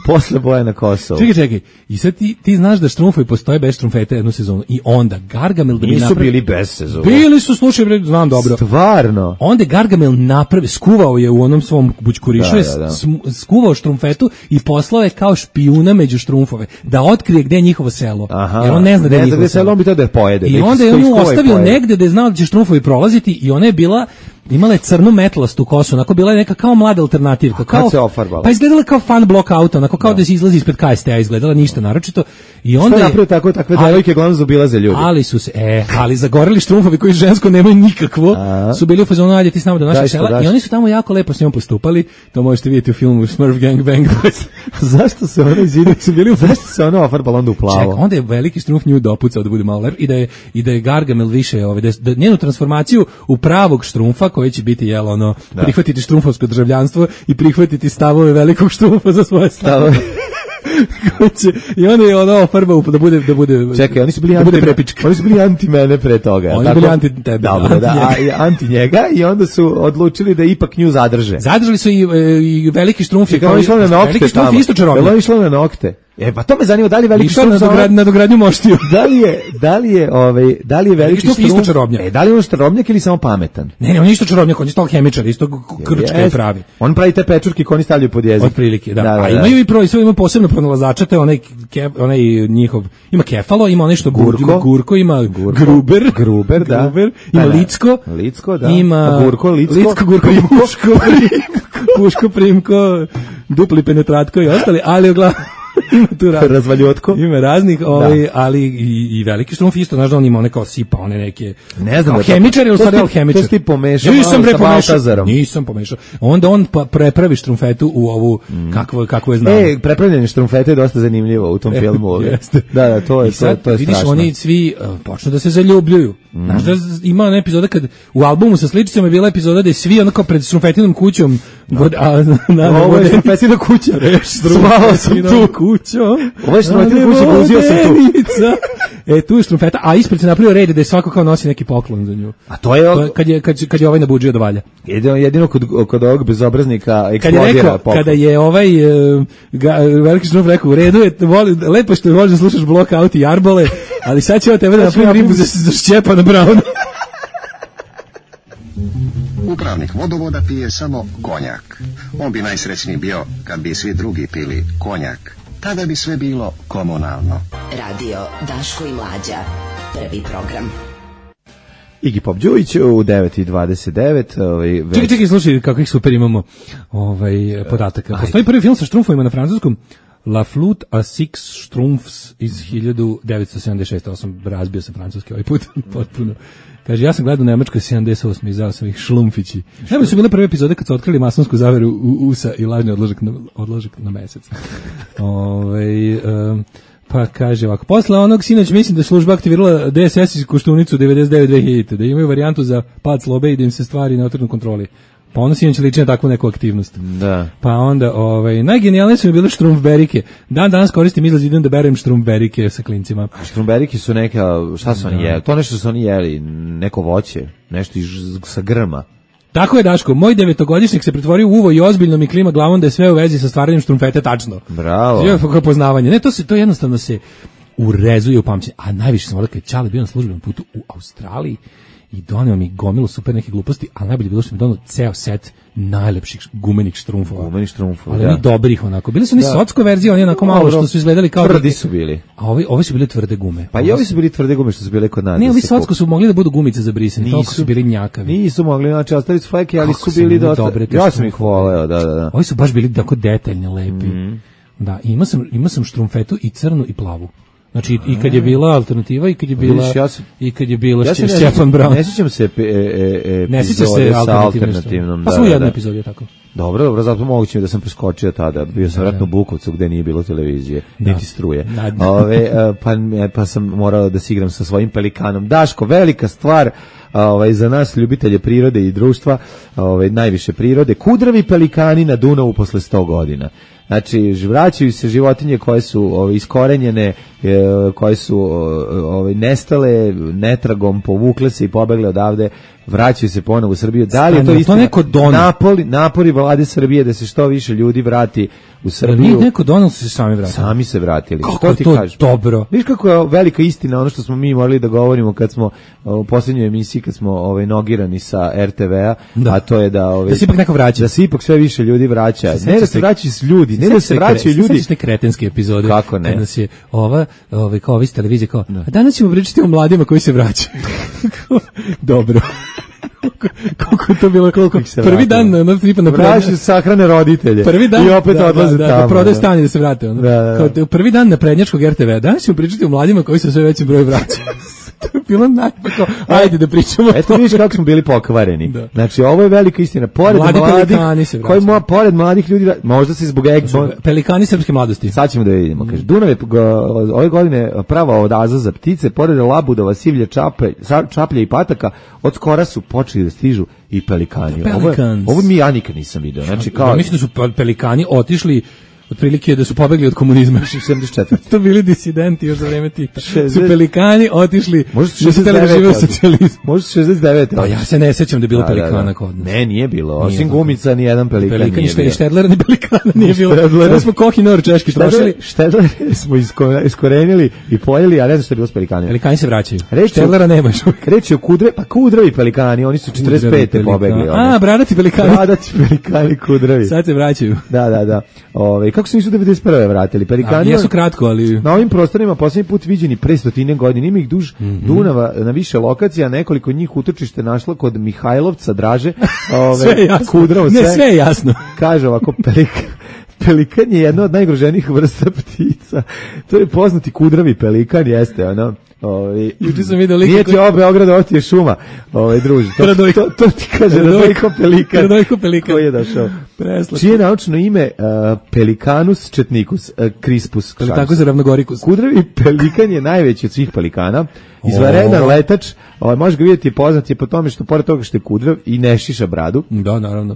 posle boja na Kosovu. Čekaj. I sad ti znaš da štrumfovi postoje bez štrumfete jednu sezonu. I onda Gargamel da nisu bili bez sezonu. Bili su, slušaj, znam dobro. Stvarno. Onda Gargamel skuvao je u onom svom bućkurišu, skuvao štrumfetu i poslao je kao špijuna među štrumfove da otkrije gde je njihovo selo. Jer on ne zna da je njihovo selo. On bi to da je pojede. I onda je on ostavio negde da je znao da će štrumfovi prolaziti i ona je bila imala je crnu metlastu kosu, onako bila je neka kao mlada alternativka. Kad se ofarbala? Pa izgledala kao fan blok auto, onako kao da se izlazi ispred KST-a, izgledala ništa naročito. I onda je napravio takve devojke glavno zaobilaze ljudi. Ali su se, ali zagoreli štrumfovi koji žensko nemaju nikakvo, su bili u fazonu, ajde ti s nama do našeg sela, i oni su tamo jako lepo s njom postupali, to možete vidjeti u filmu Smurf Gang Bang. Zašto se ono izvidio, su bili, zašto se ono ofarbala onda u plavo? Čekaj, onda je veliki štrumf nju dopucao da bude malo lep i da je Gargamel više, da njenu transformaciju u pravog štrumfa koji će biti prihvatiti štrumfovsko državljanstvo i prihvatiti stavove velikog štrumfa za svoje stavove. I onda je ono farba da bude. Čekaj, oni su bili prepička. Oni su bili anti mene pre toga. Oni su bili anti tebe. Dobro, anti njega i onda su odlučili da ipak nju zadrže. Zadržali su i veliki štrumf. Kao išlo na nokte. Veliki štrumf isto čarobnjak. Jel išlo na nokte? Pa to me zanima, da li veliki štrumf na dogradnju moštiju. Da li je veliki štrumf isto čarobnjak? Da li je on čarobnjak ili samo pametan? Ne, on je isto čarobnjak, on je isto hemičar, isto krčka je pravi. On pravi te pečurke koje oni stavljaju pod jezik. Otprilike, da. A imaju i ima posebno pronalazača, te onaj njihov, ima kefalo, ima onaj što gurko, ima gruber, da. Ima licko, da. Ima gurko, puško, primko, dupli penetratko i ostali, ali uglavnom ima tu razvaljotko. Ima raznih, ali i veliki štrumf isto, znaš da on ima one kao sipa, one neke. Ne znam, hemičar ili stvari hemičar. To si pomešao sa Baltazarom. Nisam pomešao. Onda on prepravi štrumfetu u ovu kakvo je znamo. Prepravljanje štrumfete je dosta zanimljivo u tom filmu. Da, to je strašno. Vidiš, oni svi počnu da se zaljubljuju. Znaš da ima ona epizoda kad u albumu sa sličicama je bila epizoda da je svi onako pred štrumfetinom kućom. Ovo je štrumfetina kuća. Zvao sam tu kuću. Ovo je štrumfetina kuća, guzio sam tu. Tu je štrumfeta, a ispred se napravio red da je svako kao nosi neki poklon za nju. A to je kad je ovaj nabuđio da valja. Jedino kod ovog bezobraznika eksplodira poklon. Kada je ovaj veliki štrumf rekao, u redu je, lepo što možeš slušaš Blockout i Arbole, ali sad će tebe da napravim ribu za Šćepana Brauna. Upravnik vodovoda pije samo konjak. On bi najsrećniji bio kad bi svi drugi pili konjak. Tada bi sve bilo komunalno. Radio Daško i Mlađa. Prvi program. Iggy Pop Đujić u 9:29. Čekaj, slušaj kakvih super imamo podataka. Postoji prvi film sa štrumfovima na francuskom. La Flûte à Six Schtroumpfs iz 1976. Ovo sam razbio sa francuski ovaj put, potpuno. Kaže, ja sam gledao u Nemačkoj 78. izdao sam ih šlumfići. Najbolje su bile prve epizode kad su otkrili masonsku zaveru USA i lažni odložak na mesec. Pa kaže ovako, posle onog sinoć mislim da je služba aktivirala DSS iz Koštunicu 99-2000, da imaju varijantu za pad slobe i da im se stvari ne otrgnu kontroli. Pa ono sinoć liči na takvu neku aktivnost. Da. Pa onda, najgenijalnije su mi bile štrumfberike. Danas koristim izlaz, idem da berem štrumfberike sa klincima. Štrumberike su neka, šta su oni jeli? To nešto su oni jeli, neko voće, nešto sa grma. Tako je, Daško, moj 9-godišnjak se pretvorio u uvo i ozbiljno mi klima glavom da je sve u vezi sa stvaranjem štrumfete tačno. Bravo. Kako poznavanje. Ne, to jednostavno se urezuje u pamćenje. A najviše sam volio kad je Čale bio na službenom putu u Australiji i doneo mi gomilu super neke gluposti, ali najbolje bilo što mi doneo ceo set najlepših gumenih štrumfova. Ali oni dobrih onako. Bili su oni socko verzije, oni onako malo što su izgledali kao tvrdi su bili. A ovi su bili tvrde gume. Pa i ovi su bili tvrde gume što su bile kod nas. Ne, ovi socko su mogli da budu gumice za brisanje, toliko su bili njakavi. Nisu mogli, znači ostali su fleke, ali su bili dosta. Ja sam ih voleo, da. Ovi su baš bili tako detaljno lepi. Da, imao sam štrumfetu i crnu i plavu. Znači i kad je bila alternativa i kad je bila Šćepan Braun. Ne sjećam se epizode sa alternativnom. Pa smo u jednoj epizodi je tako. Dobro, zato moguće da sam preskočio tada. Bio sam vratno u Bukovcu gde nije bilo televizije, niti struje. Pa sam morao da se igram sa svojim pelikanom. Daško, velika stvar za nas ljubitelje prirode i društva, najviše prirode. Kudravi pelikani na Dunavu posle 100 godina. Znači, vraćaju se životinje koje su iskorenjene, koje su nestale, netragom, povukle se i pobegle odavde, vraćaju se ponovo u Srbiju. Da li je to isto napori vlade Srbije da se što više ljudi vrati u Srbiju? Nije neko donal se sami vratili. Sami se vratili. Kako je to dobro? Viš kako je velika istina ono što smo mi morali da govorimo kad smo u posljednjoj emisiji, kad smo nogirani sa RTV-a, a to je da se ipak neko vraća. Da se ipak sve više ljudi vraća. Ne da se vraćaju ljudi, ne da se vraćaju ljudi. Sve kretenske epizode. Kako ne? Kada se kao ovi s televizije kao, a danas ćemo pričati o mladima koji se vraćaju. Dobro. Koliko je to bilo, prvi dan na tipa na prednjačku sahrane roditelje. Prvi dan, i opet odlaze tamo. Da prodaje stan i da se vrate. Kao prvi dan na prednjačkog RTV. Danas ćemo pričati o mladima koji se sve većim brojem vraćaju. To je bilo najpako. Ajde da pričamo. Eto vidiš kako smo bili pokvareni. Da. Znači ovo je velika istina. Pored pored mladih ljudi, možda se zbog pelikani srpske mladosti. Sad ćemo da vidimo. Kaže Dunav je ove godine prava oaza za ptice, pored labudova, sivlje, čaplje i pataka, od skora su počeli da stižu i pelikani. Ovo mi ja nikad nisam video. Znači kao ja mislim da su pelikani otišli otprilike da su pobegli od komunizma. 74. To bili disidenti još za vreme Tita. Su pelikani otišli da su hteli da žive u socijalizmu. Možda 69. Pa ja se ne sećam da je bilo pelikana kod nas. Ne, nije bilo. Osim gumica, ni jedan pelikan nije bilo. Ni Štedlera, ni pelikana nije bilo. Sada smo Kohinor češki trošili. Štedlera smo iskorenili i pojeli, a ne znam što je bilo s pelikanima. Pelikani se vraćaju. Štedlera nema još. Reći o kudravi pelikani, oni su 45. pobegli. A, bradati pelikani. Bradati pelikani kudravi. Sad se vraćaju. Da. Kako se nisu 91. vratili? Pelikani jesu kratko, ali na ovim prostorima posljednji put viđeni pre 100 godina. Ima ih duž Dunava na više lokacija, nekoliko njih utočište našlo kod Mihajlovca, Draže, Kudravo, sve je jasno. Kaže ovako, pelikan je jedna od najgroženijih vrsta ptica. To je poznati kudravi pelikan, jeste ono. Juče sam vidio nije ti ovo Beograd, ovo ti je šuma, druži. To ti kaže Radojko Pelikan. Koji je došao? Čije naučno ime Pelicanus četnicus crispus. Tako se ravnogoricus. Kudravi pelikan je najveći od svih pelikana. Izvanredan letač, može ga vidjeti, poznat je po tome što pored toga što je kudrav i ne šiša bradu. Da, naravno.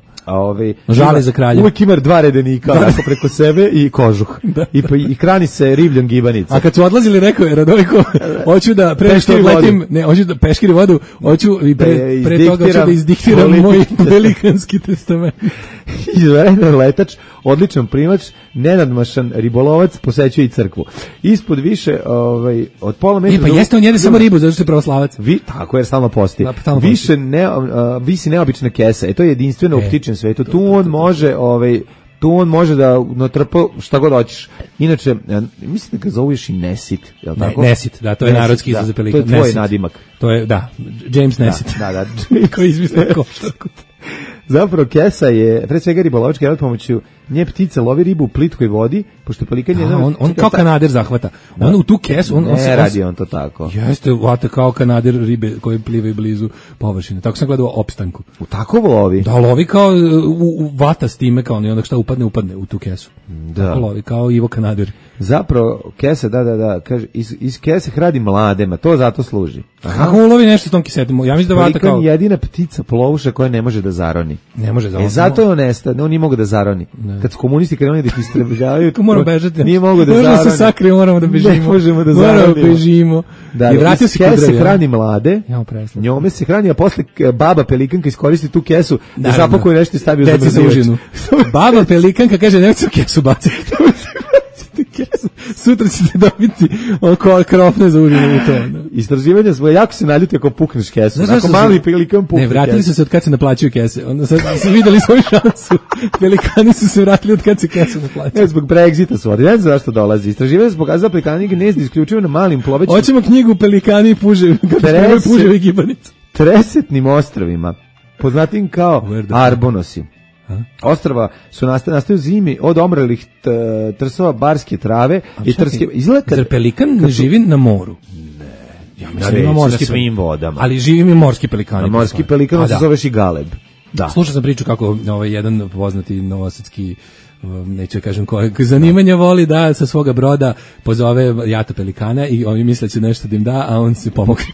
Žali za kraljem. Uvijek ima 2 redenika preko sebe i kožuh. I hrani se ribljom gibanica. A kad su odlazili, rekao je Radojko, hoću da pre što letim, hoću da peškiri vodu, hoću i pre toga hoću da izdiktiram moj velikanski testament. Izvanredan letač, odličan primač, nenadmašan ribolovac, posećuje i crkvu. Ispod više od pola metra. Pa jeste on jede samo ribu, zato što je pravoslavac. Tako jer stalno posti. Visi neobična kesa. To je jedinstveno u ptičjem svetu. Tu on može da natrpa šta god hoćeš. Inače, mislim da ga zoveš i Nesit, je li tako? Nesit, da, to je narodski izraz za pelikan. To je tvoj nadimak. To je, da, James Nesit. Da. Koji izmislio košarku. Zapravo kesa je pre svega ribolovački rad, pomoću nje ptica lovi ribu u plitkoj vodi, pošto pelikan je on kao kanader zahvata. On u tu kesu ne radi on to tako. Jeste, vata kao kanader ribe koje plivaju blizu površine. Tako sam gledao Opstanku. U tako lovi? Da, lovi kao u vata s time, kao onda šta upadne u tu kesu. Da. Tako lovi kao Ivo Kanader. Zapravo kesa, da, kaže iz kese hradi mladema, to zato služi. Kako ulovi nešto s tom kisetom? Ja mislim da vata kao jedina ptica plovuša koja ne može da zaroni. Ne može da. Zato je on nestao, on nije mogao da zaroni. Kad su komunisti krenuli da ih istrebljavaju, moramo bežati. Nije mogao da zaroni. Možemo se sakriti, moramo da bežimo. Ne možemo da zaronimo. Moramo bežimo. Da, i vratio se kese hrani mlade. Njome se hrani, a posle baba pelikanka iskoristi tu kesu da zapakuje nešto i stavi u zamrzivač. Baba pelikanka kaže nemojte kesu baciti. Sutra ćete dobiti oko krofne za užinu u to. Istraživanja svoje, jako se naljuti ako pukneš kesu. Ako mali pelikan pukne kesu. Ne, vratili su se od kad se naplaćuju kese. Onda su vidjeli svoju šansu. Pelikani su se vratili od kad se kese naplaćuju. Ne, zbog Brexita su. Ne znam zašto dolazi. Istraživanja su pokazali pelikani gnezdi isključivo na malim plovećima. Hoćemo knjigu Pelikani i puževi gibanica. Tresetnim ostrovima, poznatim kao Arbonosi. Ostrava su nastaju zimi od omrelih trsova barske trave i trske. Zar pelikan ne živi na moru? Ne. Ja mislim ima morski na svim vodama. Ali živi mi morski pelikani. Morski pelikan se zove šigaleb. Da. Slušao sam priču kako jedan poznati novosadski neću kažem koje zanimanja voli da sa svoga broda pozove jata pelikana i oni misle će nešto da im da, a on se pomogne.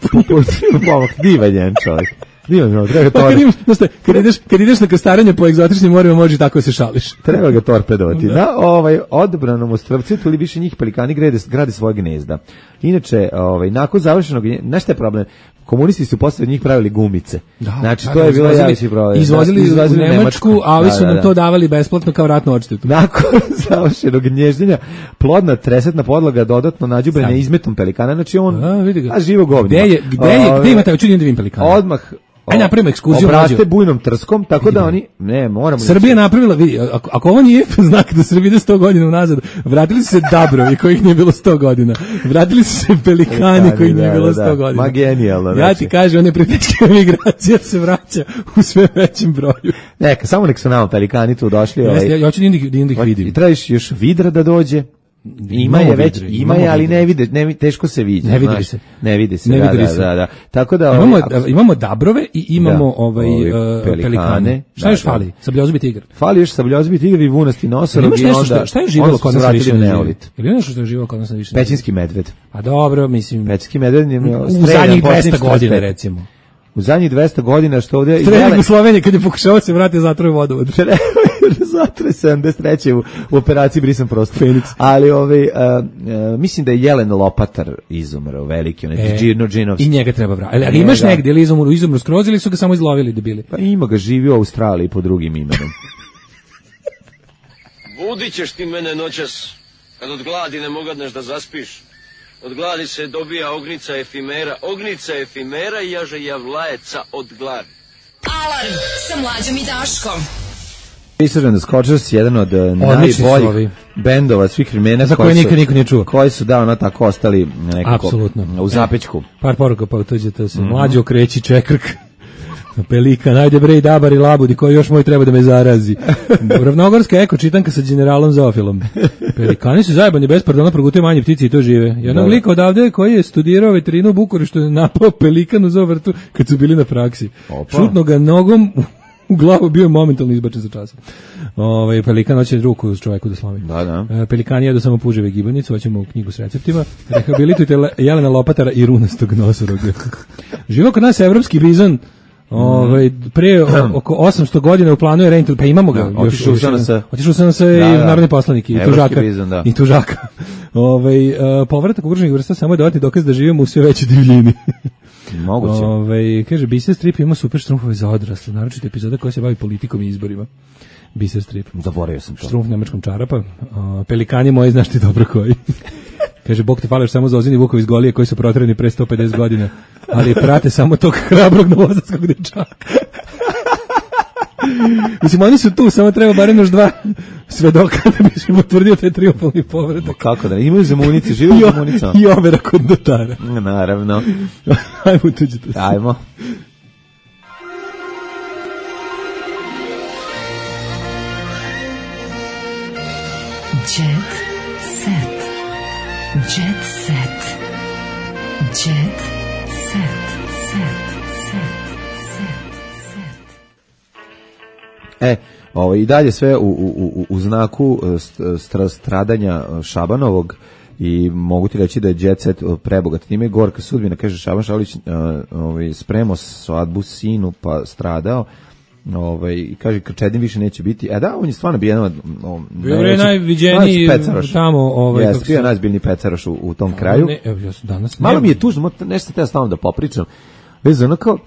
Divan čovjek. Kad ideš na krstarenje po egzotičnim morima, može tako se šališ. Treba ga torpedovati. Na odabranom ostrvcu ili više njih pelikani grade svoje gnezda. Inače, nakon završenog, znaš šta je problem? Komunisti su posle njih pravili gumice. Znači, to je bilo javići problem. Izvozili u Nemačku, a ovi su nam to davali besplatno kao ratnu odštetu. Nakon završenog gnjezdenja, plodna tresetna podloga dodatno nađubrena izmetom pelikana, znači on živo govnje. Gde ima taj čudni divim pelikana? Odmah Aj napravimo ekskurziju. Obraste bujnom trskom, tako da oni, ne, moramo... Srbija napravila, vidi, ako ovo nije znak da Srbija ide 100 godina unazad, vratili su se Dabrovi kojih nije bilo 100 godina, vratili su se Pelikani kojih nije bilo 100 godina. Ma genijalno. Ja ti kažem, one prijateljske migracija se vraća u sve većem broju. Neka, samo nek su nama Pelikani tu došli. Ja hoću da ih vidim. I trebaš još Vidra da dođe. Ima je, ali ne vide, teško se vidi. Ne vidi se. Ne vidi se, da. Tako da imamo Dabrove i imamo Pelikane. Šta još fali? Sabljozubi tigar. Fali još Sabljozubi tigar i vunasti nosorog i onda šta je živelo kod nas više neolit. Ili nešto što je živelo kod nas više? Pećinski medved. A dobro, mislim. Pećinski medved je u zadnjih 200 godina recimo. U zadnjih 200 godina što ovdje... Streljnik u Sloveniji kad je pokušao se vratiti zatroj vodovod. Zatroj 73. u operaciji Brisan prostor. Feniks. Ali mislim da je Jelen Lopatar izumro, veliki, Gino Džinovski. I njega treba vratiti. Ali imaš negdje ili izumru skroz ili su ga samo izlovili debili? Pa ima ga, živi u Australiji pod drugim imenom. Budit ćeš ti mene noćas, kad od gladi ne mogadneš da zaspiš. Od gladi se dobija ognica efimera i jaže javlajeca od gladi. Alarm sa Mlađom i Daškom. Research and the Scorchers, jedan od najboljih bendova svih vremena za koje nikad niko nije čuo. Koji su tako ostali nekako u zapećku. Par poruka pa tuđete se. Mlađo kreći čekrk. Pelikan, ajde bre i Dabar i Labudi, koji još moj treba da me zarazi. Ravnogorska eko čitanka sa generalom Zoofilom. Pelikani su zajebani, bez pardona progutaju manje ptice i to žive. Jednog lika odavde koji je studirao veterinu u Bukureštu je napao pelikan u zoovrtu kad su bili na praksi. Šutno ga nogom u glavu, bio je momentalno izbačen za časa. Pelikan hoće ruku s čoveku da slomi. Pelikani jedu samo puževe gibanicu, hoćemo u knjigu s receptima. Rehabilitujte Jelena Lopatara i runastog nosoroga. Živo kod nas evropski bizon. Pre oko 800 godina u planu je reintel, pa imamo ga. Otišao sam se i narodni poslanik i tužaka. Povratak ugroženih vrsta samo je dodatni dokaz da živimo u sve većoj divljini. Moguće. Kaže, Biser Strip ima super štrumfove za odrasle, naročito epizoda koja se bavi politikom i izborima. Biser Strip. Zaboravio sam to. Štrumf nemačkom čarapa. Pelikani moji, znaš ti dobro koji. Kaže, Bog te fališ samo za ozini vukovi iz Golije koji su proterani pre 150 godina, ali prate samo tog hrabrog novosadskog dečaka. Mislim, oni su tu, samo treba barem još 2 svedoka da bi se potvrdio taj triumfalni povratak. Kako da, imaju zemunice, žive u zemunicama. I overa kod notara. Naravno. Ajmo, tuđite se. Ajmo. Jet set. Jet set. Jet set. I dalje sve u znaku stradanja Šabanovog i mogu ti reći da je Jet Set prebogat. Time je gorka sudbina, kaže Šaban Šaulić, spremao svadbu sinu pa stradao. I kaže Krčedin više neće biti. On je stvarno bio bio je najviđeniji tamo bio najzbiljniji pecaroš u tom kraju. Malo mi je tužno, nešto te stalno da popričam. Vezano kao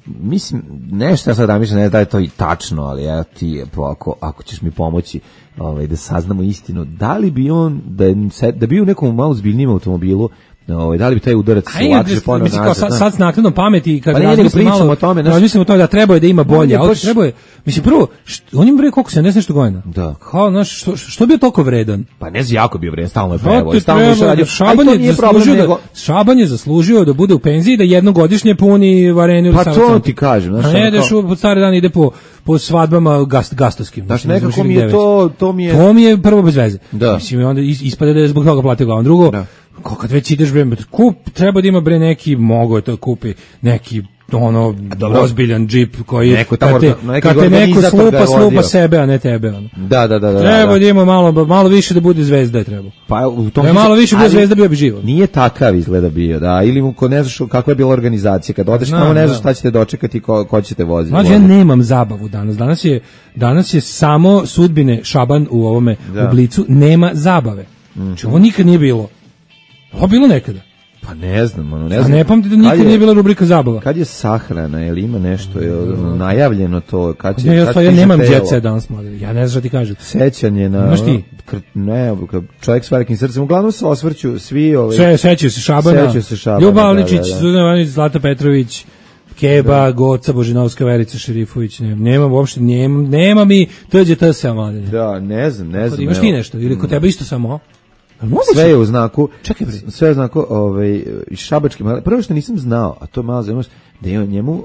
mislim, nešto ja sad da mislim, ne da je to i tačno, ali ja ti, ako ćeš mi pomoći da saznamo istinu, da li bi on, da bi u nekom malo zbiljnijem automobilu, da li bi taj udarac lakše ponovno nazad? Sad s naknadnom pameti, kad razmislimo o tome da treba je da ima bolje, ali treba je, mislim, prvo, on ima bre koliko, 70 nešto godina? Da. Kao, znaš, što bio toliko vredan? Pa ne znam, jako bio vredan, stalno je prevo. Šaban je zaslužio da bude u penziji, da jednogodišnje puni Varenu. Pa to ti kažem. A ne ideš pod stari dan, ide po svadbama gastovskim. Znaš, nekako mi je to mi je prvo bez veze. Mislim, onda ispada da je zbog toga platio glavom. Drugo, kad već ideš bre, treba da ima bre neki, mogo je to kupi neki ozbiljan džip koji kad te neko slupa sebe, a ne tebe. Da. Treba da ima malo više da bude zvezda je treba. Pa u tom malo više bude zvezda bio bi živo. Nije takav izgleda bio, da, ili ko ne znaš kakva je bila organizacija, kad odeš tamo ne znaš šta ćete dočekati, ko ćete voziti. Znači ja nemam zabavu danas. Danas je samo sudbine Šaban u ovome u Blicu, nema zabave. Znači ovo nikad nije bilo. Ovo bilo nekada. Pa ne znam. A ne pamti da nikad nije bila rubrika zabava. Kad je sahrana, ili ima nešto najavljeno to? Ja nemam Jet Set danas, ja ne znam šta ti kažem. Sećanje na... Imaš ti? Ne, čovjek s velikim srcem. Uglavnom se osvrću svi... Sećaju se Šabana, Ljuba Avličić, Suzana Ivanović, Zlata Petrović, Keba, Goca, Božinovska, Verica Šerifović, nema uopšte, nema mi TGT-a mladine. Da, ne znam. Imaš ti nešto, ili kod tebe isto samo? Sve je u znaku, sve je u znaku šabački, prvo što nisam znao, a to je malo zanimljivo,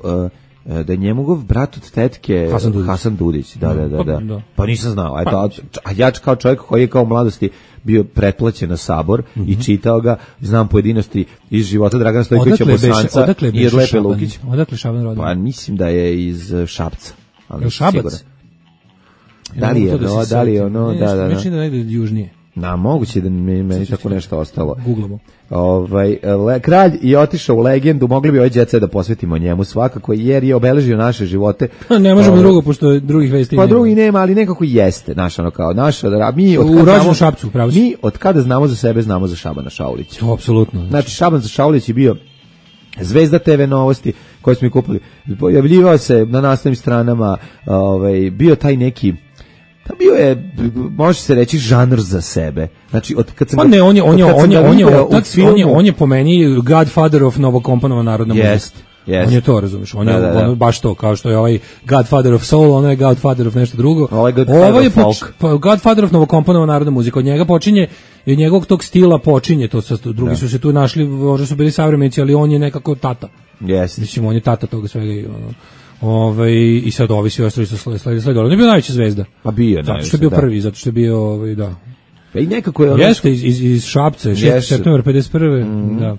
da je njegov brat od tetke Hasan Dudić. Da. Pa nisam znao. A ja kao čovjek koji je kao u mladosti bio pretplaćen na Sabor i čitao ga, znam pojedinosti iz života Dragana Stojkovića Bosanca i od Lepe Lukić. Odakle Šaban rodio? Pa mislim da je iz Šapca. Je Šabac? Da li je ono, da. Mislim da negde južnije. Moguće da meni tako nešto ostalo. Googlamo. Kralj je otišao u legendu, mogli bi ovaj Jet Set da posvetimo njemu svakako, jer je obeležio naše živote. Ne možemo drugo, pošto drugih vesti nema. Pa drugi nema, ali nekako jeste, u Šapcu, pravo si. Mi od kada znamo za sebe, znamo za Šabana Šaulića. To apsolutno. Znači, Šaban Šaulić je bio zvezda TV novosti koje smo kupili. Pojavljivao se na naslovnim stranama, bio taj neki, bio je, može se reći, žanr za sebe. Znači, kad sam on je po meni Godfather of novokomponovana narodna muzika. On je to, razumiješ, on je baš to, kao što je ovaj Godfather of Soul, on je Godfather of nešto drugo. Ovo je Godfather of novokomponovana narodna muzika, od njega počinje i od njegovog tog stila počinje, to drugi su se tu našli, možda su bili savremenici, ali on je nekako tata. Mislim, on je tata toga svega i i sad ovi svi ostali su sledili. On je bio najveća zvezda. Pa bio, zato što je bio prvi, zato što je bio, da. I nekako je jeste iz Šapca, 6. septembar 51. Da.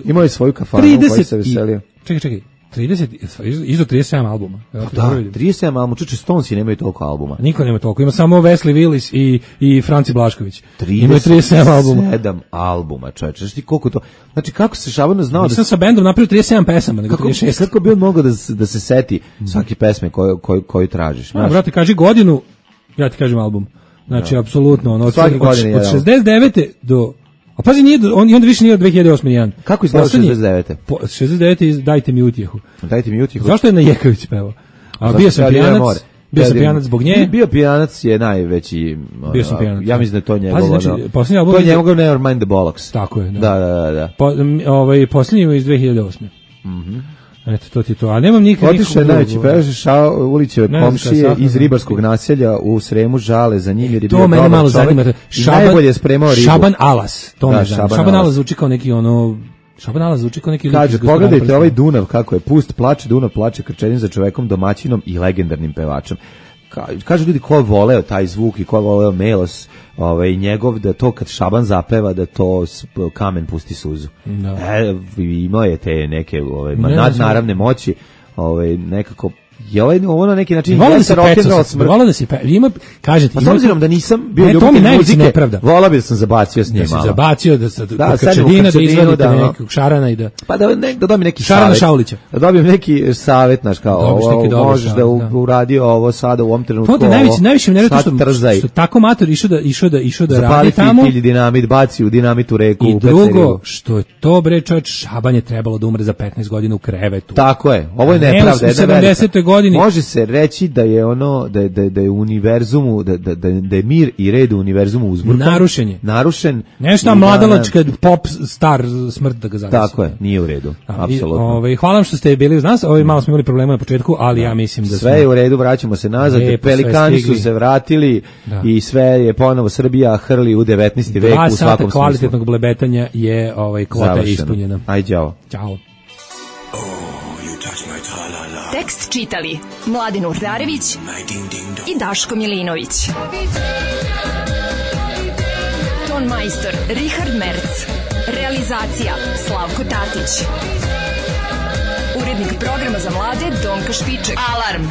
Imao je svoju kafanu u kojoj se veselio. Čekaj. 37 albuma. Da, 37 albuma, čuče, Stonesi nemaju toliko albuma. Niko nema toliko, ima samo Wesley Willis i Franci Blašković. Imaju 37 albuma. 37 albuma, čovječe, znaš ti koliko to, znači kako se Šabano znao Nisam sa bendom napravio 37 pesama, nego 36. Kako bi on mogao da se seti svake pesme koju tražiš? Brate, kaži godinu, ja ti kažem album. Znači, apsolutno, od 69. do... A pazi, on onda više nije od 2008. nijedan. Kako izgleda 69. 69. Dajte mi utjehu. Dajte mi utjehu. Zašto je na Jekavić pevao? A bio sam pijanac zbog nje. Bio pijanac je najveći. Bio sam pijanac. Ja mislim da je to njegov. Znači, posljednji album. To je njegov Never Mind the Bollocks. Tako je, da. Posljednji je iz 2008. Eto, to ti to. A nemam nikakvog... Otišao je najveći pevač Ulićeve komšije iz ribarskog naselja u Sremu, žale za njim jer je bio dobar čovjek. To mene malo zanima. Najbolje je spremao ribu. Šaban Alas. To me zanima. Šaban Alas zvuči kao neki Kaže, pogledajte ovaj Dunav kako je pust, plače Dunav, plače krčenim za čovekom, domaćinom i legendarnim pevačem. Kažu ljudi ko je voleo taj zvuk i ko je voleo melos njegov, da to kad Šaban zapeva da to kamen pusti suzu. Imao je te neke nadnaravne moći, nekako je ovo na neki način volao da se ima, kažete, s obzirom da nisam bio ljubitelj muzike, volao bi da sam zabacio s njim malo. Zabacio da Krčedina, da izvadite nekog Šarana i da... Pa da dobijem neki Šarana savjet. Šaulića. Da dobijem neki savjet, znaš, kao možeš da uradi ovo sada u ovom trenutku, najviše mi nervio što tako mator išao da radi tamo. Zapali dinamit, baci u dinamitu reku. I drugo, što je to bre čovječ, Šaban je trebalo da umre za 15 godina u krevetu. Tako je, ovo je nepravda, jedna velika. Godini. Može se reći da je da je u univerzumu, da je mir i red u univerzumu uzburkan. Narušen. Nešto mladalačka pop star smrt da ga zavisi. Tako je, nije u redu. Apsolutno. Hvala vam što ste bili uz nas. Malo smo imali problema na početku, ali ja mislim da sve je u redu, vraćamo se nazad. Pelikani su se vratili i sve je ponovo Srbija hrli u 19. vek u svakom smislu. 2 sata kvalitetnog blebetanja je kvota ispunjena. Aj, ćao. Ćao. Tekst čitali Mladin Urdarević i Daško Milinović. Ton majstor Richard Merc. Realizacija Slavko Tatić. Urednik programa za mlade Donka Špiček. Alarm!